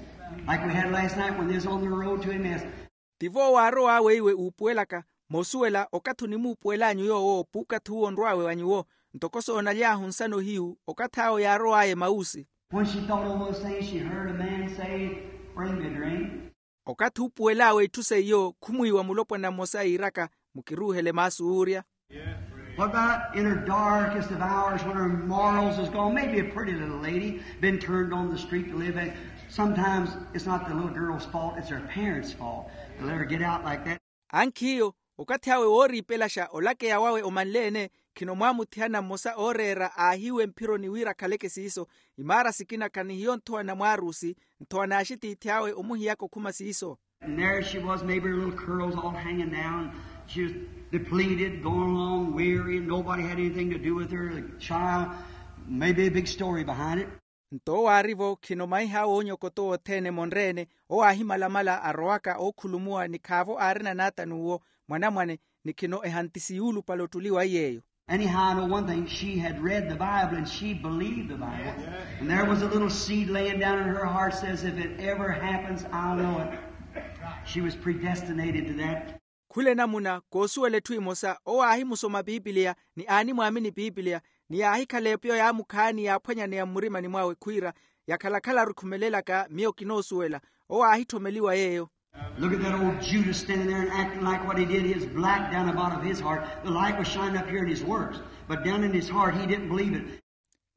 Like we had last night when they was on the road to Emmaus. Tivo waarowa weiwe uupuwelaka, moosuwela okathi onimuupuwel'anyu yoowo puukathi uwo onrw'awe wa nyuwo. Ntoko soonaly'ahu nsano hiyu okathi awo yaarow'aya emausi. When she thought on those things, she heard a man say, bring me a drink. Okathi uupuwel'awe itthu seiyo khumwiiwa mulopwana mmosa iiraka, mukiruuhele maasu oorya. What about in her darkest of hours when her morals is gone? Maybe a pretty little lady been turned on the street to live in. Sometimes it's not the little girl's fault, it's her parents' fault. They let her get out like that. Ankhiyo, okathi awe wooriipelaxa olakeya wawe omanle-ene, khino mwaamuthihana mmosa ooreera aahiiwe mphironi wira akhaleke siiso. Imaara sikina khanihiyo nthowa na mwaarusi, nthowa n'axitiithi awe omuhiyaka okhuma siiso. And there she was, maybe her little curls all hanging down. She was depleted, going along weary, and nobody had anything to do with her. The child, maybe a big story behind it. Nto owo aari-vo khino maiha awe oonyokoto othene monre-ene, owo aahimalamala arowaka ookhulumuwa ni khaavo aarina naata n'uwo mwanamwane, ni khino ehantisi yuulupale ottuli wa iy'eyo. Anyhow, I know one thing. She had read the Bible and she believed the Bible. And there was a little seed laying down in her heart says, if it ever happens, I'll know it. She was predestinated to that. Khula enamuna koosuwela etthu emosa owo aahimusoma piipiliya ni aanimwaamini piipiliya, ni yaahikhala epiyo yaamukhaani yaaphwanyaneya mmurimani mwawe khwiira, yakhala-khala arikhumelelaka miyo kinoosuwela. Owo aahitthomeliwa yeeyo. Look at that old Judas standing there and acting like what he did. His black down about of his heart. The light was shining up here in his works, but down in his heart he didn't believe it.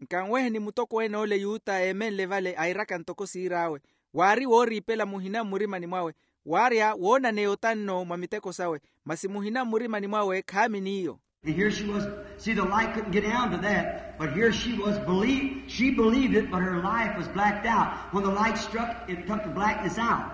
Nkanweheni mutokoweene ole yuta eemenle vale airaka ntoko siir'awe. Waari wooriipela muhina mmurimani mwawe, waarya woonaneya otanno mwa miteko sawe, masi muhina mmurimani mwawe khaamini iyo. And here she was. See, the light couldn't get down to that, but here she was. Believe, she believed it, but her life was blacked out. When the light struck, it took the blackness out.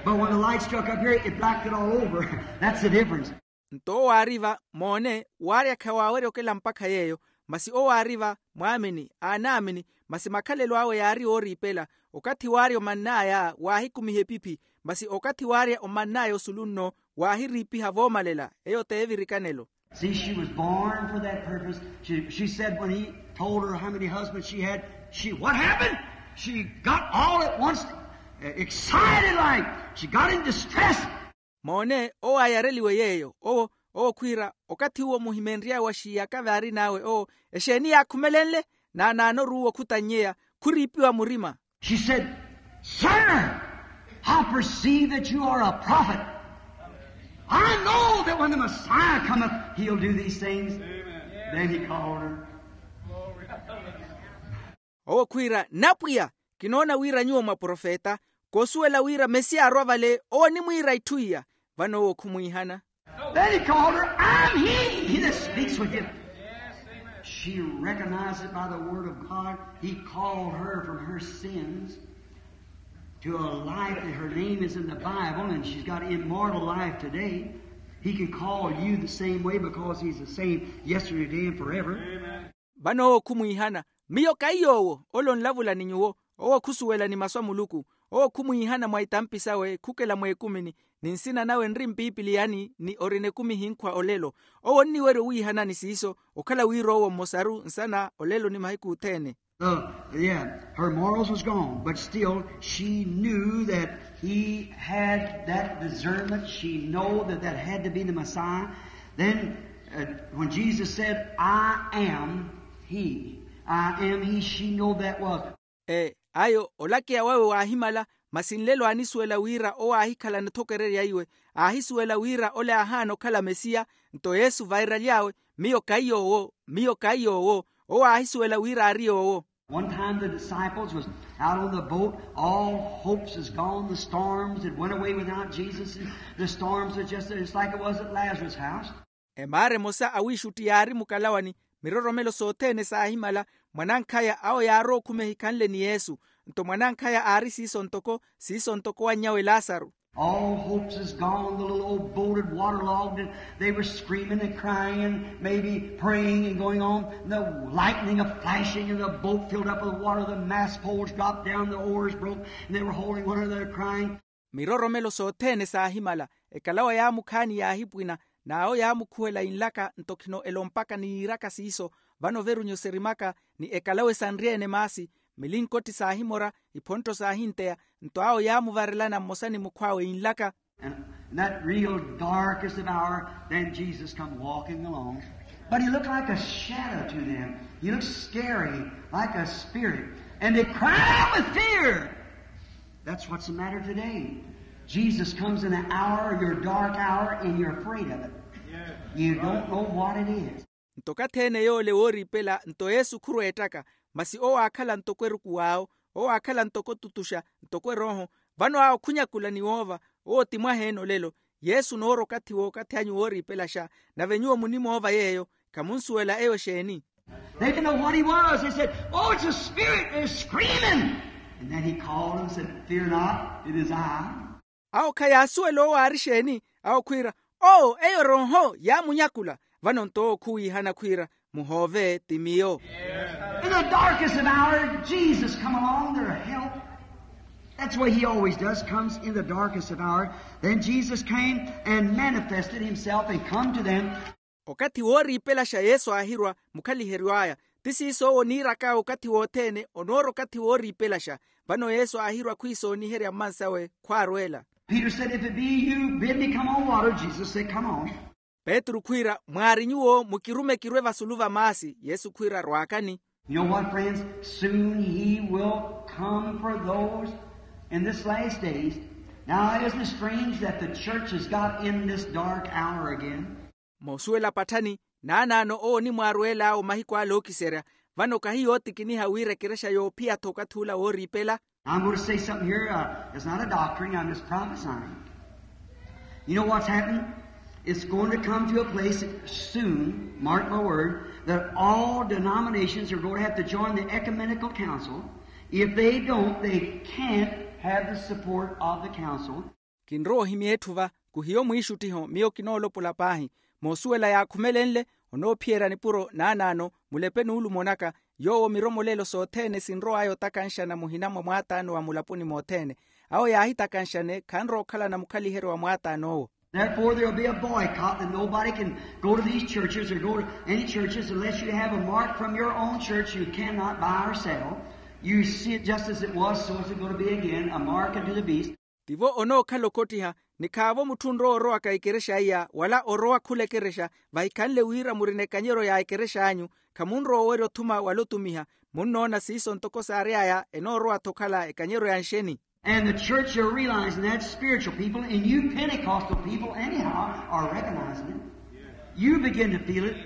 But when the light struck up here, it blacked it all over. That's the difference. Nto owo aari-va moone, waarya khawaawerya okela mpakha yeeyo. Masi owo aari-va mwaamini aanaamini, masi makhalelo awe yaari ooriipela. Okathi waarya omann'aya waahikumiha epiphi, masi okathi waarya omann'aya osulu nno waahiriipiha voomalela. Eyo t'evirikanelo. See, she was born for that purpose. She, she said when he told her how many husbands she had, she, what happened? She got all at once uh, excited like. She got in distress. Moone owo aayareliwe yeeyo owo owo khwiira okathi uwo muhimenry'awe wa xiyaka vaarin'awe owo exeeni yaakhumelenle? Naanaano oruuwa okhutannyeya khuriipiwa murima. She said, sir, I perceive that you are a prophet. I know that when the Messiah cometh, he'll do these things. Then he called her. Owo khwiira napwiya, kinoona wira nyuwo mwa profeta. Koosuwela wira mesiya arwa vale owo onimwiira itthu iya. Vano owo khumwiihana. Then he called her, I'm he, he that speaks with you. She recognized it by the word of God. He called her from her sins to a life that her name is in the Bible, and she's got immortal life today. He can call you the same way because he's the same yesterday, today, and forever. Vano owo khumwiihana, miyo kaiy'owo ole onlavula ni nyuwo. Owo khusuwela ni masu a muluku. Owo khumwiihana mwa itampi sawe khukela mweekumini, ni nsina nawe nri mpiipiliyani ni orina ekumi hinkhwa olelo. Owo onniwerya owiihanani siiso okhala wira owo mmosaru nsana olelo ni mahiku othene. Uh, yeah, her morals was gone, but still she knew that he had that discernment. She know that that had to be the Messiah. Then, uh, when Jesus said, I am he, I am he, she know that was. E ayo olakeya wawe waahimala, masi nlelo aanisuwela wira owo aahikhala nathokererya iwe. Aahisuwela wira ole aahaana okhala mesiya. Nto yesu vairaly'awe, miyo kaiy'owo, miyo kaiy'owo. Owo aahisuwela wira aari yoowo. One time the disciples was out on the boat. All hopes is gone. The storms had went away without Jesus, and the storms was just, just like it was at Lazarus' house. Emaara emosa awiixutti yaari mukalawani, miroromelo sothene saahimala. Mwanankhaya awo yaarowa okhuma ehikhanle ni yesu. Nto mwanankhaya aari siiso ntoko siiso ntoko wanny'awe lasaru. All hopes is gone. The little old boat had waterlogged, and they were screaming and crying and maybe praying and going on. The lightning a flashing, and the boat filled up with water. The mast poles dropped down, the oars broke, and they were holding one another crying. Miroromelo sothene saahimala. Ekalawa yaamukhaani yaahipwina, n'awo yaamukhuwela inlaka nto khino elompaka ni yiiraka siiso. Vano veru nyuserimaka ni ekalawa esanrye-ene maasi. Milinkotthi saahimora, iphontto saahinteya. Nto awo yaamuvarelana mmosa ni mukhw'awe inlaka. And in that real darkest of hour, then Jesus come walking along. But he looked like a shadow to them. He looked scary, like a spirit. And they cried out with fear. That's what's the matter today. Jesus comes in an hour, your dark hour, and you're afraid of it. You don't know what it is. Nto okathi ene yoole wooriipela nto yesu khurweettaka. Masi owo aakhala ntoko eruku w'awo. Owo aakhala ntoko otutuxa, ntoko erooho. Vano awo khunyakula ni woova. Owo ti mwaheene olelo. Yesu onoora okathi w'okathi anyu wooriipelaxa. Nave nyuwo munimoova yeeyo. Khamunsuwela eyo exeeni? They didn't know what he was. They said, oh, it's a spirit, they're screaming. And then he called and said, fear not, it is I. Awo khayaasuwela owo aari exeeni. Awo khwiira, owo eyo erooho yaamunyakula. Vano nto owo khuwiihana khwiira, muhoove ti miyo. In the darkest of hour, Jesus come along their help. That's what he always does, comes in the darkest of hour. Then Jesus came and manifested himself and come to them. Okathi wooriipelaxa yesu aahirwa mukhaliheryo aya. Ti siiso owo oniirak'awe okathi wothene onoora okathi wooriipelaxa. Vano yesu aahirwa khwiisooniherya mmansawe khwaarweela. Peter said, if it be you, bid me come on water. Jesus said, come on. Petru khwiira, mwaari nyuwo mukirume kirwe vasulu va maasi. Yesu khwiira rwaakani. You know what, friends? Soon he will come for those in this last days. Now, isn't it strange that the church has got in this dark hour again? Moosuwela patthani, naanaano owo onimwaarweel'awe mahiku ale ookiserya. Vano kahi yootikiniha wira ekerexa yoophiya-tho okathi ula wooriipela. I'm going to say something here. Uh, it's not a doctrine. I'm just prophesying. You know what's happening? It's going to come to a place soon, mark my word, that all denominations are going to have to join the ecumenical council. If they don't, they can't have the support of the council. Kinrowa ohimya etthu va, khuhiyo mwiixuttiho miyo kinoolopola paahi. Moosuwela yaakhumelenle, onoophiyerya nipuro naanaano mulepe n'ulumo naka. Yoowo miromolelo sothene sinrow'aya otakanxana muhina mwa mwaataano wa mulaponi mothene. Awo yaahitakanxane khanrowa okhalana mukhaliheryo wa mwaataan'owo. Therefore there'll be a boycott, that nobody can go to these churches or go to any churches unless you have a mark from your own church you cannot buy or sell. You see it just as it was, so is it going to be again, a mark unto the beast. Tivo onookhala okottiha, Ni khaavo mutthu onrowa orowaka ekerexa iya wala orowa khula ekerexa vahikhanle wira murina ekanyeryo ya ekerexa anyu, khamunrowa owerya othuma wala otumiha. Munnoona siiso ntoko saary'aya enoorowa-tho okhala ekanyeryo ya nxeni. And the church are realizing that, spiritual people, and you Pentecostal people anyhow are recognizing it. You begin to feel it.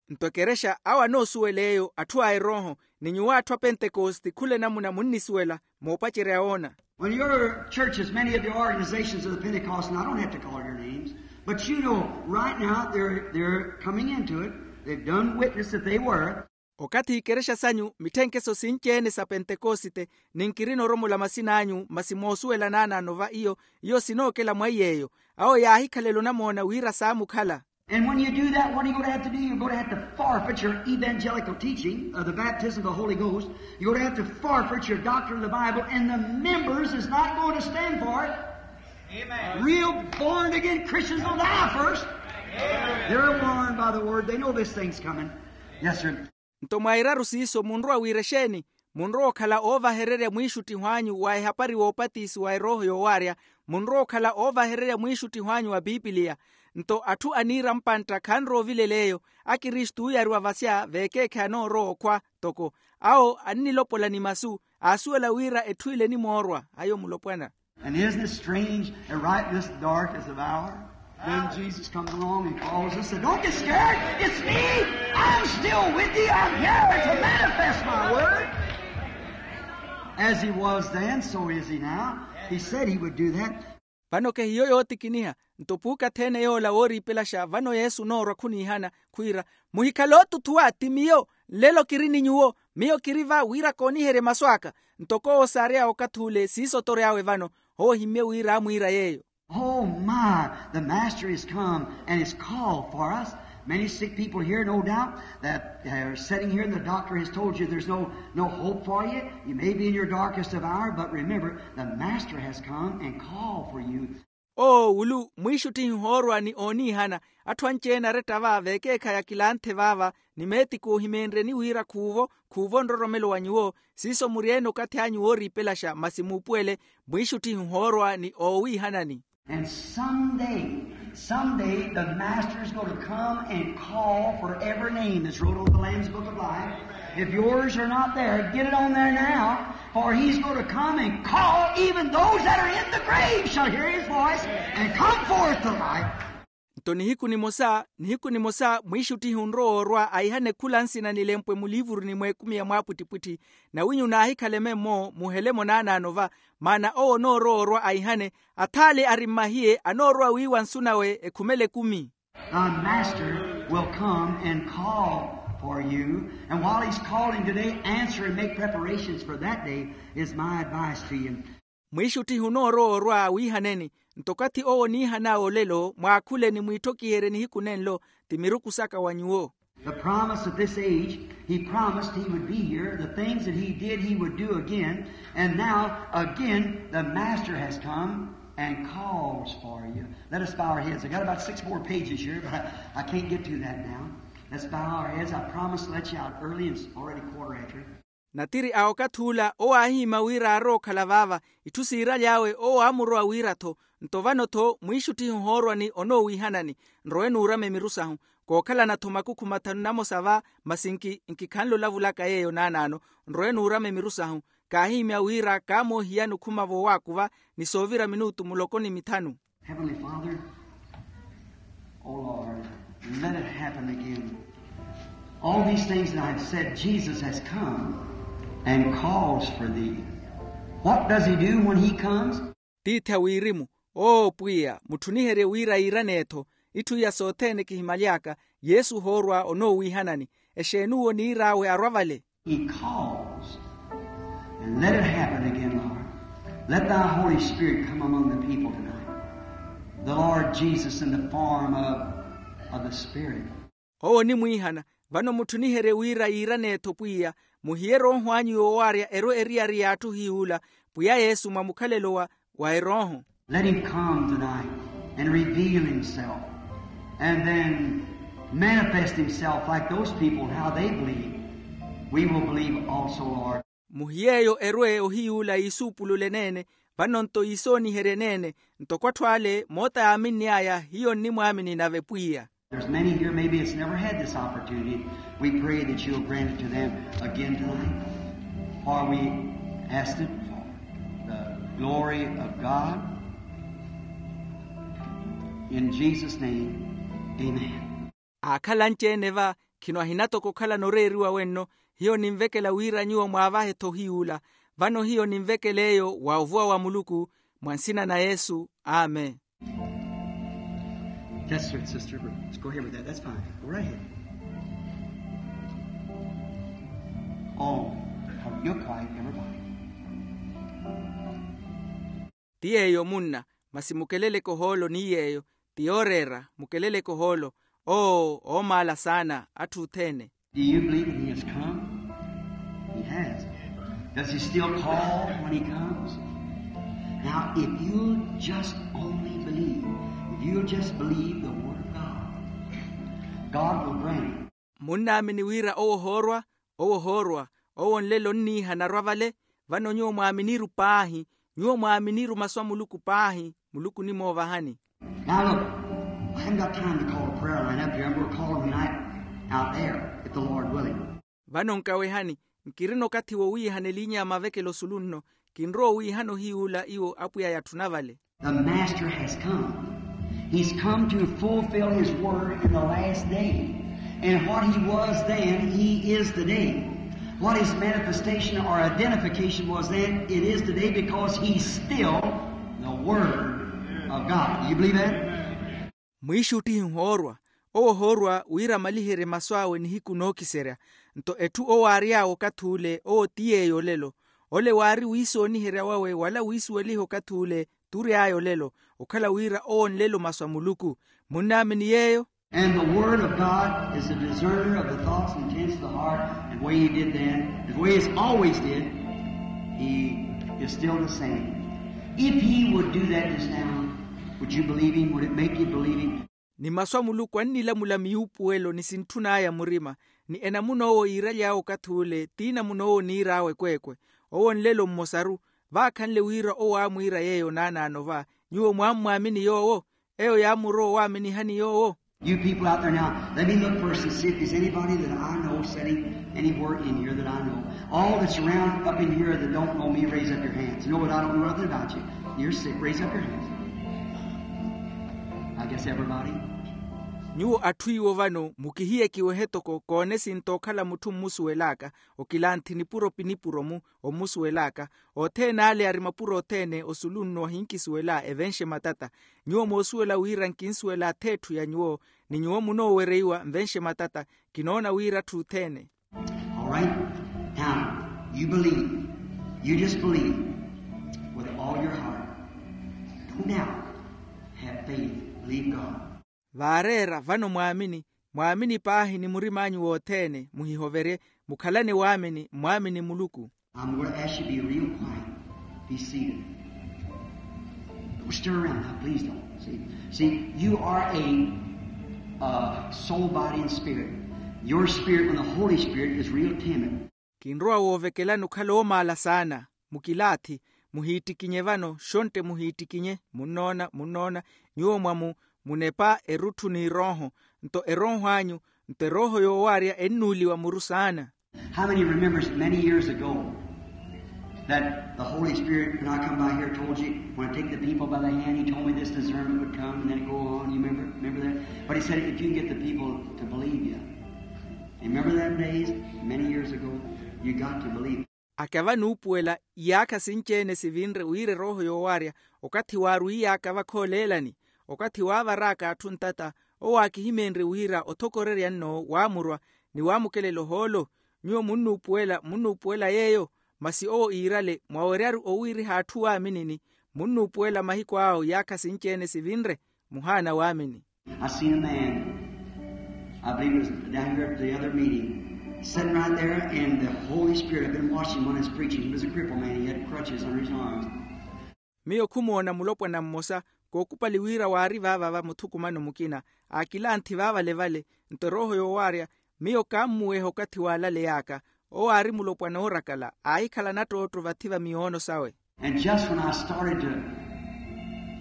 Nto ekerexa awo anoosuwela eyo atthu a erooho, ni nyuwo atthu a pentekoste khula enamuna munnisuwela. Moopacerya woona. When your churches, many of your organizations of the Pentecostal, I don't have to call your names, but you know right now they're, they're coming into it. They've done witness that they were. Okathi ikerexa sanyu mitthenkeso sinci-ene sa pentekosite, ni nkirina oromola masina anyu masi moosuwela naanaano va iyo, iyo sinookela mwa iy'eyo. Awo yaahikhalela onamoona wira saamukhala. And when you do that, what are you going to have to do? You're going to have to forfeit your evangelical teaching of the baptism of the Holy Ghost. You're going to have to forfeit your doctrine of the Bible, and the members is not going to stand for it. Amen. Real born again Christians will die first. Amen. They're warned by the word. They know this thing's coming. Yes, sir. Nto mwairaru siiso munrowa wira exeeni? Munrowa okhala oovahererya mwiixuttiho anyu wa ehapari w'opatisi wa erooho yoowaarya. Munrowa okhala oovahererya mwiixuttiho anyu wa pipiliya. Nto atthu aniira mpantta khanrowa ovilela eyo. Akristu ooyariwa vasya veekeekhayi anoorowa okhwa toko. Awo annilopola ni masu, aasuwela wira etthu ile enimoorwa. Ayo mulopwana. And isn't it strange that right this darkest of hour, then Jesus comes along and calls us, said, "Don't get scared. It's me. I'm still with you. I'm here to manifest my word." As he was then, so is he now. He said he would do that. Vano kehiyo yootikiniha. Nto puukathi-ene yoola wooriipelaxa vano yesu onoorwa khuniihana, khwiira, muhikhale ootuthuwa, ti miyo. Nlelo kiri ni nyuwo. Miyo kiri va wira kooniherye masu aka. Ntoko owo saary'awe okathi ule siiso otory'awe vano. Owo ohimmye wira aamwiira yeeyo. Oh my, the master has come and has called for us. Many sick people here, no doubt, that are sitting here, and the doctor has told you there's no, no hope for you. You may be in your darkest of hour, but remember, the master has come and called for you. Owo wulu mwiixuttihi ohoorwa ni ooniihana. Atthu anci-ene aretta va veekeekhayi akilanthe vaava, ni meetiku ohimeenryeni wira khuuvo, khuuvo nroromelo wa nyuwo. Siiso muri-ene okathi anyu wooriipelaxa masi muupuwele. Mwiixuttihi ohoorwa ni oowiihanani. And someday, someday the master is going to come and call for every name that's wrote on the Lamb's Book of Life. If yours are not there, get it on there now. For he's going to come and call, even those that are in the grave shall hear his voice and come forth to life. Nto nihiku nimosa, nihiku nimosa mwiixuttihi onrowa orwa aihane khula nsina nilempwe muliivuruni mw'ekumi ya mwaapwittipwitthi. Nawinyu naahikhaleme-mo muhelemo naanaano va, maana owo onoorowa orwa aihane, athaale ari mmahiye anoorowa wiiwa nsu nawe ekhumela ekumi. Thy master will come and call for you, and while he's calling today, answer and make preparations for that day, is my advice to you. Mwiixuttihi onoorowa orwa wiihaneni. Nto okathi owo oniihan'awe olelo mwaakhule ni mwiitthokiherye nihiku nenlo, ti miruku saka wa nyuwo. The promise of this age, he promised he would be here. The things that he did, he would do again. And now, again, the master has come and calls for you. Let us bow our heads. I got about six more pages here, but I, I can't get to that now. Let's bow our heads. I promised to let you out early, and it's already quarter after. Natiri a okathi ula owo aahihimya wira aarowa okhala vaava. Itthu siiraly'awe owo aamurowa wira-tho. Nto vano-tho mwiixuttihi ohoorwa ni onoowiihanani. Nrowe nuurame miru sahu. Kookhalana-tho makukhu mathanu namosa va, masi nki nkikhanle olavulaka yeeyo naanaano. Nrowe nuurame miru sahu. Kaahihimya wira kaamoohiyani okhuma voowaakuva, ni soovira minutu muloko ni mithanu. Heavenly Father, oh Lord, let it happen again. All these things that I've said, Jesus has come and calls for thee. What does he do when he comes? Tiithi a wirimu. Oo pwiya, mutthuniherye wira yiirane-tho. Itthu iya sothene kihimaly'aka, yesu ohoorwa onoowiihanani. Exeeni owo oniir'awe arwa vale? He calls. And let it happen again, Lord. Let thy Holy Spirit come among the people tonight. The Lord Jesus in the form of, of the Spirit. Owo onimwiihana. Vano mutthuniherye wira yiirane-tho pwiya, muhiye erooho anyu yoowaarya erwe eriyari y'atthu hiy'ula, pwiya yesu mwa mukhalelo wa wa erooho. Let him come tonight and reveal himself, and then manifest himself like those people, how they believe. We will believe also, Lord. Muhiyeeyo erwe ohiyuula yiisuupulule neene. Vano-nto yiisooniherye neene, ntoko atthu ale moota yaaminn'aya hiyo nnimwaamini nave pwiya. There's many here, maybe it's never had this opportunity. We pray that you'll grant it to them again tonight. For we asked it for the glory of God. In Jesus' name, amen. Aakhala anci-ene va, khino ahina toko okhalana oreeriwa wenno. Hiyo ninvekela wira nyuwo mwaavahe-tho ohiy'ula. Vano hiyo ninvekela eyo wa ovuwa wa muluku, mwa nsina na yesu. Amen. That's it, sister. Let's go ahead with that. That's fine. Go right ahead. Oh, you're quiet, everybody. Ti yeeyo munna, masi mukeleleke ohoolo ni yeeyo. Ti yooreera, mukeleleke ohoolo. Oo, oomaala saana atthu othene. Do you believe that he has come? He has. Does he still call when he comes? Now, if you'll just only believe, if you'll just believe the word of God, God will grant it. Munnaamini wira owo ohoorwa? Owo ohoorwa. Owo nlelo onniiha anarwa vale. Vano nyuwo mwaaminiru paahi. Nyuwo mwaaminiru masu a muluku paahi. Muluku onimoovahani. Now look, I haven't got time to call a prayer line up here. I'm going to call them tonight out there, if the Lord willing. Vano nkawehani, nkirina okathi wowiihana eliinya ya mavekelo osulu nno. Kinrowa owiihana ohiy'ula iwo apwiya yatthuna vale. The master has come. He's come to fulfill his word in the last day. And what he was then, he is today. What his manifestation or identification was then, it is today, because he's still the word of God. Do you believe that? Mwiixuttihi nhoorwa. Owo ohoorwa wira amaliherye masu awe nihiku nookiserya. Nto etthu owo aary'awe okathi ule, owo ti yeeyo olelo. Ole waari wiisooniherya wawe wala wiisuweliha okathi ule, t'ury'aya olelo. Okhala wira owo nlelo masu a muluku. Munnaamini yeeyo? And the word of God is a discerner of the thoughts and intents of the heart. And the way he did then, the way he always did, he is still the same. If he would do that just now, would you believe him? Would it make you believe him? Ni masu a muluku annilamula miyuupuwelo ni sintthun'aya murima. Ni enamuna owo yiiraly'awe okathi ule ti enamuna owo oniir'awe ekweekwe. Owo nlelo mmosaru. Vaakhanle wira owo aamwiira yeeyo naanaano va. Nyuwo mwaammwaamini yoowo? Eyo yaamurowa owaaminihani yoowo. You people out there now, let me look first and see if there's anybody that I know sitting anywhere in here that I know. All that's around up in here that don't know me, raise up your hands. No, but I don't know nothing about you. You're sick. Raise up your hands. I guess everybody. Nyuwo atthu iwo vano mukihiyekiwehe toko koone sinto okhala mutthu mmusuwel'aka. Okilanthi nipuro pinipuro-mu ommusuwel'aka. Othene ale ari mapuro othene osulu nno ahinkisuwela evenxe matata. Nyuwo moosuwela wira nkinsuwela ath'etthu ya nyuwo. Ni nyuwo munoowereiwa nvenxe matata. Kinoona wira atthu othene. All right. Now, you believe. You just believe with all your heart. Don't doubt. Have faith. Believe God. Vaareera vano mwaamini. Mwaamini paahi ni murim'anyu wothene, muhihoverye. Mukhalane waamini, mmwaamini muluku. I'm going to ask you to be real quiet. Be seated. Don't stir around now, please don't. See, see, you are a uh, soul, body, and spirit. Your spirit and the Holy Spirit is real timid. Kinrowa woovekelani okhala oomaala saana. Mukilaathi. Muhiittikinye vano shontte muhiittikinye. Munnoona munnoona. Nyuwo mwamu munepa erutthu n'erooho. Nto erooho anyu nto erooho yoowaarya ennuuliwa muru saana. How many remembers many years ago that the Holy Spirit, when I come by here, told you, when I take the people by the hand, he told me this discernment would come, and then it go on. You remember, remember that? But he said, if you can get the people to believe you. Remember them days? Many years ago. You got to believe. Akava nuupuwela iyaakha sinci-ene sivinre wira erooho yoowaarya. Okathi waarwiiy'aka vakhoolelani, okathi waavar'aka atthu ntata, owo aakihimenrye wira othokorerya nno waamurwa ni waamukelela ohoolo. Nyuwo munnuupuwela munnuupuwela yeeyo. Masi owo iirale mwaweryaru owiiriha atthu waaminini. Munnuupuwela mahiku awo iyaakha sinci-ene sivinre. Muhaana waamini. I seen a man, I believe it was down here at the other meeting, sitting right there, and the Holy Spirit, I've been watching when I was preaching. He was a crippled man, he had crutches under his arms. Miyo khumoona mulopwana mmosa, kookupali wira waari vaava va muthukumano mukina. Aakilanthi vaavalevale. Nto erooho yoowaarya, miyo kaammuweha okathi waalaley'aka. Owo aari mulopwana oorakala aahikhala nattootto vathi va miyoono sawe. And just when I started to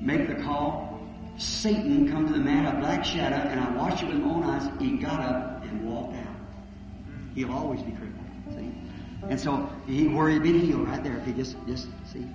make the call, Satan come to the man, a black shadow, and I watched it with my own eyes. He got up and walked out. He'll always be crippled, see? And so he, where he'd been healed right there, if he just, just, see?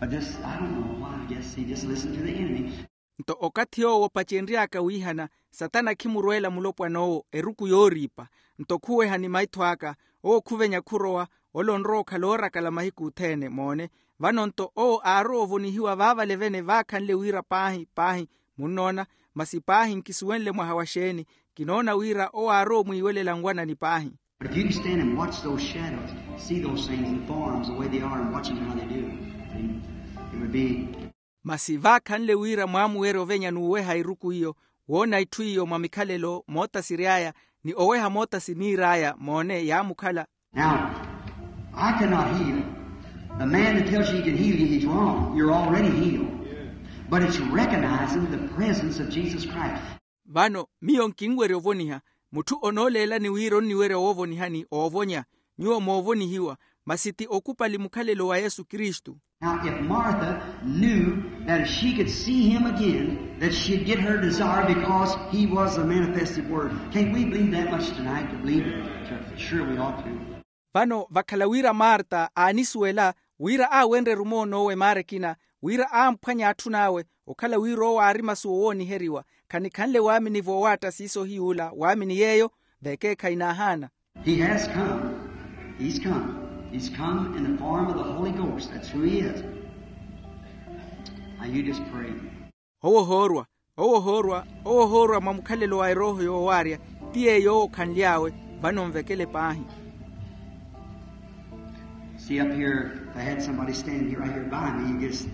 But just, I don't know why, I guess he just listened to the enemy. Nto okathi yoowo opacenry'aka wiihana, satana khimurweela mulopwan'owo eruku yooriipa. Nto khuweha ni maitho aka, owo khuvenya khurowa. Ole onrowa okhala oorakala mahiku othene, moone. Vano nto owo aarowa ovonihiwa vaavale vene vaakhanle wira paahi paahi. Munnoona? Masi paahi nkisuwenle mwaha wa xeeni. Kinoona wira owo aarowa omwiiwelela nwanani paahi. But if you can stand and watch those shadows, see those things in forms the way they are and watch them how they do, then it would be. Masi vaakhanle wira mwaamuwerya ovenya n'uweha eruku iyo, woona itthu iyo mwa mikhalelo moota siry'aya, ni oweha moota siniir'aya, moone, yaamukhala. Now, I cannot heal. The man that tells you he can heal you, he's wrong. You're already healed. But it's recognizing the presence of Jesus Christ. Vano miyo nkinwerya ovoniha. Mutthu onooleelani wira onniwerya woovonihani oovonya. Nyuwo moovonihiwa, masi ti okupali mukhalelo wa Yesu Kristu. Now, if Martha knew that if she could see him again, that she'd get her desire because he was the manifested Word. Can't we believe that much tonight to believe it? Sure, we ought to. Vano vakhala wira Marta aanisuwela wira aawenrerye omoon'owe maara ekina, wira aamphwanye atthun'awe, okhala wira owo aari masu owooniheriwa, khanikhanle waamini voowaatta siiso ohiy'ula waamini yeeyo, vekeekhayi naahaana. He has come. He's come. He's come in the form of the Holy Ghost. That's who he is. Now you just pray. Owo ohoorwa, owo ohoorwa, owo ohoorwa mwa mukhalelo wa erooho yoowaarya. Ti yeeyo owo okhanly'awe. Vano nvekele paahi. See, up here, if I had somebody standing here right here by me, you just,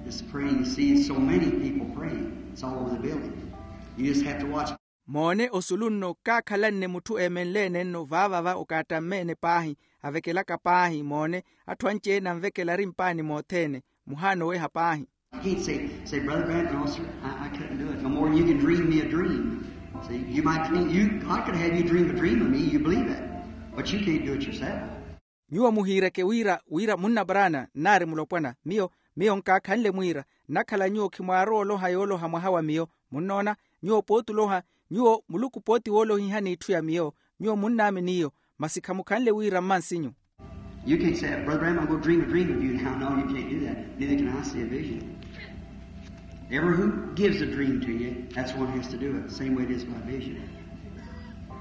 just praying. You see, so many people praying. It's all over the building. You just have to watch. Moone, osulu nno kaakhalanne mutthu eemenleene nno vaavava okaattamme-ene paahi, avekelaka paahi. Moone, atthu anci-ene anvekela ari mpaani mothene. Muhaana oweha paahi. I can't say, say, Brother Branham, no, sir, I, I couldn't do it. No more than you can dream me a dream. See, you might dream, you, I could have you dream a dream of me, you believe that. But you can't do it yourself. Nyuwo muhiireke wira, wira, munna Branham, nnaari mulopwana, miyo, miyo nkaakhanle mwiira. Nnakhala nyuwo khimwaarowa oloha yooloha mwaha wa miyo. Munnoona? Nyuwo pooti oloha, nyuwo Muluku pooti woolohiha n'itthu ya miyo. Nyuwo munnaamini iyo, masi khamukhanle wira mmansinyu. You can't say, Brother Branham, I'm going to dream a dream of you now. No, you can't do that. Neither can I see a vision. Ever who gives a dream to you, that's one has to do it. Same way it is by vision.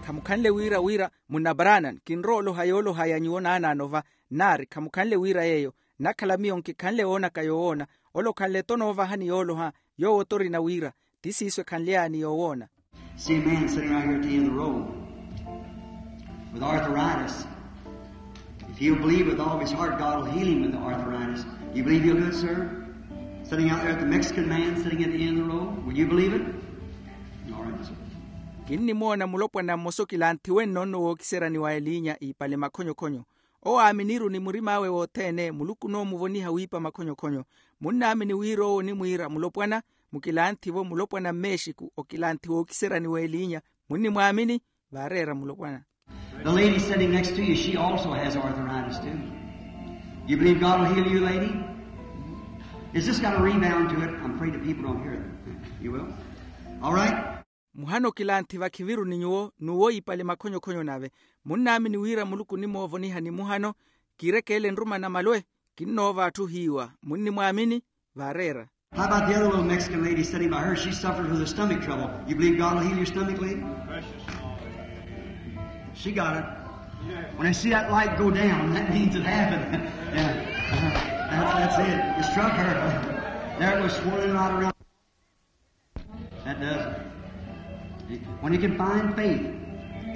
Khamukhanle wira, wira, munna Branham, kinrowa oloha yooloha ya nyuwo naanaano va, nnaari khamukhanle wira yeeyo. Nnakhala miyo nkikhanle woonaka yowoona. Ole okhanle-tho noovahani yooloha, yoowo-tho orina wira. Ti siiso ekhanly'ani yoowoona. See a man sitting right here at the end of the road with arthritis. If he'll believe with all of his heart, God will heal him with the arthritis. You believe he'll do it, sir? Sitting out there at the Mexican man sitting at the end of the road, will you believe it? All right, sir. Kinnimoona mulopwana mmosa okilanthiwe nno nno wookiseryani wa eliinya iipale makhonyokhonyo. Owo aaminiru ni murim'awe wothene, Muluku onoomuvoniha wiipa makhonyokhonyo. Munnaamini wira owo onimwiira mulopwana, mukilanthivo mulopwana mmeexiku, okilanthi wookiseryani w'eliinya. Munnimwaamini? Vaareera mulopwana. The lady sitting next to you, she also has arthritis too. You believe God will heal you, lady? Is this got a rebound to it? I'm afraid the people don't hear it. You will? All right. Muhano kilanthi vakhiviru ni nyuwo, n'uwo iipale makhonyokhonyo nave. Munnaamini wira Muluku onimoovonihani muhano? Kiirekeele nruma na malwe. Kinnoova atthu ohiiwa. Munnimwaamini? Vaareera. How about the other little Mexican lady sitting by her? She suffers with her stomach trouble. You believe God will heal your stomach, lady? She got it. When I see that light go down, that means it happened. Yeah. That's, that's it. It struck her. There it was swirling right around. That does it. When he can find faith,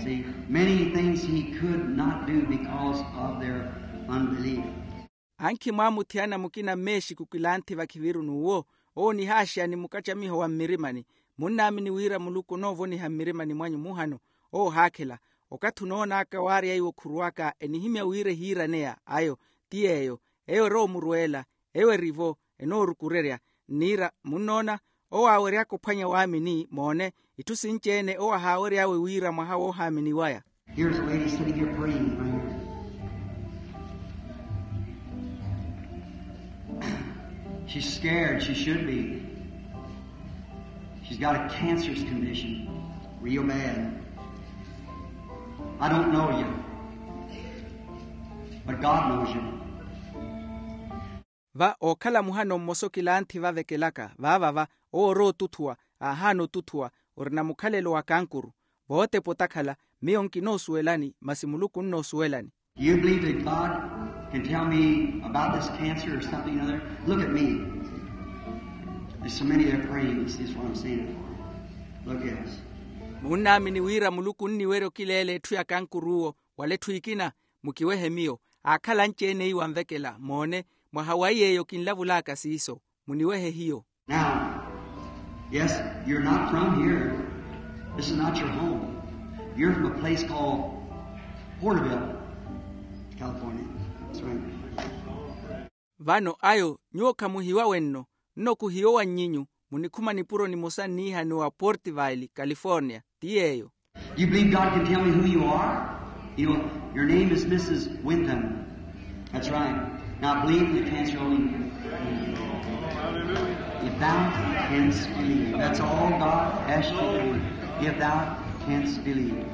see, many things he could not do because of their unbelief. Ankhi mwaamuthiyana mukina mmeexiku kilanthi vakhiviru n'uwo, owo onihaaxeya ni mukacamiho wa mmirimani. Munnaamini wira Muluku onoovoniha mmirimani mwanyu muhano? Owo ohaakhela. Okathi onoon'aka waarya iwo khuruwaka enihimya wira ehiiraneya ayo, ti yeeyo, eyo erowa omurweela, eyo eri-vo, enoorukurerya. Nniira, munnoona, owo aawery'aka ophwanya waamini, moone, itthu sinci-ene owo ahaawery'awe wira mwaha woohaamini waya. Here's a lady sitting here praying right here. She's scared. She should be. She's got a cancerous condition, real bad. I don't know you, but God knows you. Va ookhala muhano mmosa okilanthi vavekelaka vaavava, owo orowa otuthuwa, aahaana otuthuwa, orina mukhalelo wa kankuru. Vootepa otakhala, miyo nkinoosuwelani masi muluku onnoosuwelani. Do you believe that God can tell me about this cancer or something or other? Look at me. There's so many that are praying. This is what I'm saying it for. Look at us. Munnaamini wira muluku onniwerya okileela etthu ya kankuru owo, wala etthu ekina. Mukiwehe miyo. Aakhala anci-ene iwo anvekela moone, mwaha wa iy'eyo kinlavulaka siiso. Muniwehe hiyo. Now, yes, you're not from here. This is not your home. You're from a place called Porterville, California. That's right. Vano ayo nyuwo khamuhiwa wenno. Nno khuhiyo wa nnyinyu. Munikhuma nipuro nimosa nniihaniwa porterville, california. Ti yeeyo. You believe God can tell me who you are? You know, your name is Missus Wyndham. That's right. Now believe in the cancer only. If thou canst believe. That's all God asks you to do. If thou canst believe.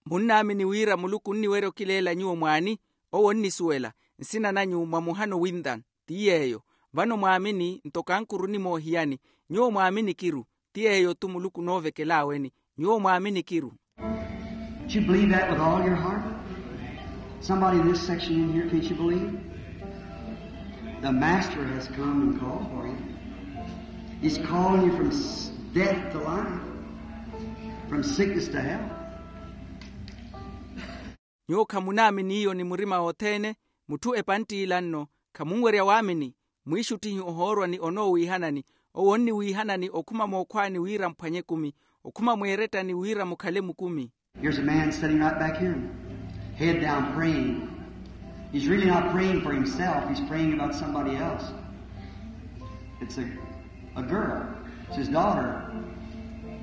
Munnaamini wira muluku onniwerya okileela nyuwo mwaani? Owo onnisuwela. Nsina nanyu mwa muhano winthan. Ti yeeyo. Vano mwaamini nto kankuru onimoohiyani. Nyuwo mwaamini kiru. Ti yeeyo-tu muluku onoovekelaaweni. Nyuwo mwaamini kiru. Can't you believe that with all your heart? Somebody in this section in here, can't you believe? The master has come and called for you. He's calling you from s- death to life, from sickness to health. Nyuwo khamunaamini iyo ni murima wothene. Mutthu epantt'ila nno, khamunwerya waamini. Mwiixuttihi ohoorwa ni onoowiihanani. Owo onniwiihanani okhuma mookhwaani wira muphwanye ekumi. Okhuma mweerettani wira mukhale mukumi. Here's a man sitting right back here, head down, praying. He's really not praying for himself. He's praying about somebody else. It's a, a girl. It's his daughter.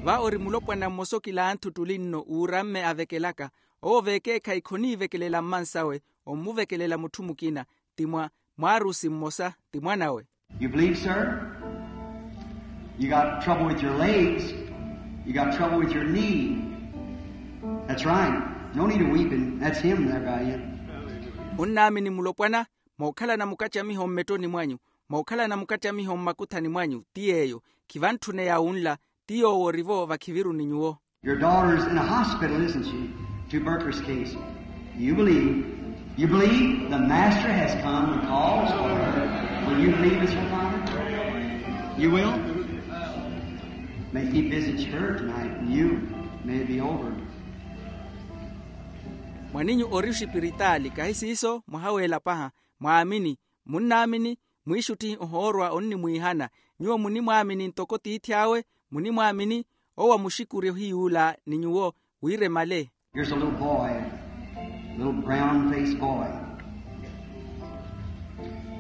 Va ori mulopwana mmosa okilanthu ttuli nno uuramme avekelaka. Owo veekeekhayi khoniivekelela mmansawe, ommuvekelela mutthu mukina. Ti mwa mwaarusi mmosa, ti mwan'awe. You believe, sir? You got trouble with your legs. You got trouble with your knee. That's right. No need of weeping. That's him there by you. Munnaamini mulopwana, mookhalana mukattamiho mmettoni mwanyu, mookhalana mukattamiho mmakuthani mwanyu. Ti yeeyo. Khivantthuneya wunla. Ti yoowo orivo vakhiviruni nyuwo. Your daughter's in a hospital, isn't she? Tuberculosis case. You believe. You believe the master has come and calls for her. Will you believe, Mister Father? You will? May he visit her tonight and you may be over. Mwaninyu ori oxipiritaali, kahi siiso? Mwaha weela paha. Mwaamini. Munnaamini. Mwiixuttihi ohoorwa onnimwiihana. Nyuwo munimwaamini ntoko tiithi awe? Munimwaamini? Owo amuxikuri ohiy'ula ni nyuwo wira emale. Here's a little boy, little brown-faced boy.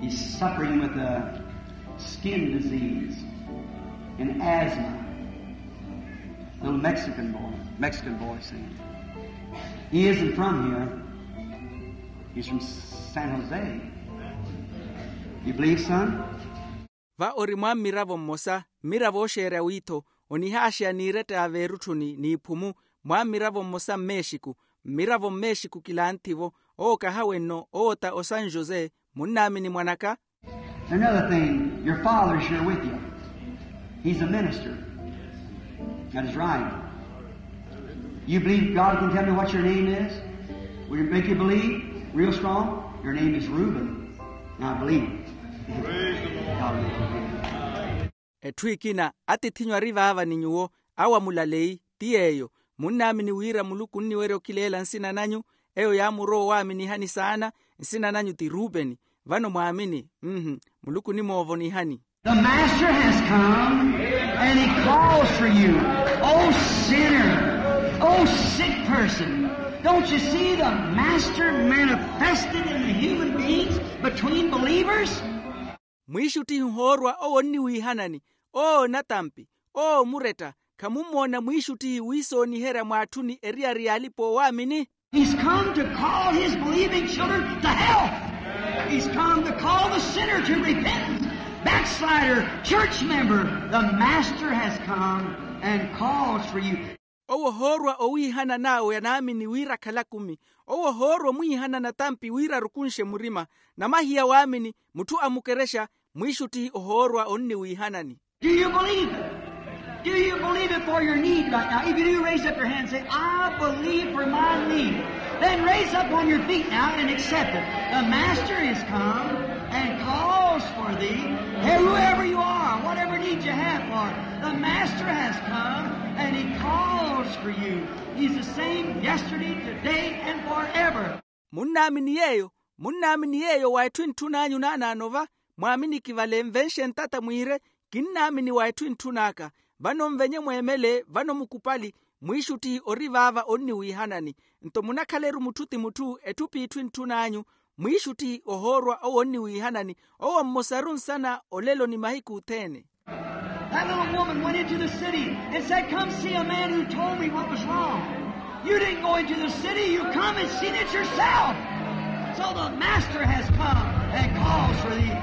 He's suffering with a skin disease and asthma. Little Mexican boy, Mexican boy singing. He isn't from here. He's from San Jose. You believe, son? Va ori mwa mmiravo mmosa, mmiravo ooxeerya wiitho, onihaaxeya n'iretta ya veerutthuni n'iphumu, mwa mmiravo mmosa mmexiku. Mmiravo mmexiku kilanthi-vo. Owo kahawe nno, owo ta o san jose. Munnaamini mwan'aka? Another thing, your father's here with you. He's a minister. That is right. You believe God can tell me what your name is? Will it make you believe real strong? Your name is Reuben. Now believe. Praise the Lord. God will forgive you. Etthu ekina, atiith'inyu ari vaava ni nyuwo, awo amulaleyi. Ti yeeyo. Munnaamini wira muluku onniwerya okileela nsina nanyu? Eyo yaamurowa owaaminihani saana. Nsina nanyu ti rupeni. Vano mwaamini. Mmm, muluku onimoovonihani. The master has come and he calls for you. Oh sinner, oh sick person, don't you see the master manifested in the human beings between believers? Mwiixuttihi ohoorwa owo onniwiihanani. Oo natampi, oo muretta, khamummoona mwiixuttihi wiisooniherya mwaatthuni eriyari y'alipa-oowaamini? He's come to call his believing children to health. He's come to call the sinner to repentance. Backslider, church member, the master has come and calls for you. Owo ohoorwa owiihanana awe anaamini wira akhala akumi. Owo ohoorwa omwiihanana tampi wira arukunxe murima. Namahiya waamini, mutthu amukerexa, mwiixuttihi ohoorwa onniwiihanani. Do you believe it? Do you believe it for your need right now? If you do, raise up your hand and say, I believe for my need. Then raise up on your feet now and accept it. The master has come and calls for thee. Hey, whoever you are, whatever need you have for, the master has come and he calls for you. He's the same yesterday, today, and forever. Munnaamini yeeyo? Munnaamini yeeyo wa etthu entthun'anyu naanaano va? Mwaaminiki vale, nvenxe ntata mwiire, kinnaamini wa etthu entthun'aka. Vano nvenye mweemele, vano mukupali, mwiixuttihi ori vaava onniwiihanani. Nto munakhala-ru mutthu ti mutthu, etthu p'itthu entthun'anyu, mwiixuttihi ohoorwa owo onniwiihanani. Owo mmosaru nsana olelo ni mahiku othene. That little woman went into the city and said, come see a man who told me what was wrong. You didn't go into the city, you come and seen it yourself. So the master has come and calls for thee.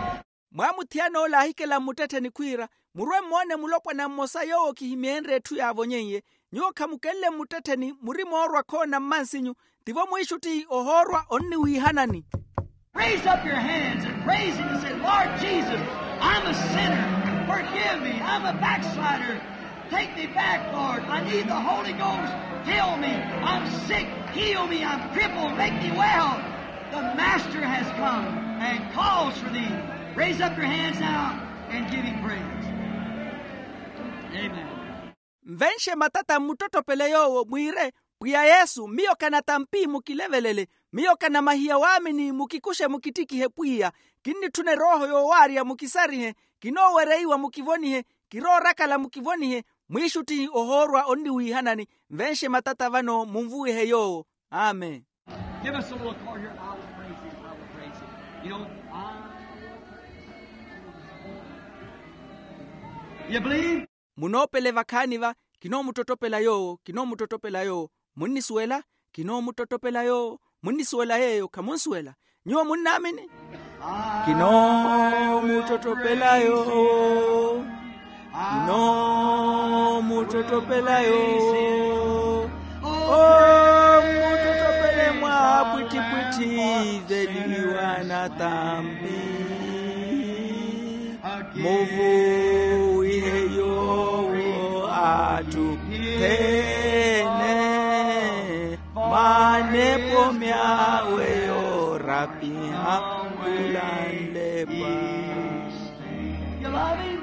Mwaamuthiyana ola aahikela mmuttettheni khwiira, murwe mmoone mulopwana mmosa yoowo kihimyeenre etthu yaavonyeiye. Nyuwo khamukenle mmuttettheni, muri moorwa khoona mmansinyu. Tivo mwiixuttihi ohoorwa onniwiihanani. Raise up your hands and praise him and say, Lord Jesus, I'm a sinner. Forgive me. I'm a backslider. Take me back, Lord. I need the Holy Ghost. Fill me. I'm sick. Heal me. I'm crippled. Make me well. The master has come and calls for thee. Raise up your hands now and give him praise. Amen. Nvenxe matata mmuttottopele yoowo mwiire, pwiya yesu, miyo kanatampi mukilevelele. Miyo kanamahiya waamini, mukikuxe mukittikihe pwiya. Kinnitthuna erooho yoowaarya mukisarihe. Kinoowereiwa mukivonihe. Kiroorakala mukivonihe. Mwiixuttihi ohoorwa onniwiihanani. Nvenxe matata vano munvuwihe yoowo. Amen. Give us a little chord here. I will praise him. I will praise him. You know, I, you believe? Munoopele vakhaani va, kinoomuttottopela yoowo, kinoomuttottopela yoowo. Munnisuwela? Kinoomuttottopela yoowo. Munnisuwela yeeyo? Khamunsuwela. Nyuwo munnaamini? Kinoomuttottopela yoowo. Kinoomuttottopela yoowo. Omuttottopele mwaapwittipwitthi veliwa natampi. Muvuwihe yoowo atthu othene, manepo myawe yoorapiha khulanlepa. You love him?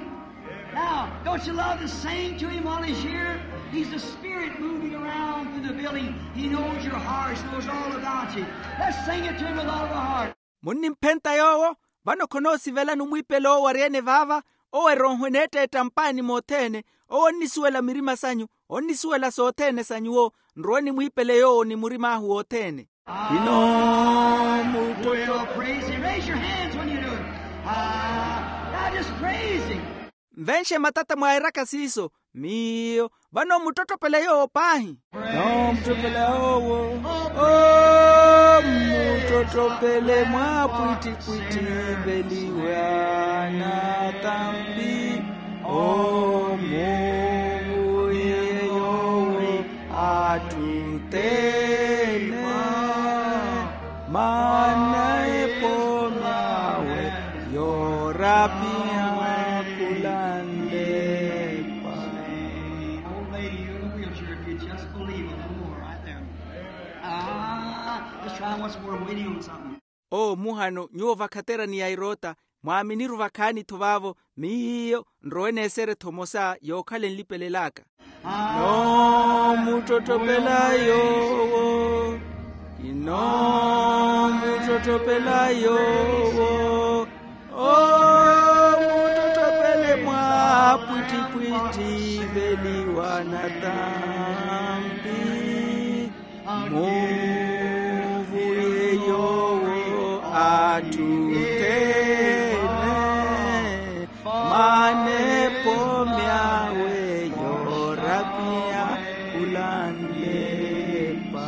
Now, don't you love to sing to him while he's here? He's the Spirit moving around through the building. He knows your hearts, knows all about you. Let's sing it to him with all of our heart. Munnimphenta yoowo? Vano khonoosivela numwiipele owo ari-ene vaava. Owo erooho eneetteetta mpaani mothene. Owo onnisuwela mirima sanyu. Onnisuwela sothene sa nyuwo. Nrowe nimwiipele yoowo ni murim'ahu wothene. Kinoomuttottopela. Praise him. Raise your hands when you do it. Ah, now just praise him. Nvenxe matata mwairaka siiso. Miyo. Vano muttottopele yoowo paahi. Kinoomuttottopela yoowo. Omuttottopele mwaapwittipwitthi veliwa natampi. Omuvuwihe yoowo atthu othene, manepo myawe yoorapiha khulanlepa. Old lady, you're in a wheelchair. If you just believe a little more, right there. Ah, let's try once more. I'm waiting on something. Owo muhano, nyuwo vakhaterani yairoota, mwaaminiru vakhaani-tho vaavo. Miyo nrowe neesere-tho emosa yookhala enlipelel'aka. Kinoomuttottopela yoowo. Kinoomuttottopela yoowo. Omuttottopele mwaapwittipwitthi veliwa natampi. Muvuwihe yoowo atthu othene, manepo myawe yoorapiha khulanlepa.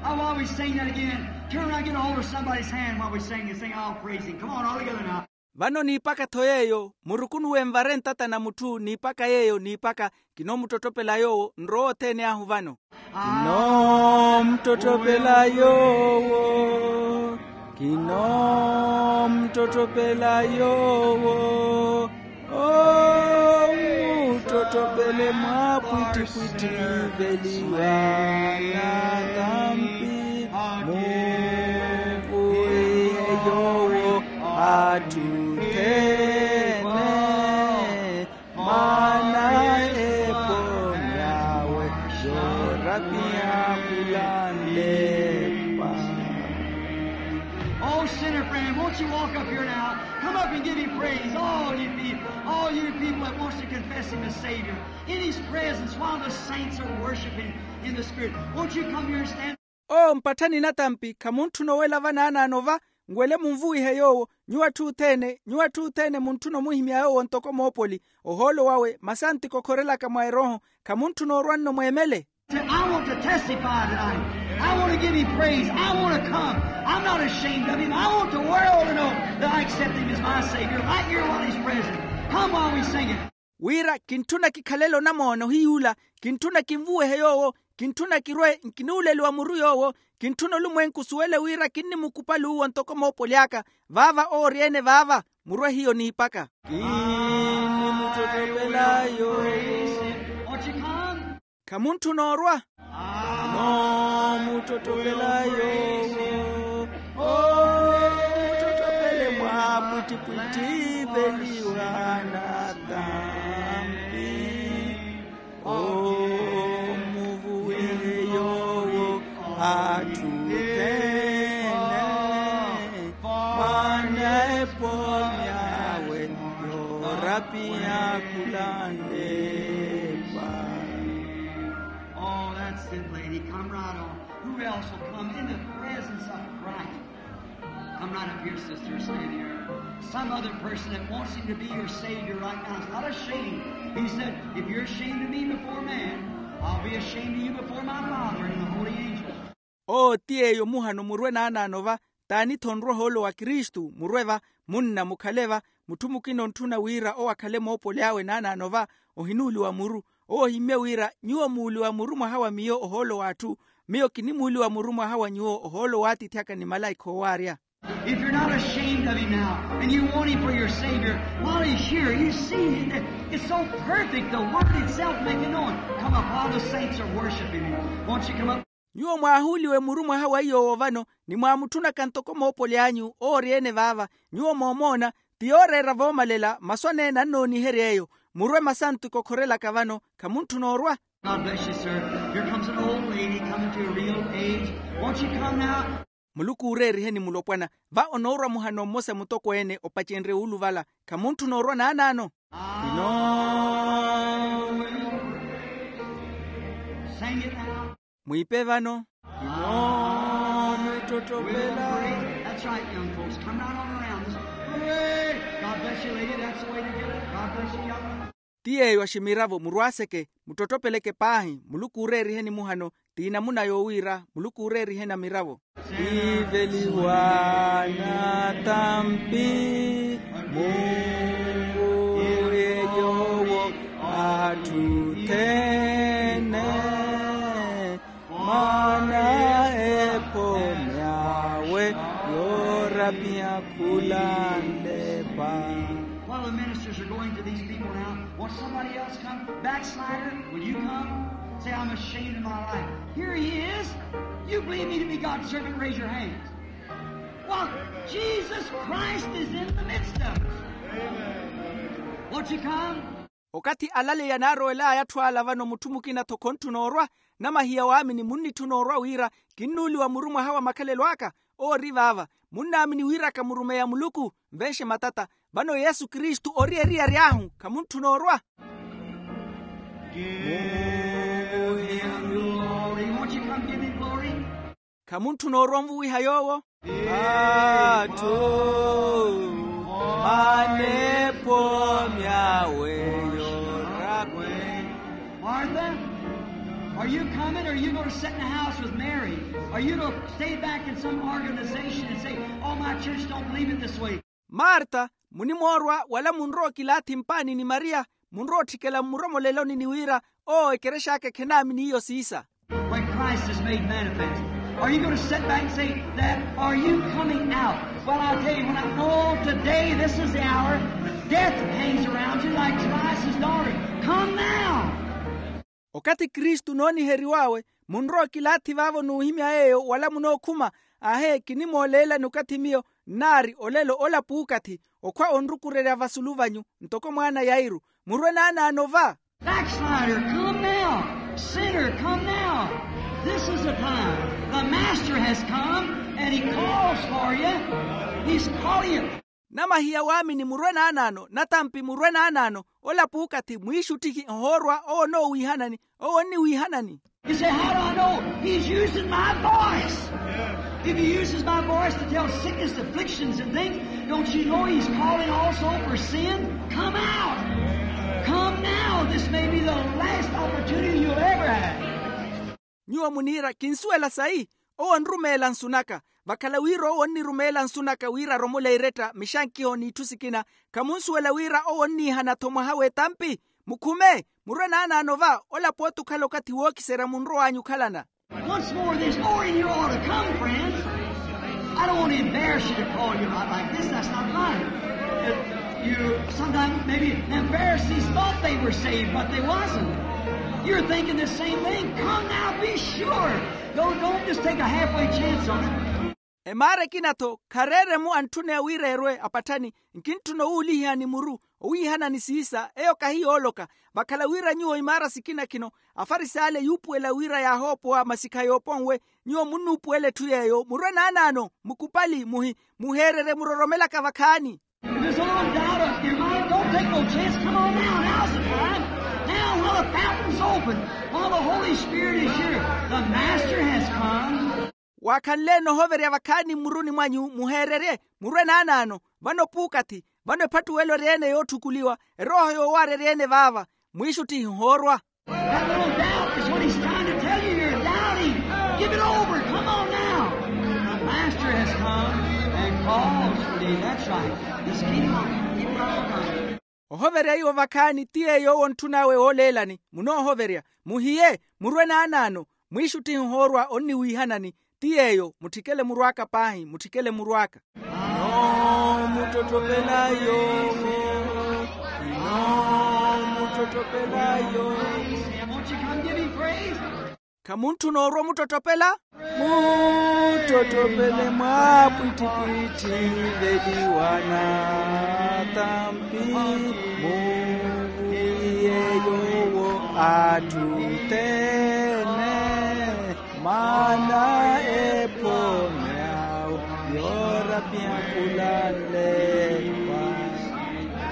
Now, while we sing that again, turn around and get a hold of somebody's hand while we sing this thing. I'll praise him. Come on, all together now. Vano niipaka-tho yeeyo, murukunuwe nvare ntata na mutthu niipaka yeeyo niipaka. Kinoomuttottopela yoowo nrowa othene ahu vano. Kinoomuttottopela yoowo. Kinoomuttottopela yoowo. Omuttottopele mwaapwittipwitthi veliwa na tampi. Muvuwihe yoowo atthu othene. Maana epooni awe yoorapiha khulanlepa. Oh, sinner friend, won't you walk up here now? Come up and give him praise. All you people, all you people that wants to confess him as Savior. In his presence, while the saints are worshiping in the Spirit. Won't you come here and stand? Owo mpatthani natampi khamuntthuna owela vanaanaano va. Nwele munvuwihe yoowo, nyuwo atthu othene, nyuwo atthu othene muntthuna omuhimya yoowo ntoko moopoli. Ohoolo wawe masanti kokhorelaka mwa erooho. Khamuntthuna orwa nno mweemele. Say, I want to testify tonight. I want to give him praise. I want to come. I'm not ashamed of him. I want the world to know that I accept him as my Savior right here while he's present. Come while we sing it. Wira kintthuna kikhalele onamoona ohiyuula. Kintthuna kinvuwehe yoowo. Kintthuna kirwe nkinuuleliwa muru yoowo. Kintthuna olumwenku osuwele wira kinnimukupali uwo ntoko moopoli aka. Vaava owo ori-ene vaava. Murwe hiyo niipaka. Kinnimuttottopela yoowo. Khamutthuna orwa. Kinoomuttottopela yoowo. Omuttottopele mwaapwittipwitthi veliwa na tampi. Omuvuwihe yoowo atthu othene. Maana epooni awe yoorapiha khulanlepa. Oh, that's it, lady. Come right on. Who else will come in the presence of Christ? Come right up here, sister. Stand here. Some other person that wants him to be your Savior right now is not ashamed. He said, if you're ashamed of me before man, I'll be ashamed of you before my Father and the holy angels. Owo ti yeeyo muhano murwe naanaano va. T'ani-tho onrwa ohoolo wa kristu murwe va. Munna mukhale va. Mutthu mukina ontthuna wira owo akhale moopoli awe naanaano va. Ohinuuliwa muru. Owo ohimmye wira nyuwo muuliwa muru mwaha wa miyo ohoolo w'atthu. Miyo kinimuuliwa muru mwaha wa nyuwo ohoolo w'atiithi aka ni malaikha oowaarya. If you're not ashamed of him now, and you want him for your Savior, while he's here, you see that it's so perfect, the Word itself making known. Come up while the saints are worshiping him. Won't you come up? Nyuwo mwaahuuliwe muru mwaha wa iy'owo vano, ni mwaamutthunaka ntoko moopoli anyu oori-ene vaava. Nyuwo moomoona, ti yooreera voomalela masu aneene annooniherya eyo. Murwe masantu kokhorelaka vano. Khamuntthuna orwa. God bless you, sir. Here comes an old lady coming to a real age. Won't you come now? Muluku uureeriheni mulopwana. Va onoorwa muhano mmosa mutokweene opacenrye wuuluvala. Khamuntthuna orwa naanaano. Ino. Sing it now. Mwiipe vano. Ino. Muttottopela. That's right, young folks. Come right on around. Hooray! God bless you, lady. That's the way to do it. God bless you, young. Ti yeeyo aximiravo murwaaseke. Muttottopeleke paahi. Muluku uureeriheni muhano. Ti namuna yoowiira. Muluku uureeriheni amiravo. Iveliwa na tampi. Mungu yeyoowo atthu othene. Mwaana epomi awe yoorapiha khulanlepa. While the ministers are going to these people now, won't somebody else come? Backslider, will you come? Say, I'm ashamed of my life. Here he is. You believe me to be God's servant? Raise your hands. Well, Jesus Christ is in the midst of us. Won't you come? Okathi alaleya naarowel'aya atthu ala vano mutthu mukina-tho khontthu noorwa. Namahiya waamini munnitthuna orwa wira kinnuuliwa muru mwaha wa makhalelo aka. Oori vaava. Munnaamini wiraka murumeya muluku. Nvenxe matata. Vano yesu kristu ori eriyari ahu khamuntthu noorwa. Give him glory. Won't you come give him glory? Khamuntthu noorwa onvuwiha yoowo. Atthu aneepo myawe yoorapwe. Martha, are you coming, or are you going to sit in the house with Mary? Are you going to stay back in some organization and say, oh, my church don't believe it this way? Marta, munimoorwa wala munrowa okilaathi mpaani ni mariya, munrowa otthikela mmuromoleloni ni wira owo ekerex'aka ekhenaamini iyo siisa. When Christ is made manifest, are you going to sit back and say that? Are you coming out? Well, I'll tell you, when I know today this is the hour, death hangs around you like Jairus' daughter. Come now. Okathi kristu nooniheriw'awe, munrowa okilaathi vaavo n'uhimya yeeyo wala munookhuma? Aahe, kinimooleelani okathi miyo nnaari olelo ola puukathi okhwa onrukurerya vasulu vanyu ntoko mwaana yairu. Murwe naanaano va. Backslider, come now. Sinner, come now. This is the time. The master has come and he calls for you. He's calling you. Namahiya waamini murwe naanaano, natampi murwe naanaano, ola puukathi mwiixuttihi ohoorwa owo onoowiihanani, owo onniwiihanani. You say, how do I know? He's using my voice. If he uses my voice to tell sickness, afflictions, and things, don't you know he's calling also for sin? Come out. Come now. This may be the last opportunity you'll ever have. Nyuwo muniira kinsuwela sayi. Owo onrumeela nsu naka. Vakhala wira owo onnirumeela nsu naka wira aromole eretta mixankiho n'itthu sikina, khamunsuwela wira owo onniihana-tho mwaha w'etampi? Mukhume, murwe naanaano va, ola pooti okhala okathi wookiserya munrow'anyu okhalana. Once more this morning you ought to come, friends. I don't want to embarrass you to call you out like this. That's not right. Uh, you sometimes maybe them Pharisees thought they were saved, but they wasn't. You're thinking the same thing. Come now, be sure. Don't, don't just take a halfway chance on it. Emaara ekina-tho khareeremu antthuneya wira erwe apatthani. Nkintthuna owuulihihani muru owiihanani siisa, eyo kahi yooloka. Vakhala wira nyuwo imaara sikina khino, afarisaayi ale yuupuwela wira yaahoopowa masikha yooponwe, nyuwo munnuupuwela etthu yeeyo. Murwe naanaano, mukupali, muhi, muheererye muroromelaka vakhaani. If there's a little doubt of your mind, don't take no chance. Come on now. Now's the time. Now, while the fountain's open, while the Holy Spirit is here, the Master has come. Waakhanle-ene ohoverya vakhaani mmuruni mwanyu, muheererye, murwe naanaano. Vano puukathi, vano ephattuwelo eri-ene yootthukuliwa, erooho yoowaara eri-ene vaava. Mwiixuttihi ohoorwa. That little doubt is what he's trying to tell you. You're doubting. Give it over. Come on now. The Master has come and calls for thee. That's right. Just keep on. Keep right on. Ohoverya iwo vakhaani ti yeeyo owo ontthun'awe wooleelani. Munoohoverya, muhiye, murwe naanaano. Mwiixuttihi ohoorwa onniwiihanani. Ti yeeyo, mutthikele muru aka paahi, mutthikele muru aka. Inoomuttottopela yoowo. Inoomuttottopela yoowo. Won't you come give him praise? Khamuntthuna orwa omuttottopela? Muttottopele mwaapwittipwitthi veliwa natampi. Muwiye yoowo atthu othene. Maana ephome awo yoorapya khulanlewa.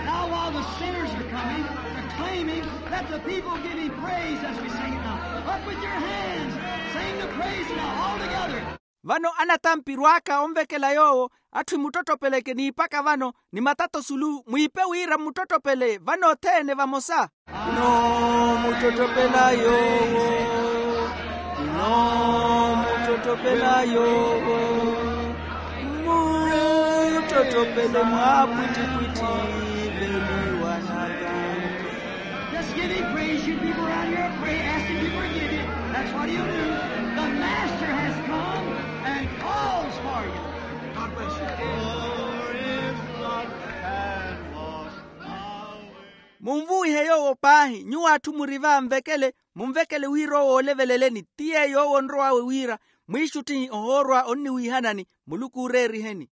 Now, while the sinners are coming, proclaiming, let the people give him praise as we sing it now. Up with your hands, sing the praise now, all together. Vano anatampi rwaaka onvekela yoowo, atthu emuttottopeleke niipaka vano, ni matato sulu, mwiipe wira mmuttottopele vano othene vamosa. Inoomuttottopela yoowo. Inoomuttottopela yoowo. Muttottopele mwaapwittipwitthi veliwa natampi. Just give him praise, you people around here. Pray, ask him to forgive you. That's what he'll do. The Master has come and calls for you. God bless you. Munvuwihe yoowo paahi, nyuwo atthu muri va nvekele, munvekele wira owo ooleveleleni. Ti yeeyo owo onrow'awe wira, mwiixuttihi ohoorwa onniwiihanani. Muluku ooreeriheni.